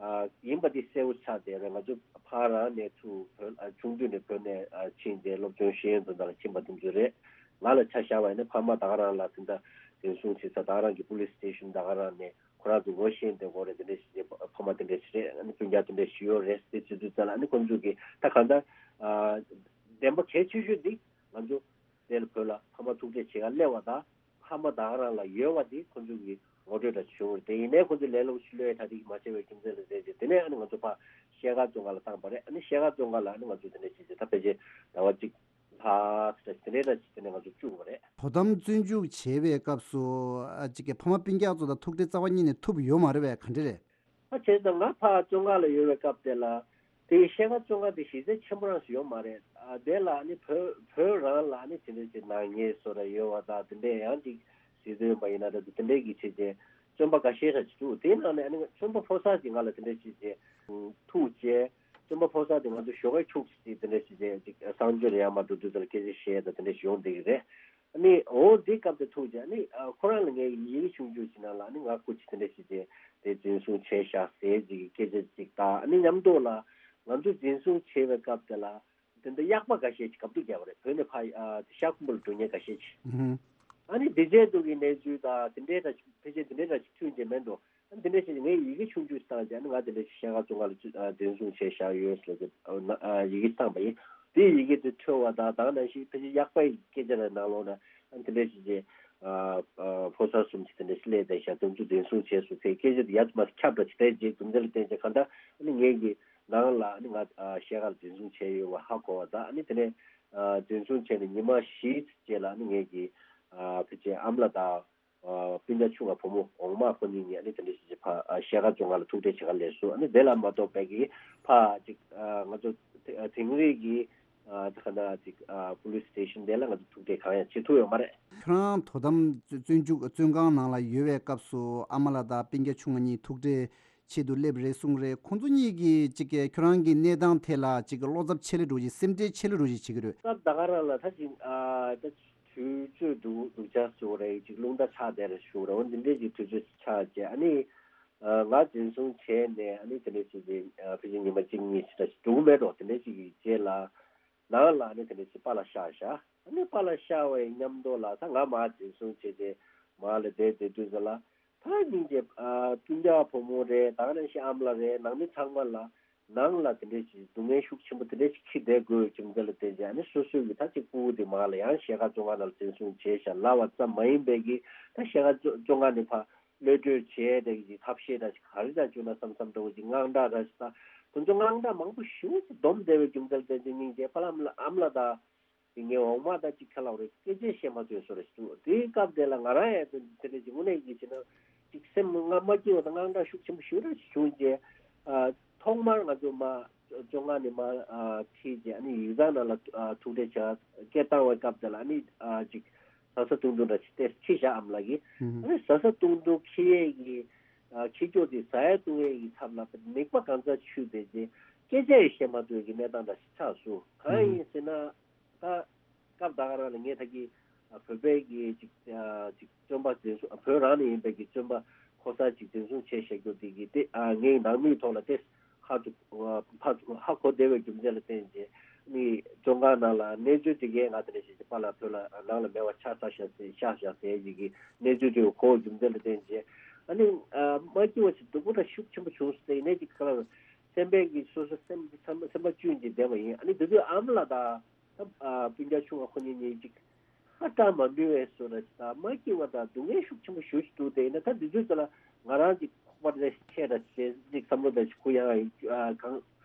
ཨ་ཡིན་པ་དེ་གསལ་བོ་ཆགས་བསྡད་རེད། ང་ཚོ་ཕ་རང་ནས་ཚུར་བོད་ཨ་ཆུང་དུས་ནས་བོད་ནས་ཨ་ཕྱིན་ཏེ་སློབ་ཆུང་ཤེས་ཡོན་དོན་དག་ལ་ཕྱིན་པ་དེ་ཚོ་རེད། ང་ལ་ཆ་བཞག་པ་ཡིན་ན་ཕ་མ་ད་ག་རང་ལ་དེ་འདྲ་འཛིན་བཟུང་བྱེད་ས་ད་ག་རང་གི་police station་ད་ག་རང་ནས། ཁོ་རང་ཚོ་ངོ་ཤེས་དེ་གོ་རེད། དེ་འདྲ་ཞིག་ཕ་མ་དེ་འདྲ་ཞིག་རེད། ཨ་ནི་སྤུན་ཀྱག་དེ་འདྲ་ཞིག་ཡོད་རེད་ཟེར་བྱེད་དུས་ཙ་ལ་ཨ་ནི་ཁོང་ཚོ་གིས་ད་གང་ལྟར་ཨ་བདེན་པ་གལ་ཆེ་ཤོས་འདི་ང་ཚོ་དེ་ལ་བོད་ལ་ཕ་མ་ཐུག་འཕྲད་བྱེད་ག་སླེབས་པ་དང་ཕ་མ་ད་ག་རང་ལ་ཡོད་པ་དེ་ཁོང་ཚོ་གིས་ངོ་སྤྲོད་འདྲ་བྱུང་རེད། དེ་ཡིན་ནའི་ཁོང་ཚོས་ལས་སླ་པོ་ཞིག་བློས་ཐ་དད་ཀྱིས་མ་བྱས་པའི་རྒྱུ་མཚན་ལ་བརྟེན་བྱས་དེ་ནས་ཨ་ནི་ང་ཚོ་ཕར་ཤེལ་དཀར་རྫོང་ཁག་ལ་བཏང་པ་རེད། ཨ་ནི་ཤེལ་དཀར་རྫོང་ཁག་ལ་ཨ་ནི་ང་ཚོ་དེ་འདྲ་བྱས་བྱས་ད་ཕལ་ཆེར་ཟླ་བ་གཅིག་ལྷག་ཙམ་དེ་འདྲ་ཅིག་དེ་ནས་ང་ཚོ་བཅུག་པ་རེད། དོ་དམ་བཙོན་འཇུག་བྱས་པའི་སྐབས་སུ་ཨ་ཅིག་གི་ཕ་མ་སྤུན་ཀྱག་ཚོ་དང་ཐུག་འཕྲད་རྩ་བ་ཉིད་ནས་ཐུབ་ཡོད་མ་རེད་པས། ག་འདྲ་རེད། ཨ་བྱས་ཙང་ང་ཕར་བཙོན་ཁང་ལ་ཡོད་པའི་སྐབས་དེ་ལ་དེ་ཤེལ་དཀར་བཙོན་ཁང་དེ་གཞི་རྩ་ཆེན་པོ་རང་ཞིག་ཡོད་མ་རེད། ཨ་དེ་ལ་ཨ་ནི་བོད་བོད་རང་ལ་ཨ་ནི་དེ་འདྲ་ཅིག་ནག་ཉེས་བཟོ་འདྲ་ཡོད་པ་དང་དེ་འདྲ་ཡང་ཅིག་སྲིད་དོན་པ་ཡིན་ན་འདྲ་འདུག་དེ་འདྲའི་གི་བྱས་རྗེས་བཙོན་པ་འགའ་ཤས་ར་ཅིག་འདུག་དེའི་ནང་ནས་ཨ་ནི་བཙོན་པ་ཕོ་གསར་ཅིག་ང་ལ་དེ་འདྲ་བྱས་རྗེས་ཐུག་རྗེས་བཙོན་པ་ཕོ་གསར་དེ་ང་ཚོ་ཞོགས་ཀས་ཁྱུག་ཅིག་དེ་འདྲ་བྱས་རྗེས་ཅིག་གསང་སྤྱོད་ལ་ཡར་མར་འགྲོ་དུས་ཙམ་ལ་སྐད་ཆ་བཤད་དང་དེ་འདྲ་ཞིག་ཡོང་བསྡད་ཀྱི་རེད། ཨ་ནི་འོ་འདི་སྐབས་དེ་ཐུག་རྗེས་ཨ་ནི་ཨ་ཁོ་རང་ལ་ངས་ཡི་གེ་ཆུང་ཆུང་ཞིག་ནང་ལ་ཨ་ནི་ང་སྐུ་མཁྱེན་དེ་འདྲ་བྱས་རྗེས་དེ་འཛིན་བཟུང་བྱས་བཞག་ཟེར་ཅིག་གི་སྐད་ཆ་ཅིག་དང་ཨ་ནི་མཉམ་དུ་ལ་ང་ཚོ་འཛིན་བཟུང་བྱས་པའི་སྐབས་དེ་ལ་དེ་འདྲ་གཡག་པ་འགའ་ཤས་ཅིག་གབ་ཏུ་བརྒྱབ་པ་རེད། བོད་ནས་ཕར་ཨ་ཤར་ཁུམ་བུ་ལ་འགྲོ་མཁན་འགའ་ཤས་ཅིག་ཨ་ནི་དེ་རྗེས་དུ་གི་གནས་ཚུལ་དང་དེ་འདྲའི་འདྲ་ཅིག་ཕལ་ཆེར་དེ་འདྲའི་འདྲ་ཅིག་ཐོན་གྱི་མེད་འགྲོ། འདི་འདྲ་ཞིག་ངས་ཡི་གེ་ཆུང་ཆུང་བཏང་བྱས་ཨ་ནི་ང་འདི་འདྲ་ཞིག་ཤེལ་དཀར་བཙོན་ཁང་ལ་ཚུད་ཨ་འཛིན་བཟུང་བྱས་བཞག་ཡོད་ཟེར་ཏེ་ཨ་ན་ཨ་ཡི་གེ་བཏང་པ་ཡིན། དེའི་ཡི་གེ་དེ་འཕྲོས་པ་དང་ད་ག་ནང་བཞིན་ཕལ་ཆེར་ཡག་པའི་སྐད་ཆ་རེ་ནང་ལོགས་ན་ཨ་འདི་འདྲ་ཞིག་བྱས་ཨ་ཨ་ཕོ་གསར་གསུམ་ཞིག་དེ་འདྲ་ཞིག་སླེབས་བསྡད་ཤག་དེ་ཚོ་འཛིན་བཟུང་བྱས་སོང་ཟེར་སྐད་ཆ་དེ་ཡར་མར་ཁྱབ་འགྲོ་ཅིག་བསྡད་རྗེས་རྒྱུ་མཚན་ལ་བརྟེན་བྱས་གང་ལྟར་ཨ་ནི་ངེད་ཀྱི་ནང་ལ་ཨ་ནི་ང་ཨ་ཤེལ་དཀར་འཛིན་བཟུང་བྱས་ཡོད་པ་ཧ་གོ་བ་དང་ཨ་ནི་དེ་ནས་ཨ་འཛིན་བཟུང་བྱས་ནས་ཉི་མ་བཞིའི་རྗེས་ལ་ཨ་ནི་ངེད་ཀྱི་ཨ་ཕལ་ཆེར་ཨ་མ་ལགས་དང་། ཨ་སྤུན་ཀྱག་ཆུང་བ་བུ་མོ་འོག་མ་ཁོ་གཉིས་ནས་ཨ་ནི་དེ་འདྲ་ཞིག་ཅིག་ཕ་ཨ་ཤེལ་དཀར་བཙོན་ཁང་ལ་ཐུག་འཕྲད་བྱེད་ག་སླེབས་སོང་། ཨ་ནི་དེ་ལ་མ་གཏོགས་པའི་གི་ཕ་ཅིག་ཨ་ང་ཚོ་དེ་ཨ་དིང་རི་གི་ཨ་ད་ག་ན་ཅིག་ཨ་པུ་ལིས་སི་ཊེ་ཤན་དེ་ལ་ང་ཚོ་ཐུག་འཕྲད་གང་ཡང་བྱེད་ཐུབ་ཡོད་མ་རེད། ཁྱོད་རང་དོ་དམ་བཙོན་འཇུག་བཙོན་ཁང་ནང་ལ་ཡོད་པའི་སྐབས་སུ་ཨ་མ་ལགས་དང་སྤུན་ཀྱག་ཆུང་ང་གཉིས་ཐུག་འཕྲད་ཆེད་དུ་སླེབས་རེད་གསུངས་རེད། ཁོང་ཚོ་གཉིས་ཀྱིས་ཅིག་གིས་ཁྱོད་རང་གི་གནས་སྟངས་ཐད་ལ་ཅིག་གི་བློ་འཚབ་ཆེ་ལེ་འགྲོ་བཞིན་སེམས་ཁྲལ་ཆེ་ལེ་འགྲོ་བཞིན་བྱེད་ཀྱི་རེད། སྐབས་ད་ག་རང་ལ་ད་ཅིག་ཨ་ད་དུས་ཚོད་འདུག་འདུག་ཆགས་སུ་རེད་ཅིག་རླུང་རྟ་ཆགས་བསྡད་རེད་ཞུ་རེད། འོ་འདི་འདྲས་ཀྱི་དུས་ཚོད་ཆགས་རྗེས་ཨ་ནི་ང་འཛིན་བཟུང་བྱས་ནས་ཨ་ནི་དེ་འདྲས་ཅིག་གི་ཕལ་ཆེར་ཉི་མ་གཅིག་གཉིས་ཅིག་ད་ཅིག་འགྲོ་གི་མེད་འགྲོ། དེ་འདྲས་ཅིག་གི་རྗེས་ལ་ནང་ལ་ཨ་ནི་དེ་འདྲས་ཅིག་པཱ་ལགས་གཤགས་བཞག་ཨ་ནི་པཱ་ལགས་གཤགས་པའི་མཉམ་དུ་ལ་ད་ང་མར་འཛིན་བཟུང་བྱས་ཏེ་མར་ལ་བསྡད་བསྡད་དུས་ཙམ་ལ་ད་སྙིང་རྗེ་ཨ་སྤུན་ཀྱག་བུ་མོ་རེད། ད་ག་ནང་བཞིན་ཨ་མ་ལགས་རེད། ནང་མི་ཚང་མ་ལ་ནང་ལ་དེ་འདྲས་ཅིག་སྡུག་བསྔལ་ཤུགས་ཆེན་པོ་དེ་འདྲས་ཅིག་འཁྱེར་བསྡད་དགོས་ཀྱི་འདི་ལ་བརྟེན་བྱས་ཨ་ནི་སོ་སོའི་གི་ད་ཅིག་སྤུ་གུ་དེ་མར་ལ་ཡང་ཤེལ་དཀར་བཙོན་ཁང་ནང་ལ་འཛིན་བཟུང་བྱས་ཤག་ལབ་པ་ཙམ་མ་ཡིན་པའི་གི་ད་ཤེལ་དཀར་བཙོན་ཁང་ནས་ཕར་གློད་གྲོལ་བྱས་དེ་གི་ཐབས་ཤེས་འདྲ་ཞིག་ག་རེ་འདྲ་བྱུང་ན་བསམ་བསམ་འདྲ་བོ་ཅིག་དངངས་སྐྲག་འདྲ་ཞིག་དང་དེ་ཚོ་དངངས་སྐྲག་མང་པོ་ཞེ་པོ་ཅིག་སྡོམ་བསྡད་པའི་རྒྱུ་མཚན་ལ་བརྟེན་བྱས་སྙིང་རྗེ་ཕ་ལམ་ལ་ཨ་མ་ལགས་དང་། དེ་ངའི་འོག་མ་ད་ཅིག་ཁ་ལག་རེད། སྐད་ཆ་བཤད་མ་ཐུབ་བཟོ་རེད་ཞུ། དེའི་སྐབས་དེ་ལ་ང་རང་ཡང་དེ་དེ་འདྲ་ཅིག་དངོས་གནས་ཀྱི་བྱས་ན་ཅིག་སེམས་ང་མ་སྐྱིད་པ་དང་དངངས་སྐྲག་ཤུགས་ཆེན་པོ་ཞེ་པོ་ཅིག་བྱུང་རྗེས་ཨ་ཐོག་མར་ང་ཚོ་མ་བཙོན་ཁང་ནས་མ་ཨ་ཁྲིད་རྗེས་ཨ་ནི་ཡིག་ཚང་ནང་ལ་ཨ་ཐུག་འཕྲད་བྱ་སྐད་བཏང་བའི་སྐབས་དེ་ལ་ཨ་ནི་ཨ་ཅིག་ཟ་ས་བཏུང་བཏུང་འདྲ་ཅིག་སྟེར་ཁྲིད་བཞག་ཨ་མ་ལགས་ཀྱིས། ཨ་ནི་ཟ་ས་བཏུང་བཏུང་ཁྱི་ཡས་ཀྱི་ཨ་ཁྱི་སྐྱོགས་དེ་ཟ་ཡས་བཏུང་ཡས་ཀྱི་ཚབ་ལ་མིད་པ་གང་ཚ་ཆུད་བསྡད་རྗེས་སྐད་ཆ་ཡང་བཤད་མ་ཐུབ་ཀྱི་གནས་སྟངས་འདྲ་ཞིག་ཆགས་སོང་། གང་ཡིན་ཟེར་ན། ད་སྐབས་ད་ག་རང་ལ་ངས་ད་གི་ཨ་བོད་པའི་གི་ཅིག་ཨ་ཅིག་བཙོན་པ་འཛིན་བཟུང་ཨ་བོད་རང་ནས་ཡིན་པའི་གི་བཙོན་པ་ཁོ་ས་ཅིག་འཛིན་བཟུང་བྱས་བཞག་རྒྱུ་དེ་གི་དེ་ཨ་ངའི་ནང་མིའི་ཐོག་ལ་དེ་ཧ་ཅུ་ཨ་ཧ་ཧ་གོ་བདེ་བའི་རྒྱུ་མཚན་ལ་བརྟེན་བྱས་ནི་བཙོན་ཁང་ནང་ལ་གནས་ཚུལ་དེ་གའི་ང་དེ་འདྲ་ཞིག་ཅིག་པཱ་ལགས་བོད་ལ་ནང་ལ་མེད་པ་ཆགས་ཚར་ཤག་ཟེར་ཤག་ཤག་ཟེར་ཅིག་གི་གནས་ཚུལ་དེ་གོ་བའི་རྒྱུ་མཚན་ལ་བརྟེན་བྱས་ཨ་ནི་ཨ་མ་སྐྱིད་པ་ཞིག་སྡུག་པོ་དང་ཤུགས་ཆེན་པོ་བྱུང་སོང་ཟེར་ནས་ཅིག་ཁ་ལ་སེམས་པའི་གི་སོ་སོ་སེམས་སེམས་སེམས་པ་བཅུད་ཀྱིས་བསྡད་པ་ཡིན། ཨ་ནི་དེ་དུས་ཨ་མ་ལགས་དང་། ད་ཨ་སྤུན་ཀྱག་ཆུང་བ་ཁོ་གཉིས་གཉིས་ཅིག་ཧ་ཅང་མ་འདུལ་བའི་བཟོ་འདྲ་ཅིག་དང་མ་སྐྱིད་པ་དང་སྡུག་བསྔལ་ཤུགས་ཆེན་པོ་ཞེ་པོ་ཅིག་འདུག་དེ་ཡིན་ན་ད་འདི་ཚོའི་རྩ་ལ་ང་རང་ཅིག་ཁོག་པ་འདྲ་ཞིག་ཆད་འདྲ་ཞིག་ཅིག་བསམ་བློ་འདྲ་ཞིག་ཁུ་ཡངས་ཨ་གང་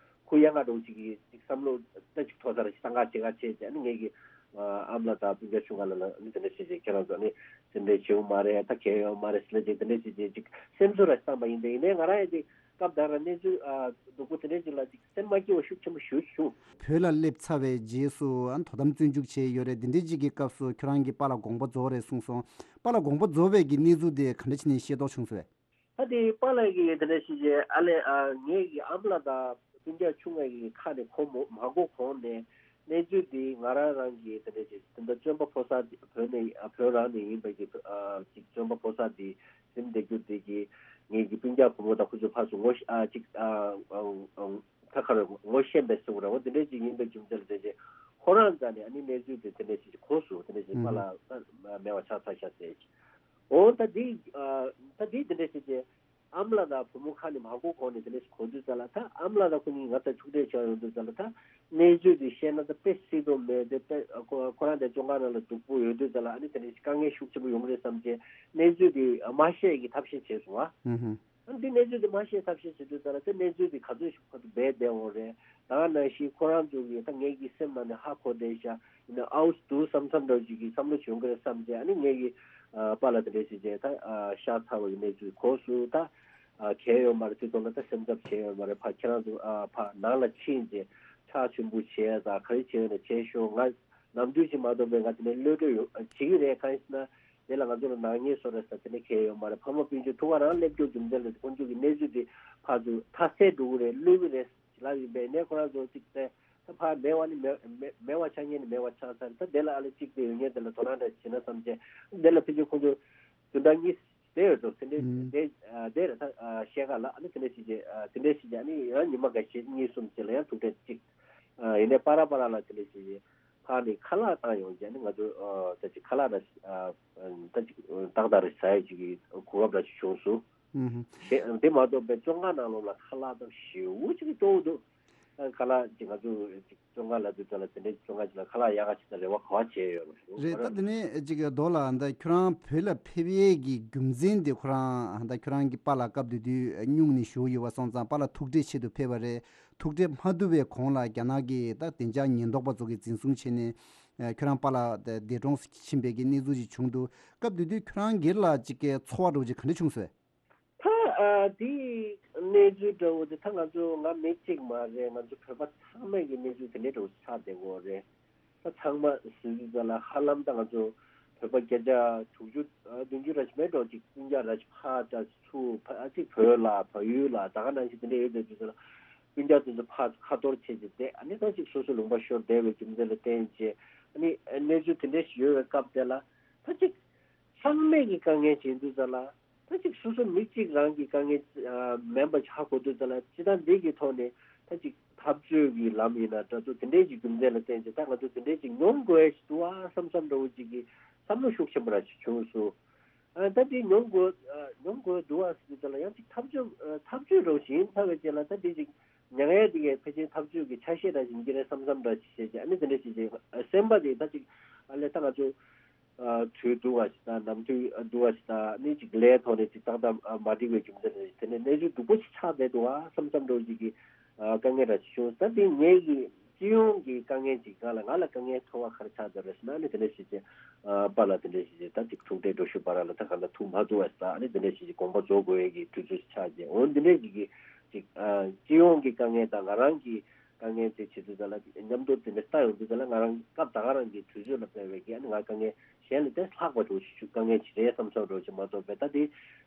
ཁུ་ཡངས་འདྲ་བོ་ཅིག་གི་ཅིག་བསམ་བློ་འདྲ་ཅིག་མཐོ་ས་ར་ཞིག་བཏང་ག་བྱེད་ག་བྱེད་ཅེས་ཨ་ནི་ངེད་ཀྱི་ཨ་མ་ལགས་དང་སྤུན་ཀྱག་ཆུང་བ་ལ་ལ་ཨ་ནི་དེ་འདྲ་ཞིག་ཅིག་ཁྱེད་རང་ཚོ་ཨ་ནི་སེམས་ཁྲལ་བྱེད་འོང་མ་རེད། ད་གལ་ཡོད་མ་རེད་ཟེར་ལ་ཅིག་དེ་འདྲ་ཞིག་ཅིག་ཅིག་སེམས་གསོ་ར་ཞིག་བཏང་པ་ཡིན། དེ་ཡིན་ནའི་ང་རང་ཡང་ཅིག་སྐབས་དེ་ར་གནས་ཚུལ་ཨ་སྡུག་པོ་དེ་འདྲ་ཅིག་ལ་ཅིག་སེམས་མ་སྐྱིད་པ་ཤུགས་ཆེན་པོ་ཞེ་པོ་ཅིག་བྱུང་། བོད་ལ་སླེབས་ཚར་བའི་རྗེས་སུ་ཨ་དོ་དམ་བཙོན་འཇུག་བྱས་ཡོད་རེད། འདི་འདྲའི་ཅིག་གི་སྐབས་སུ་ཁྱོད་རང་གིས་པཱ་ལགས་དགོངས་པ་རྫོགས་རེད་གསུངས་སོང་། པཱ་ལགས་དགོངས་པ་རྫོགས་པའི་གི་གནས་ཚུལ་དེ་ག་འདྲ་བྱས་ནས་ཤེས་རྟོགས་བྱུང་སོང་བས། ད་དེ་པཱ་ལགས་ཀྱིས་དེ་འདྲ་ཞིག་བྱས་ཨ་ལས་ཨ་ངེད་ཀྱི་ཨ་མ་ལགས་དང་སྤུན་ཀྱག་ཆུང་བ་གི་ཁ་ནས་གོ་མ་མ་གོ་གོང་ནས་གནས་ཚུལ་འདི་ང་རང་རང་གིས་དེ་འདྲ་ཞིག་དེ་འདྲ་བཙོན་པ་ཕོ་གསར་བོད་ནས་ཨ་བོད་རང་ནས་ཡིན་པའི་གི་ཨ་ཅིག་བཙོན་པ་ཕོ་གསར་འདི་ཟིན་བསྡད་རྒྱུ་འདི་གི་ངེད་ཀྱི་སྤུན་ཀྱག་བུ་མོ་དང་ཁོ་ཚོ་ཕར་ཚུར་ངོ་ཤེས་ཨ་ཅིག་ཨ་ཨ་ཨ་ཁ་ཁ་རེ་ངོ་ཤེས་པའི་སུ་རེ་བ་འདི་འདྲའི་ཅིག་ཡིན་པའི་རྒྱུ་མཚན་ལ་བརྟེན་བྱས་ཁོ་རང་རྩ་ནས་ཨ་ནི་གནས་ཚུལ་དེ་དེ་འདྲ་ཞིག་གོ་སོང་། དེ་འདྲ་ཞིག་པཱ་ལགས་ད་མེད་པ་ཆགས་ཚར་ཤག་ཟེར་ཅིག་འོ་ད་འདི་ཨ་ད་འདི་དེ་འདྲ་ཞིག་བྱས་ཨ་མ་ལགས་དང་བུ་མོ་ཁ་ནས་མ་གོ་གོང་ནས་དེ་འདྲ་ཞིག་གོ་དུས་ཙམ་ལ་ད་ཨ་མ་ལགས་དང་ཁོ་གཉིས་ང་ད་ཐུག་འཕྲད་བྱས་ཡོང་དུས་ཙམ་ལ་ད་གནས་ཚུལ་དེ་བཤད་ན་ད་དཔེ་སྲིད་དོ་མེད་དེ་དཔེ་ཁོ་ཁོ་རང་དེ་བཙོན་ཁང་ནང་ལ་སྡུག་པོ་ཡོད་དུས་ཙམ་ལ་ཨ་ནི་དེ་འདྲ་ཞིག་དཀའ་ངལ་ཤུགས་ཆེན་པོ་ཡོང་གི་རེད་བསམ་བྱས་གནས་ཚུལ་དེ་མ་བཤད་ཀྱི་ཐབས་ཤེས་བྱས་སོང་ཨ། འདི་གནས་ཚུལ་འདི་མ་ཤེས་ཐབས་ཤེས་བྱེད་དུས་ཙམ་ལ་དེ་གནས་ཚུལ་འདི་ག་ཚོད་ཞིག་ཁོ་ཚོ་སྦས་བསྡད་འོང་རེད། ད་ག་ནང་བཞིན་ཁོ་རང་ཚོ་གིས་ད་ངེད་ཀྱི་སེམས་ནང་ནས་ཧ་གོ་བསྡད་ཤག་ཡིན་ན་ཨའུ་སི་འདུག་བསམ་བསམ་འདྲ་ཅིག་གི་བསམ་བློ་བྱུང་གི་རེད་བསམ་བྱས་ཨ་ནི་ངེད་ཀྱི་ཨ་པཱ་ལགས་དེ་འདྲས་བྱས་བྱས་ད་ཨ་ཤག་ཚ་བ་གི་གནས་ཚུལ་གོ་སོང་། ད་ཨ་གལ་ཡོད་མ་རེད། དེ་ཐོག་ལ་ད་སེམས་འཚབ་བྱས་ཡོད་མ་རེད། ཕ་ཁྱེད་རང་ཚོ་ཨ་ཕ་ནང་ལ་ཕྱིན་བྱས་ཕྱག་མཆོད་འབུལ་བྱས་ད་ག་རེ་བྱས་ཡོད་ན་བྱས་ཤོག་ང་ནམ་དུས་ཅིག་མ་གཏོགས་པའི་ང་དེ་ནས་གློད་གྲོལ་ཡོད་བྱེད་ཀྱི་རེད། གང་ཡིན་ཟེར་ན། དེ་ལ་ང་ཚོ་ལ་ནག་ཉེས་བཟོ་རེད་ཟེར་དེ་ནས་གལ་ཡོད་མ་རེད། ཕ་མ་སྤུན་མཆེད་ཐུག་ག་རང་སླེབས་རྒྱུ་རྒྱུ་མཚན་ལ་དཀོན་མཆོག་གི་གནས་ཚུལ་དེ་ཕར་ཚུར་མཐའ་གསལ་འགྲོ་གི་རེད། བསླུས་གི་རེད་ལབ་ཡིན་པས་ནས་ཁོ་རང་ཚོ་གཅིག་བལྟས་ད་ཕར་མེད་པ་ནི་མེད་མེད་མེད་པ་ཆགས་ཉེན་ནི་མེད་པ་ཆགས་ཚར། ད་དེ་ལ་ཨ་ལེ་གཅིག་དེ་ཡོད་ཉེན་དེ་ལ་དོ་སྣང་འདྲ་བྱེད་ན་བསམ་བྱས་དེ་ལ་ཕལ་ཆེར་ཁོ་ཚོ་བདུན་ཕྲག་གཉིས་དེ་ཡོད་འགྲོ། དེ་འདྲའི་ཨུམ་དེ་ཨ་དེ་རེད། ད་ཨ་ཤེལ་དཀར་ལ་ཨ་ནི་དེ་འདྲའི་ཞིག་བྱས་ཨ་དེ་འདྲའི་ཞིག་བྱས་ཨ་ནི་ཡང་ཉི་མ་འགའ་ཤས་གཉིས་གསུམ་ཅིག་ལ་ཡང་ཐུག་འཕྲད་ཅིག་ཨ་ཡིན་ནའི་པ་ར་པ་ར་ལ་དེ་འདྲའི་ཞིག་བྱས། ཕར་ནས་ཁ་ལག་བཏང་ཡོང་རྗེས་ནི་ང་ཚོ་ཨ་ད་ཅིག་ཁ་ལག་ར་ཞིག་ཨ་ད་ཅིག་ཏག་ཏག་རེ་ཟ་ཡ་ཅིག་གི་གོ་སྐབས་ར་ཞིག་བྱུང་སོང་ ཨུམ། དེ་དེ་མ་གཏོགས་པའི་བཙོན་ཁང་ནང་ལོགས་ལ་ཁ་ལག་དང་ཞེ་པོ་ཅིག་སྤྲོ་བོ་འདུག་ཨ། ཁ་ལག་ཅིག་ང་ཚོ་ཅིག་བཙོན་ཁང་ལ་དུས་ཚོད་ལ་དེ་འདྲའི་བཙོན་ཁང་ཅིག་ལ་ཁ་ལག་ཡག་ག་ཅིག་དང་རེ་བ་ག་བ་བྱས་ཡོད་མ་རེད། རེད། ད་དེ་ནས་ཅིག་རྡོ་ལགས་ད་ཁྱོད་རང་བོད་ལ་ཕེབས་ཡས་ཀྱི་རྒྱུ་མཚན་དེ་ཁོ་རང་ད་ཁྱོད་རང་གི་པཱ་ལགས་སྐབས་དེ་དུས་སྨྱུང་གནས་བཞུགས་ཡོད་པ་སོང་ཙང་པཱ་ལགས་ཐུགས་ཁྲལ་ཆེད་དུ་ཕེབས་པ་རེད། ཐུགས་ཁྲལ་མ་བསྡུ་བའི་གོང་ལ་རྒྱ་ནག་གི་ད་བདེ་འཇགས་ཉེན་རྟོག་པ་ཚོ་གིས་འཛིན་བཟུང་བྱས་ནས་ཁྱོད་རང་པཱ་ལགས་འདས་གྲོངས་ཕྱིན་པའི་གི་གནས་ཚུལ་ཅིག་བྱུང་འདུག་སྐབས་དེ་དུས་ཁྱོད་རང་སྒེར་ལ་ཅིག་གི་ཚོར་བ་འདྲ་བོ་ཅིག་ག་འདྲ་བྱུང་སོང་། ད་ཨ་དེའི་གནས་ཚུལ་འདྲ་བོ་དེ་ད་ང་ཚོ་ང་མི་གཅིག་མ་རེད། ང་ཚོ་བོད་པ་ཚང་མས་ཀྱི་གནས་ཚུལ་དེ་འདྲའི་འདྲ་བོ་ཆགས་བསྡད་ཡོད་རེད། ད་ཚང་མ་ཟེར་དུས་ཙ་ལ་ཧ་ལམ་ད་ང་ཚོ་བོད་པ་བརྒྱ་ཆ་དྲུག་ཅུ་ཨ་བདུན་ཅུ་རེ་ཞིག་མེད་འགྲོ་ཅིག་སྤུན་ཀྱག་རེ་ཞིག་ཕར་ད་ཚུར་ཕ་ཨ་ཅིག་བོད་ལ་བལ་ཡུལ་ལ་ད་ག་ནང་བཞིན་དེ་འདྲ་ཡོད་བསྡད་དུས་ཙ་ལ་སྤུན་ཀྱག་དེ་ཚོ་ཕར་ཁ་གཏོར་བྱས་ཏེ་བསྡད། ཨ་ནི་ད་ཅིག་སོ་སོ་ལུང་པ་ཤོར་བསྡད་པའི་རྒྱུ་མཚན་ལ་བརྟེན་བྱས་ཨ་ནི་གནས་ཚུལ་དེ་འདྲ་ཞིག་ཡོད་པའི་སྐབས་དེ་ལ་ད་ཅིག་ཚང་མས་ཀྱི་དཀའ་ངལ་བྱེད་དུས་ཙ་ལ། ད་ཅིག་སོ་སོ་མི་གཅིག་རང་གི་དཀའ་ངལ་ཨ་མིན་པ་ཧ་གོ་དུས་ཙ་ལ་སྤྱི་བཏང་འདི་གི་ཐོག་ནས་ད་ཅིག་འཐབ་རྩོད་ཀྱི་ལམ་ཡིན་ན་འདྲ་ཚོ་དེ་འདྲའི་ཅིག་རྒྱུ་མཚན་ལ་བརྟེན་ཅིག་ད་ང་ཚོ་དེ་འདྲའི་ཅིག་མྱོང་དགོས་ཡ་ཞིག་འདུག་ཨ་བསམ་བསམ་འདྲ་བོ་ཅིག་གི་བསམ་བློ་ཤུགས་ཆེན་པོ་ར་ཞིག་བྱུང་སོང་། ཨ་ད་འདི་མྱོང་དགོས་ཨ་མྱོང་དགོས་འདུག་ཨ་ཟེར་དུས་ཙ་ལ་ཡང་ཅིག་འཐབ་རྩོད་ཨ་འཐབ་རྩོད་འདྲ་བོ་ཞིག་ཡིན་ཚར་བའི་རྗེས་ལ་ད་འདི་ཅིག་མྱ་ངན་འདི་གའི་ཕལ་ཆེར་འཐབ་རྩོད་ཀྱི་ཆ་ཤས་འདྲ་ཞིག་ཡིན་གྱི་རེད་བསམ་བསམ་འདྲ་ཞིག་བྱས་ཅིག་ཨ་ནི་དེ་འདྲ་ཞིག་ཅིག་སེམས་པ་དེ་ད་ཅིག་ཨ་ལས་ད་ང་ཚོ། ཨ་དུས་སྡུག་པ་ཞིག་དང་ནམ་དུས་སྡུག་པ་ཞིག་དང་ནི་ཅིག་ལས་ཐོག་ནས་ཅིག་ཏག་ཏག་ཨ་མ་འགྲིག་པའི་རྒྱུ་མཚན་རེད། དེ་ནས་གནས་ཚུལ་སྡུག་པོ་ཞིག་ཆགས་བསྡད་འདུག་ཨ་བསམ་བསམ་འདྲ་བོ་ཅིག་གི་ཨ་དཀའ་ངལ་འདྲ་ཞིག་བྱུང་། ད་དེ་ངེད་ཀྱི་སྤྱི་ཡོངས་ཀྱི་དཀའ་ངལ་ཅིག་ང་ལ་ང་ལ་དཀའ་ངལ་ཚོར་བ་ག་རེ་ཆགས་བསྡད་རེད་ཟེར་ན་ནི་དེ་འདྲ་ཞིག་ཅིག་ཨ་པཱ་ལགས་དེ་འདྲ་ཞིག་ཅིག་ད་ཅིག་ཐུག་འཕྲད་འགྲོ་ཞུ་བ་ར་ལ་ད་ག་ལ་ཐུག་མ་ཐུབ་པ་ཞིག་དང་ནི་དེ་འདྲ་ཞིག་ཅིག་དགོངས་པ་རྫོགས་དགོས་ཡས་ཀྱི་དུས་ཚོད་ཞིག་ཆགས་རྗེས་འོ་འདི་འདྲ་ཞིག་གི་ཅིག་ཨ་སྤྱི་ཡོངས་ཀྱི་དཀའ་ངལ་དང་ང་རང་གི་དཀའ་ངལ་དེ་བྱེད་དུས་ཙ་ལ་མཉམ་དུ་དེ་འདྲ་ལྟ་ཡོང་དུས་ཙ་ལ་ང་རང་སྐབས་ད་ག་རང་གི་དུས་ཚོད་ལ་དཔག་པའི་གི་ཨ་ནི་ང་དཀའ་ངལ་གཞན་ལས་དེ་ལྷག་པ་འགྲོ་ཞིག་དཀའ་ངལ་ཅིག་རེད་བསམ་བསམ་འགྲོ་ཞིག་མ་གཏོགས་པའི་ད་དེ་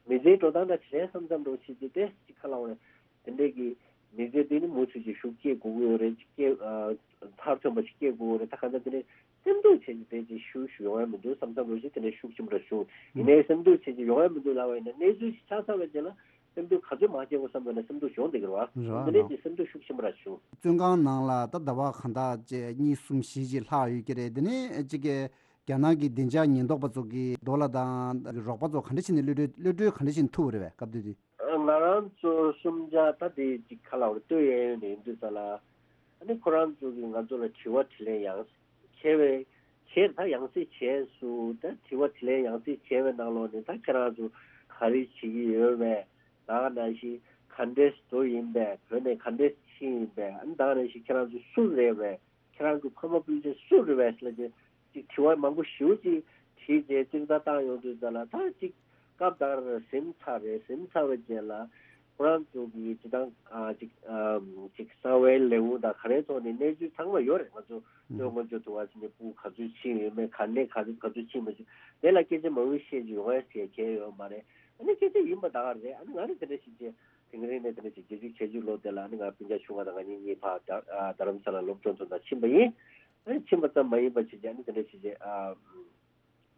མི་ཚེའི་འགྲོ་སྟངས་འདྲ་ཅིག་རེད་བསམ་བསམ་འགྲོ་ཞིག་དེ་དེ་ཅིག་ཁ་ལ་འོ་རེད། དེ་འདྲའི་གི་མི་ཚེ་དེ་ནི་མུ་མཐུད་ཅིག་ཤུགས་སྐྱེད་དགོས་ཀྱི་ཡོད་རེད། ཅིག་སྐྱེད་ཨ་མཐར་ཐོན་པ་ཞིག་སྐྱེད་དགོས་ཀྱི་ཡོད་རེད། ད་གང་ལྟར་དེ་ནི་སེམས་སྡུག་བྱས་ཏེ་དེ་ཅིག་ཤུགས་ཤུགས་ཡོང་ཡ་མི་འདུག་བསམ་བསམ་འགྲོ་ཞིག་དེ་འདྲའི་ཤུགས་ཆེན་པོ་ར་བྱུང་། ཡིན་ནའི་སེམས་སྡུག་བྱས་ཅིག་ཡོང་ཡ་མི་འདུག་ལབ་པ་ཡིན་ན་གནས་ཚུལ་ཞིག་ཆགས་ཚར་བའི་རྗེས་ལ། སེམས་སྡུག་ག་ཚོད་མ་སྐྱེ་དགོས་བསམ་པ་ན་སེམས་སྡུག་བྱུང་བསྡད་ཀྱི་རེད་བ། རེད་བ། འདི་ནས་ཀྱི་སེམས་སྡུག་ཤུགས་ཆེན་པོ་ར་བྱུང་། བཙོན་ཁང་ནང་ལ་ད་ཟླ་བ་གང་དག་ཅིག་གཉིས་གསུམ་བཞི་ཅིག་ལྷག་ཡོད་ཀྱི་རེད། འདི་ནས་ཅིག་གི་རྒྱ་ནག་གི་བདེ་འཇགས་ཉེན་རྟོག་པ་ཚོ་གིས་རྡོ་ལ་དང་རོགས་པ་ཚོ་ག་འདྲ་བྱས་ནས་གློད་གྲོལ་གློད་གྲོལ་ག་འདྲ་བྱས་ནས་ཐུབ་པ་རེད་བས་སྐབས་དེ་དུས། ང་རང་ཚོ་གསུམ་ཆ་ད་དེ་ཅིག་ཁ་ལ་བར་ལྟོས་ཡས་ཡོད་ནས་ཡིན་དུས་ཙ་ལ། ཨ་ནི་ཁོ་རང་ཚོ་གིས་ང་ཚོ་ལ་དྲི་བ་དྲིས་ལན་ཡང་བྱས་པའི་བྱས་ད་ཡང་སེ་བྱས་སུ་ད་དྲི་བ་དྲིས་ལན་ཡང་སེ་བྱས་པའི་ནང་ལོགས་ནས་ད་ཁྱེད་རང་ཚོ་ག་རེ་བྱེད་ཀྱི་ཡོད་པས། ད་ག་ནང་བཞིན་ག་འདྲས་འགྲོ་ཡིན་པས། བོད་ནས་ག་འདྲས་ཕྱིན་ཡིན་པས། ཨ་ནི་ད་ག་ནང་བཞིན་ཁྱེད་རང་ཚོ་སུ་རེད་པས། ཁྱེད་རང་གི་ཕ་མ་སྤུན་མཆེད་སུ་རེད་པས་ཟེར་ལབ་བྱས་ཅིག་དྲི་བ་མང་པོ་ཞེ་པོ་ཅིག་དྲིས་རྗེས་གཙིགས་ད་བཏང་ཡོང་དུས་ཙ་ལ་ད་ཅིག་སྐབས་དར་ཟིན་ཚར་རེད། ཟིན་ཚར་བའི་རྗེས་ལ་ཁོ་རང་ཚོ་གི་སྤྱི་བཏང་ཨ་ཅིག་ཨམ་ཅིག་གསང་བའི་ལས་ཁུངས་དང་ག་རེའི་ཐོག་ནས་གནས་ཚུལ་ཚང་མ་ཡོད་རེད། ང་ཚོ་ལྟོས་ཧུམ། ང་ཚོ་དུ་བ་ཟིན་ནས་སྤུ་ག་ཚོད་ཕྱིན་ཡོད་མེད་ག་ནས་ག་ཚོད་ག་ཚོད་ཕྱིན་མ་ཕྱིན་དེ་ལ་སྐད་ཆ་མང་པོ་བཤད་རྒྱུ་ཡོང་ཡ་ཟེར་མཁན་ཡོད་མ་རེད། ཨ་ནི་སྐད་ཆ་ཡིན་པ་ད་ག་རེད། ཨ་ནི་ང་ནི་དེ་འདྲ་ཞིག་བྱས། དེང་རིང་ནས་དེ་འདྲ་ཞིག་བརྒྱད་ཅུ་གྱ་གཅིག་ལོ་དེ་ལ་ནི་ང་སྤུན་ཀྱག་ཆུང་བ་དང་ང་གཉིས་གཉིས་ཕར་རྡ་རྡ་རམ་ས་ལ་སློབ་སྦྱོང་དོན་དག་ཕྱིན་པ་ཡིན། ཨ་ནི་ཕྱིན་པ་ཙམ་མ་ཡིན་པ་བྱས་ཀྱང་ནི་དེ་འདྲ་ཞིག་བྱས་ཨ་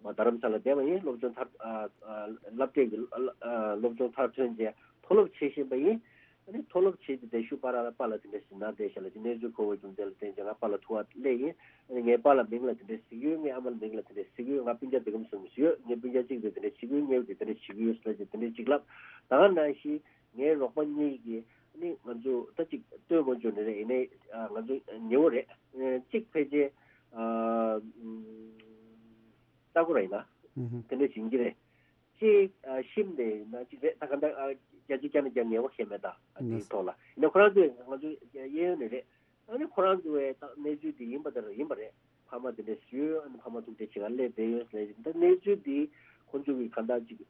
མ་རྡ་རམ་ས་ལ་བསྡད་པ་ཡིན། སློབ་སྦྱོང་མཐར་ཨ་ཨ་སློབ་གྲྭའི་གི་ཨ་ཨ་སློབ་སྦྱོང་མཐར་ཐོན་རྗེས་མཐོ་སློབ་བྱེད་བཞིན་པ་ཡིན། ཨ་ནི་མཐོ་སློབ་བྱེད་དེ་བསྡད་ཤུགས་པ་ར་ལ་པཱ་ལགས་དེ་འདྲ་ཞིག་ན་བསྡད་ཤག་ལ་ཅིག་གནས་ཚུལ་གོ་བའི་རྒྱུ་མཚན་ལ་བརྟེན་ཀྱང་ང་པཱ་ལགས་ཐུག་པ་སླེབས་ཡིན། ཨ་ནི་ངའི་པཱ་ལགས་མིང་ལ་དེ་འདྲ་ཞིག་ཡོད། ངའི་ཨ་མ་ལགས་མིང་ལ་དེ་འདྲ་ཞིག་ཡོད། ང་སྤུན་ཀྱག་དེ་གམ་སོང་ཞིག་ཡོད། ངའི་སྤུན་ཀྱག་གཅིག་དེ་དེ་འདྲ་ཞིག་ཡོད། ངའི་དེ་དེ་འདྲ་ཞིག་ཡོད་ཟེར་ལ་ཅིག་དེ་འདྲ་ཞིག་ལབ། ད་ག་ནང་བཞིན། ངའི་རོགས་པ་གཉིས་ཀྱིས་ནི་ང་ཚོ་ད་ཅིག་ལྟོས་དགོས་བྱུང་ནི་རེད། ཡིན་ནའི་ང་ཚོ་ཉེ་བོ་རེད། གཅིག་ཕལ་ཆེར་ཨ་ལྟ་སྐོར་ཡིན་ན་ཨུ་ཧུ། དེ་འདྲ་བྱིན་གྱི་རེད། གཅིག་ཨ་ཤིམ་ནས་ཡིན་ན་གཅིག་རེད། ད་ག་འདྲ་ཨ་རྒྱ་ཆེ་རྒྱ་ནས་རྒྱ་ངེས་པ་ཤེས་མེད། ད་ཨ་དེའི་ཐོག་ལ་ཡིན་ན་ཁོ་རང་ཚོས་ང་ཚོ་གཡས་གཡོན་ནས་རེད། ཨ་ནི་ཁོ་རང་ཚོ་བས་ད་གནས་ཚུལ་དེ་ཡིན་པ་ལྟར་ཡིན་པ་རེད། ཕ་མ་དེ་འདྲ་ཞུས། ཨ་ནི་ཕ་མ་ཐུག་འཕྲད་བྱེད་ག་སླེབས་བསྡད་ཡོད་ཟེར། ད་གནས་ཚུལ་དེ་ཁོ་ཚོ་གིས་གང་ལྟར་ཅིག་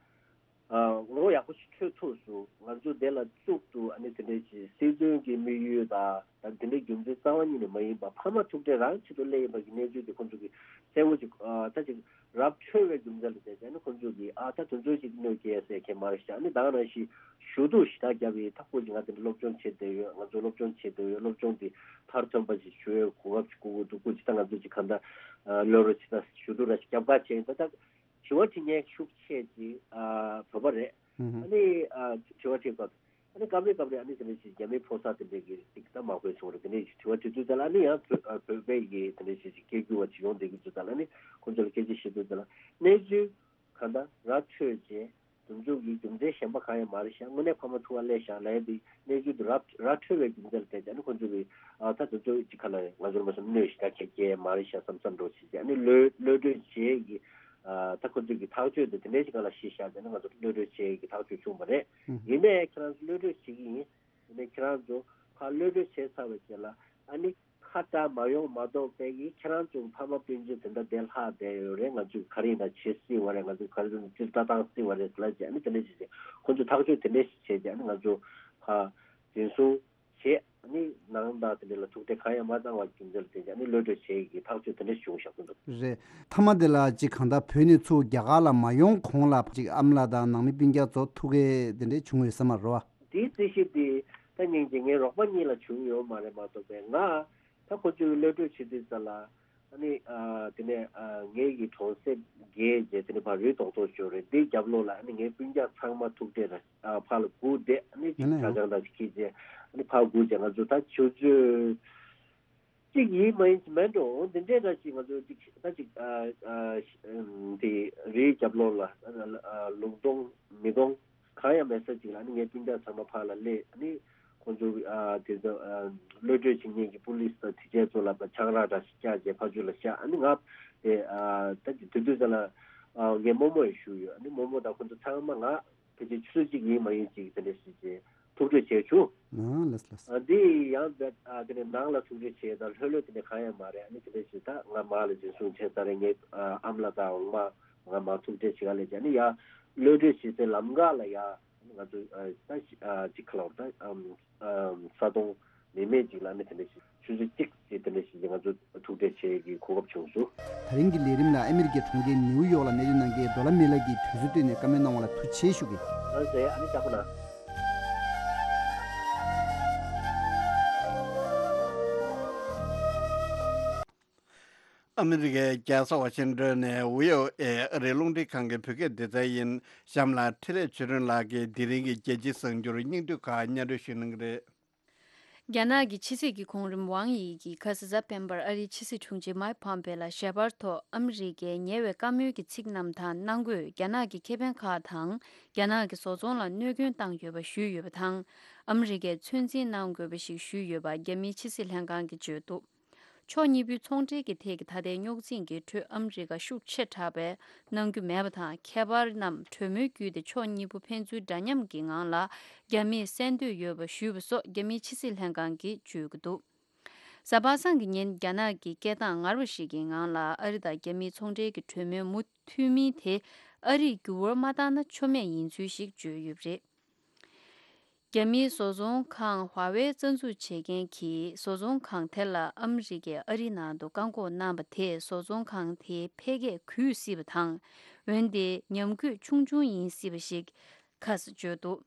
ཨ་ངོ་ཡག་པོ་ཞིག་འཕྲོད་ཐུབ་སོང་། ང་ཚོ་དེ་ལ་གཙུག་ཏུ་ཨ་ནི་དེ་འདྲའི་ཅིག་སྲིད་དོན་གྱི་དམིགས་ཡུལ་དང་ད་དེ་འདྲའི་རྒྱུ་མཚན་རྩ་བ་ཉིད་ནས་མ་ཡིན་པ། ཕ་མ་ཐུག་འཕྲད་རང་ཆེད་དུ་སླེབས་ཡིན་པ་གི་གནས་ཚུལ་དེ་ཁོ་ཚོ་གིས་གསལ་པོ་ཅིག་ཨ་ད་ཅིག་ར་འཕྲོད་པའི་རྒྱུ་མཚན་ལ་བལྟས་ཙང་ནི་ཁོ་ཚོ་གིས་ཨ་ད་དེ་ཚོ་ཅིག་གནོད་སྐྱེལ་ཟེར་མཁན་མ་རེད་ཤག་ཨ་ནི་ད་ག་ནང་བཞིན་ཞུ་གཏུག་ཞེ་དྲག་བརྒྱབ་ཡིན། ད་ཁོ་ཅིག་ང་དེ་འདྲ་སློབ་སྦྱོང་བྱེད་བསྡད་ཡོད། ང་ཚོ་སློབ་སྦྱོང་བྱེད་བསྡད་ཡོད། སློབ་སྦྱོང་དེ་མཐར་ཐོན་པ་ཞིག་ཞུ་ཡས་གོ་སྐབས་ཅིག་དགོས་ཀྱི་འདུག་ཁོ་ཅིག་ད་ང་ཚོ་ཅིག་གང་ལྟར་ལོ་རེ་ཅིག་ད་ཞུ་གཏུག་ར་ཞིག་བརྒྱབ་ག་བྱས་ཡིན། ད་ད། དྲི་བ་དྲི་མཁན་ཤུགས་ཆེ་ཅིག་ཨ་བོད་པ་རེད། ཨ་ནི་ཨ་དྲི་བ་དྲི་སྐབས་ཨ་ནི་སྐབས་རེ་སྐབས་རེ་ཨ་ནི་དེ་འདྲ་ཞིག་རྒྱ་མིའི་ཕོ་གསར་དེ་འདྲ་གི་ཅིག་ད་མ་དགོས་སོང་རེད། དེ་འདྲ་ཞིག་དྲི་བ་དྲི་དུས་ཙམ་ལ་ཨ་ནི་ཡང་བོད་ཨ་བོད་པའི་གི་དེ་འདྲ་ཞིག་ཅིག་སྐད་སྒྱུར་བ་ཅིག་ཡོང་བསྡད་ཀྱི་དུས་ཙམ་ལ་ཨ་ནི་ཁོང་ཚོ་ལ་སྐད་ཆ་བཤད་དུས་ཙམ་ལ་གནས་ཚུལ་གང་ལྟར་ར་འཕྲོད་རྗེས་ དེ་ཚོ་གི་རྒྱུ་མཚན་གཞན་པ་གང་ཡང་མ་རེད་ཤག། དངོས་གནས་ཕ་མ་ཐུག་ག་སླེབས་ཤག་ལབ་ཡ་དེ་གནས་ཚུལ་དེ་ར་ར་འཕྲོད་པའི་རྒྱུ་མཚན་ལ་བརྟེན་ཏེ་ཨ་ནི་ཁོང་ཚོ་གི་ཨ་ད་དེ་ཚོ་ཅིག་ག་ལ་ང་ཚོར་མ་སོང་གནོད་ཞིག་ད་གལ་གལ་མ་རེད་ཤག་བསམ་བསམ་འགྲོ་བྱེད་ཀྱི་ཨ་ནི་གློད་གློད་གྲོལ་བྱེད་ཀྱི་ཨ་ད་ཁོང་ཚོ་གི་ཐག་གཅོད་དེ་དེ་འདྲའི་ཞིག་ག་ལ་ཤི་ཤག་དེ་ནི་ང་ཚོ་གློད་གྲོལ་བྱེད་ཀྱི་ཐག་གཅོད་བྱུང་བ་རེད། ཡིན་ནའི་ཁྱེད་རང་ཚོ་གློད་གྲོལ་བྱེད་ཀྱི་ཡིན། དེ་ནས་ཁྱེད་རང་ཚོ་ཕར་གློད་གྲོལ་བྱས་ཚར་བའི་རྗེས་ལ་ཨ་ནི་ཁ་བྲལ་མ་ཡོང་མ་གཏོགས་པའི་གི་ཁྱེད་རང་ཚོ་ཕ་མ་སྤུན་མཆེད་དེ་འདྲ་བསྡད་ལྷག་བསྡད་ཡོད་རེད། ང་ཚོས་ག་རེ་ཡིན་ན་བྱེད་སྲིད་པ་རེད། ང་ཚོས་ག་རེ་ཡིན་ན་ཅི་ལྟ་སྟངས་སྲིད་པ་རེད་ཟེར་ལ་བྱས་ཨ་ནི་དེ་འདྲ་བྱས་བྱས་ཁོ་ཚོས་ཐག་གཅོད་དེ་འདྲ་ཞིག་བྱས་བྱས་ཨ་ནི་ང་ཚོ་ཕར་འཛིན་བཟུང་བྱས་ཨ་ནི་ནང་དང་དེ་འདྲ་ལ་ཐུག་འཕྲད་གང་ཡང་མ་བཏང་བ་རྒྱུ་མཚན་ལ་བརྟེན་བྱས་ཨ་ནི་གློད་གྲོལ་བྱེད་ཀྱི་ཐག་གཅོད་དེ་འདྲ་ཞིག་བྱུང་བཞག་གི་འདུག་རེད། མཐའ་མ་དེ་ལ་ཅིག་གང་ལྟར་བོད་ནས་ཚུར་རྒྱ་གར་ལ་མ་ཡོང་གོང་ལ་ཅིག་ཨ་མ་ལགས་དང་ནང་མི་སྤུན་ཀྱག་ཚོ་ཐུག་གི་དེ་འདྲ་བྱུང་ཡོད་ས་མ་རེད་བ། དེའི་རྩིས་གཞི་དེ་ད་སྙིང་རྗེ་ངའི་རོགས་པ་གཉིས་ལ་བྱུང་ཡོད་མ་རེད་མ་གཏོགས་པའི་ང་ད་ཁོ་ཚོའི་གློད་གྲོལ་བྱེད་དུས་ཙམ་ལ་ཨ་ནི་ཨ་དེ་ནས་ཨ་ངའི་གི་གྲོང་གསེབ་བརྒལ་རྗེས་དེ་ནས་ཕར་རི་རྡོག་རྡོག་ཞོར་རེད། འདིའི་རྒྱབ་ལོགས་ལ་ཨ་ནི་ངའི་སྤུན་ཀྱག་ཚང་མ་ཐུག་འཕྲད་ར་ཨ་ཕར་ལ་སྒུག་བསྡད། ཨ་ནི་ཅིག་ཨ་ནི་གྲྭ་ཚང་དང་ཅིག་ཁྱེར་རྗེས་ཨ་ནི་ཕར་སྒུག་རྗེས་ང་ཚོ་ད་ཆུ་ཚོད་གཅིག་ཡིན་མ་ཡིན་གྱི་མེད་འགྲོ་འོ་འདི་འདྲའི་འདྲ་ཞིག་ང་ཚོ་གཅིག་ད་ཅིག་ཨ་ཨ་ཨ་དེ་རིའི་རྒྱབ་ལོགས་ལ་ཨ་ཨ་ལུང་སྟོང་མི་སྟོང་གང་ཡང་མེད་ས་ཅིག་ལ་ཨ་ནི་ངའི་སྤུན་ཀྱག་ཚང་མ་ཕར་ལ་སླེབས། ཨ་ནི་ཁོང་ཚོ་ཨ་དེ་ཚོ་ཨ་གློད་གྲོལ་བྱེད་མཁན་གྱི་པུ་ལིས་དང་དེ་བྱས་ཚོ་ལ་ཆང་རག་འདྲ་ཞིག་བཀྱགས་རྗེས་ཕར་ཚུར་ལ་བཞག་ཨ་ནི་ང་དེ་ཨ་ད་དེ་དུས་ཚོད་ལ་ཨ་ངའི་རྨོ་མོ་ཡང་བཞུགས་ཡོད། ཨ་ནི་རྨོ་མོ་དང་ཁོང་ཚོ་ཚང་མ་ང་ཕལ་ཆེར་ཆུ་ཚོད་གཅིག་ཡིན་མ་ཡིན་ཅིག་དེ་འདྲ་ཞིག་བྱས་ཐུག་འཕྲད་བྱས་བྱུང་། ཨ་ལགས་ལགས། ཨ་འདི་ཡང་བས་ཨ་དེ་ནས་ནང་ལ་ཐུག་འཕྲད་བྱས་དང་ལྷོད་ལྷོད་དེ་འདྲ་གང་ཡང་མ་རེད། ཨ་ནི་དེ་འདྲ་ཞིག་ད་ང་མར་ལ་འཛིན་བཟུང་བྱས་ཚར་རེད། ངའི་ཨ་ཨ་མ་ལགས་དང་འོག་མ་ང་མར་ཐུག་འཕྲད་བྱེད་ག་སླེབས་བྱས་ཨ་ནི་ཡ་གློད་གྲོལ་བྱེད་སའི་ལམ་ཁ་ལ་ཡ་ང་ཚོ་ཨ་ད་ཨ་ཅིག་ཁ་ལོར་ད་ཨམ་ཨམ་ས་དོང་མི་མེད་ཅིག་ལ་ཨ་ནི་དེ་འདྲ་ཞིག་ཆུ་ཚོད་གཅིག་ཅིག་དེ་འདྲ་ཞིག་ང་ཚོ་ཐུག་འཕྲད་བྱེད་ཀྱི་གོ་སྐབས་བྱུང་སོང་། དེ་རིང་གི་ལས་རིམ་ལ་ཨ་མི་རི་ཀའི་གྲོང་ཁྱེར་ནིའུ་ཡོག་ལ་གནས་སྡོད་གནང་མཁན་རྡོ་ལ་མེ་ལགས་ཀྱིས་དུས་ཚོད་བཏོན་ནས་བཀའ་མོལ་གནང་བ་ལ་ཐུགས་རྗེ་ཆེ་ཞུ་གི། ལགས་སེ་ཨ་ནི་ལྕགས་པོ་ན། ཨ་མི་རི་ཀའི་རྒྱལ་ས་ཝ་ཤིང་ཏོན་ནས་ཝི་ཨོ་ཨེ་ཨ་རིའི་རླུང་འཕྲིན་ཁང་གི་བོད་སྐད་སྡེ་ཚན་ཡིན། གཤམ་ལ་འཕྲིན་ལས་ཆོས་སྒྲོན་ལགས་ཀྱིས་དེ་རིང་གི་རྒྱལ་སྤྱིའི་གསར་འགྱུར་སྙིང་བསྡུས་ཁག་སྙན་སྒྲོན་ཞུ་གནང་གི་རེད། རྒྱ་ནག་གི་ཕྱི་སྲིད་ཀྱི་གོང་རིམ་ཝང་ཡི་གིས་ཁ་ས་གཟའ་སྤེན་པར་ཨ་རིའི་ཕྱི་སྲིད་དྲུང་ཆེ་མཱིག་ཕོམ་པེ་ལ་ཞལ་པར་ཐོག་ཨ་མི་རི་ཀའི་ཉེ་བའི་བཀའ་མོལ་གྱི་ཚིག་རྣམས་དང་ནང་སྒོས་རྒྱ་ནག་གི་ཁེ་ཕན་ཁག་དང་རྒྱ་ནག་གི་བཟོ་ཚོང་ལ་གནོད་སྐྱོན་བཏང་ཡོད་པ་ཞུས་ཡོད་པ་དང་། ཨ་མི་རི་ཀས་ཚོད་འཛིན་གནང་དགོས་པ་ཞིག་ཞུས་ཡོད་པ་རྒྱ་མིའི་ཕྱི་སྲིད་ལྷན་ཁང་གིས་བརྗོད་འདུག་ཕྱོགས་གཉིས་པོའི་ཚོང་འབྲེལ་གྱི་ཐད་ཀྱི་ད་ལྟའི་རྙོག་འཛིང་གི་ཁྲོད་ཨ་མི་རི་ཀ་ཤུགས་ཆེ་དྲགས་པའི་གནང་རྒྱུ་མེད་པ་དང་། ཁྱད་པར་རྣམས་གྲོས་མོལ་བརྒྱུད་དེ་ཕྱོགས་གཉིས་པོ་ཕན་ཚུན་འདྲ་མཉམ་གྱི་ངང་ལ་རྒྱ་མིས་གསན་འདོད་ཡོད་པ་ཞུས་པ་སོགས་རྒྱ་མིའི་ཕྱི་སྲིད་ལྷན་ཁང་གིས་བརྗོད་ཀྱི་འདུག་གཟའ་པ་སངས་ཀྱི་ཉིན་རྒྱ་ནག་གི་སྐད་གདངས་ངར་བ་ཞིག་གི་ངང་ལ་ཨ་རི་དང་རྒྱ་མིའི་ཚོང་འབྲེལ་གྱི་གྲོས་མོལ་མུ་མཐུད་མིན་དེ་ཨ་རིས་འགྱུར་བ་མ་བཏང་ན་ཆོ་མེད་ཡིན་ཚུལ་ཞིག་བརྗོད་ཡོད་པ་རེད། རྒྱ་མིའི་བཟོ་ཚོང་ཁང་ཧྭ་ཝེ་རྩ་འཛུགས་བྱེད་མཁན་གྱིས་བཟོ་ཚོང་ཁང་དེ་ལ་ཨ་མི་རི་ཀས་ཨ་རིའི་ནང་དུ་བཀག་འགོག་གནང་བ་དེས་བཟོ་ཚོང་ཁང་དེའི་འཕེལ་རྒྱས་གུད་སྲིད་པ་དང་། འོན་ཏེ་ཉམས་རྒུད་ཆུང་ཆུང་ཡིན་སྲིད་པ་ཞིག་ཁ་ས་བརྗོད་འདུག་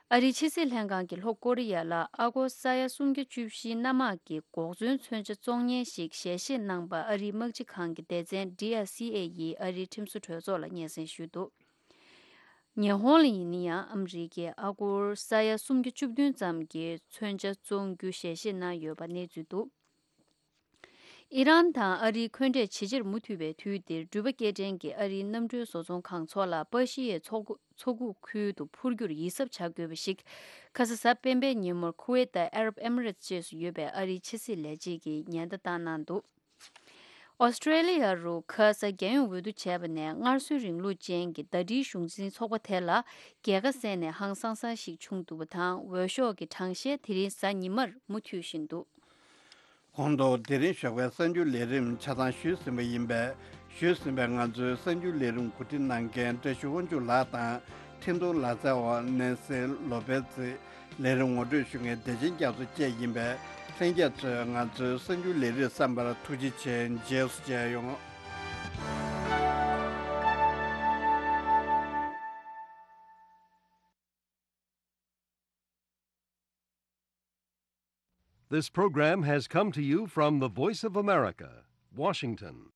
ཨ་རིའི་ཕྱི་སྲིད་ལྷན་ཁང་གིས་ལྷོ་ཀོ་རི་ཡ་ལ་ཨ་སྒོར་ས་ཡ་སུམ་བརྒྱ་བཅུ་བཞིའི་གནམ་དམག་གི་འགོག་མཚོན་མཚོན་ཆ་བཙོང་མཁན་ཞིག་ཞལ་བཞེས་གནང་པ་ཨ་རིའི་དམག་སྤྱི་ཁང་གི་སྡེ་ཚན་ཌི་ཨར་སི་ཨེ་ཡིས་ཨ་རིའི་ཁྲིམས་བཟོ་གྲོས་ཚོགས་ལ་སྙན་སེང་ཞུས་འདུག་ཉི་ཧོང་ལ་ཡིན་ན་ཡང་ཨ་མི་རི་ཀས་ཨ་སྒོར་ས་ཡ་སུམ་བརྒྱ་བཅུ་བདུན་ཙམ་གྱི་མཚོན་ཆ་བཙོང་རྒྱུ་ཞལ་བཞེས་གནང་ཡོད་པ་གནས་ཚུལ་འདུག་ཨི་རན་དང་ཨ་རིའི་འཁོན་འགྲས་ཇེ་ཆེར་མུ་མཐུད་པའི་དུས་འདིར་འགྲུལ་པ་སྐྱེལ་འདྲེན་གྱིས་ཨ་རིའི་གནམ་གྲུའི་བཟོ་ཚོང་ཁང་ཚོ་ལ་པ་ཤི་ཡའི་མཚོ་མཚོ་ཁུག་ཁུལ་དུ་འཕུར་རྒྱུར་ཡིད་གཟབ་བྱ་དགོས་པ་ཞིག་ཁ་ས་གཟའ་སྤེན་པའི་ཉིན་མོར་ཁུ་ཝེད་དང་ཨ་རབ་ཨེ་མི་རེ་ཊི་ཅེས་སུ་ཡོད་པའི་ཨ་རིའི་ཕྱི་སྲིད་ལས་བྱེད་ཀྱིས་ཉེན་བརྡ་བཏང་གནང་འདུག་ཨོ་སི་ཀྲེ་ལི་ཡ་རུ་ཁ་ས་རྒྱལ་ཡོངས་འོས་བསྡུ་བྱས་པ་ནས་སྔར་སྲོལ་རིང་ལུགས་ཅན་གྱི་ཟླ་སྒྲིལ་གཞུང་འཛིན་ཚོགས་པ་དེ་ལ་རྒྱལ་ཁ་གསན་ནས་ཧང་སང་ས་ཞིག་བྱུང་འདུག་པ་དང་། འོས་ཤོག་གི་གྲངས་བཤེར་དེ་རིང་གཟའ་ཉི་མར་མུ་མཐུད་བཞིན་འདུག་གོང་དུ་དེ་རིང་ཞོགས་པའི་གསར་འགྱུར་ལས་རིམ་ཆ་ཚང་ཞུས་ཟིན་པ་ཡིན་པས། ཞུས་ཟིན་པའི་ང་ཚོའི་གསར་འགྱུར་ལས་རིམ་གོ་སྒྲིག་གནང་མཁན་བཀྲ་ཤིས་དབང་ཕྱུག་ལགས་དང་། འཕྲིན་གཏོང་ལག་རྩལ་བ་ནེན་སི་ལོ་པེ་ཛི། ལས་རིམ་ངོ་སྤྲོད་ཞུ་མཁན་བདེ་ཆེན་རྒྱ་མཚོ་བཅས་ཡིན་པས། ལྷན་རྒྱས་ཚོས་ང་ཚོའི་གསར་འགྱུར་ལས་རིམ་གསན་པར་ཐུགས་རྗེ་ཆེ། རྗེས་སུ་མཇལ་ཡོང་། This program has come to you from the Voice of America, Washington.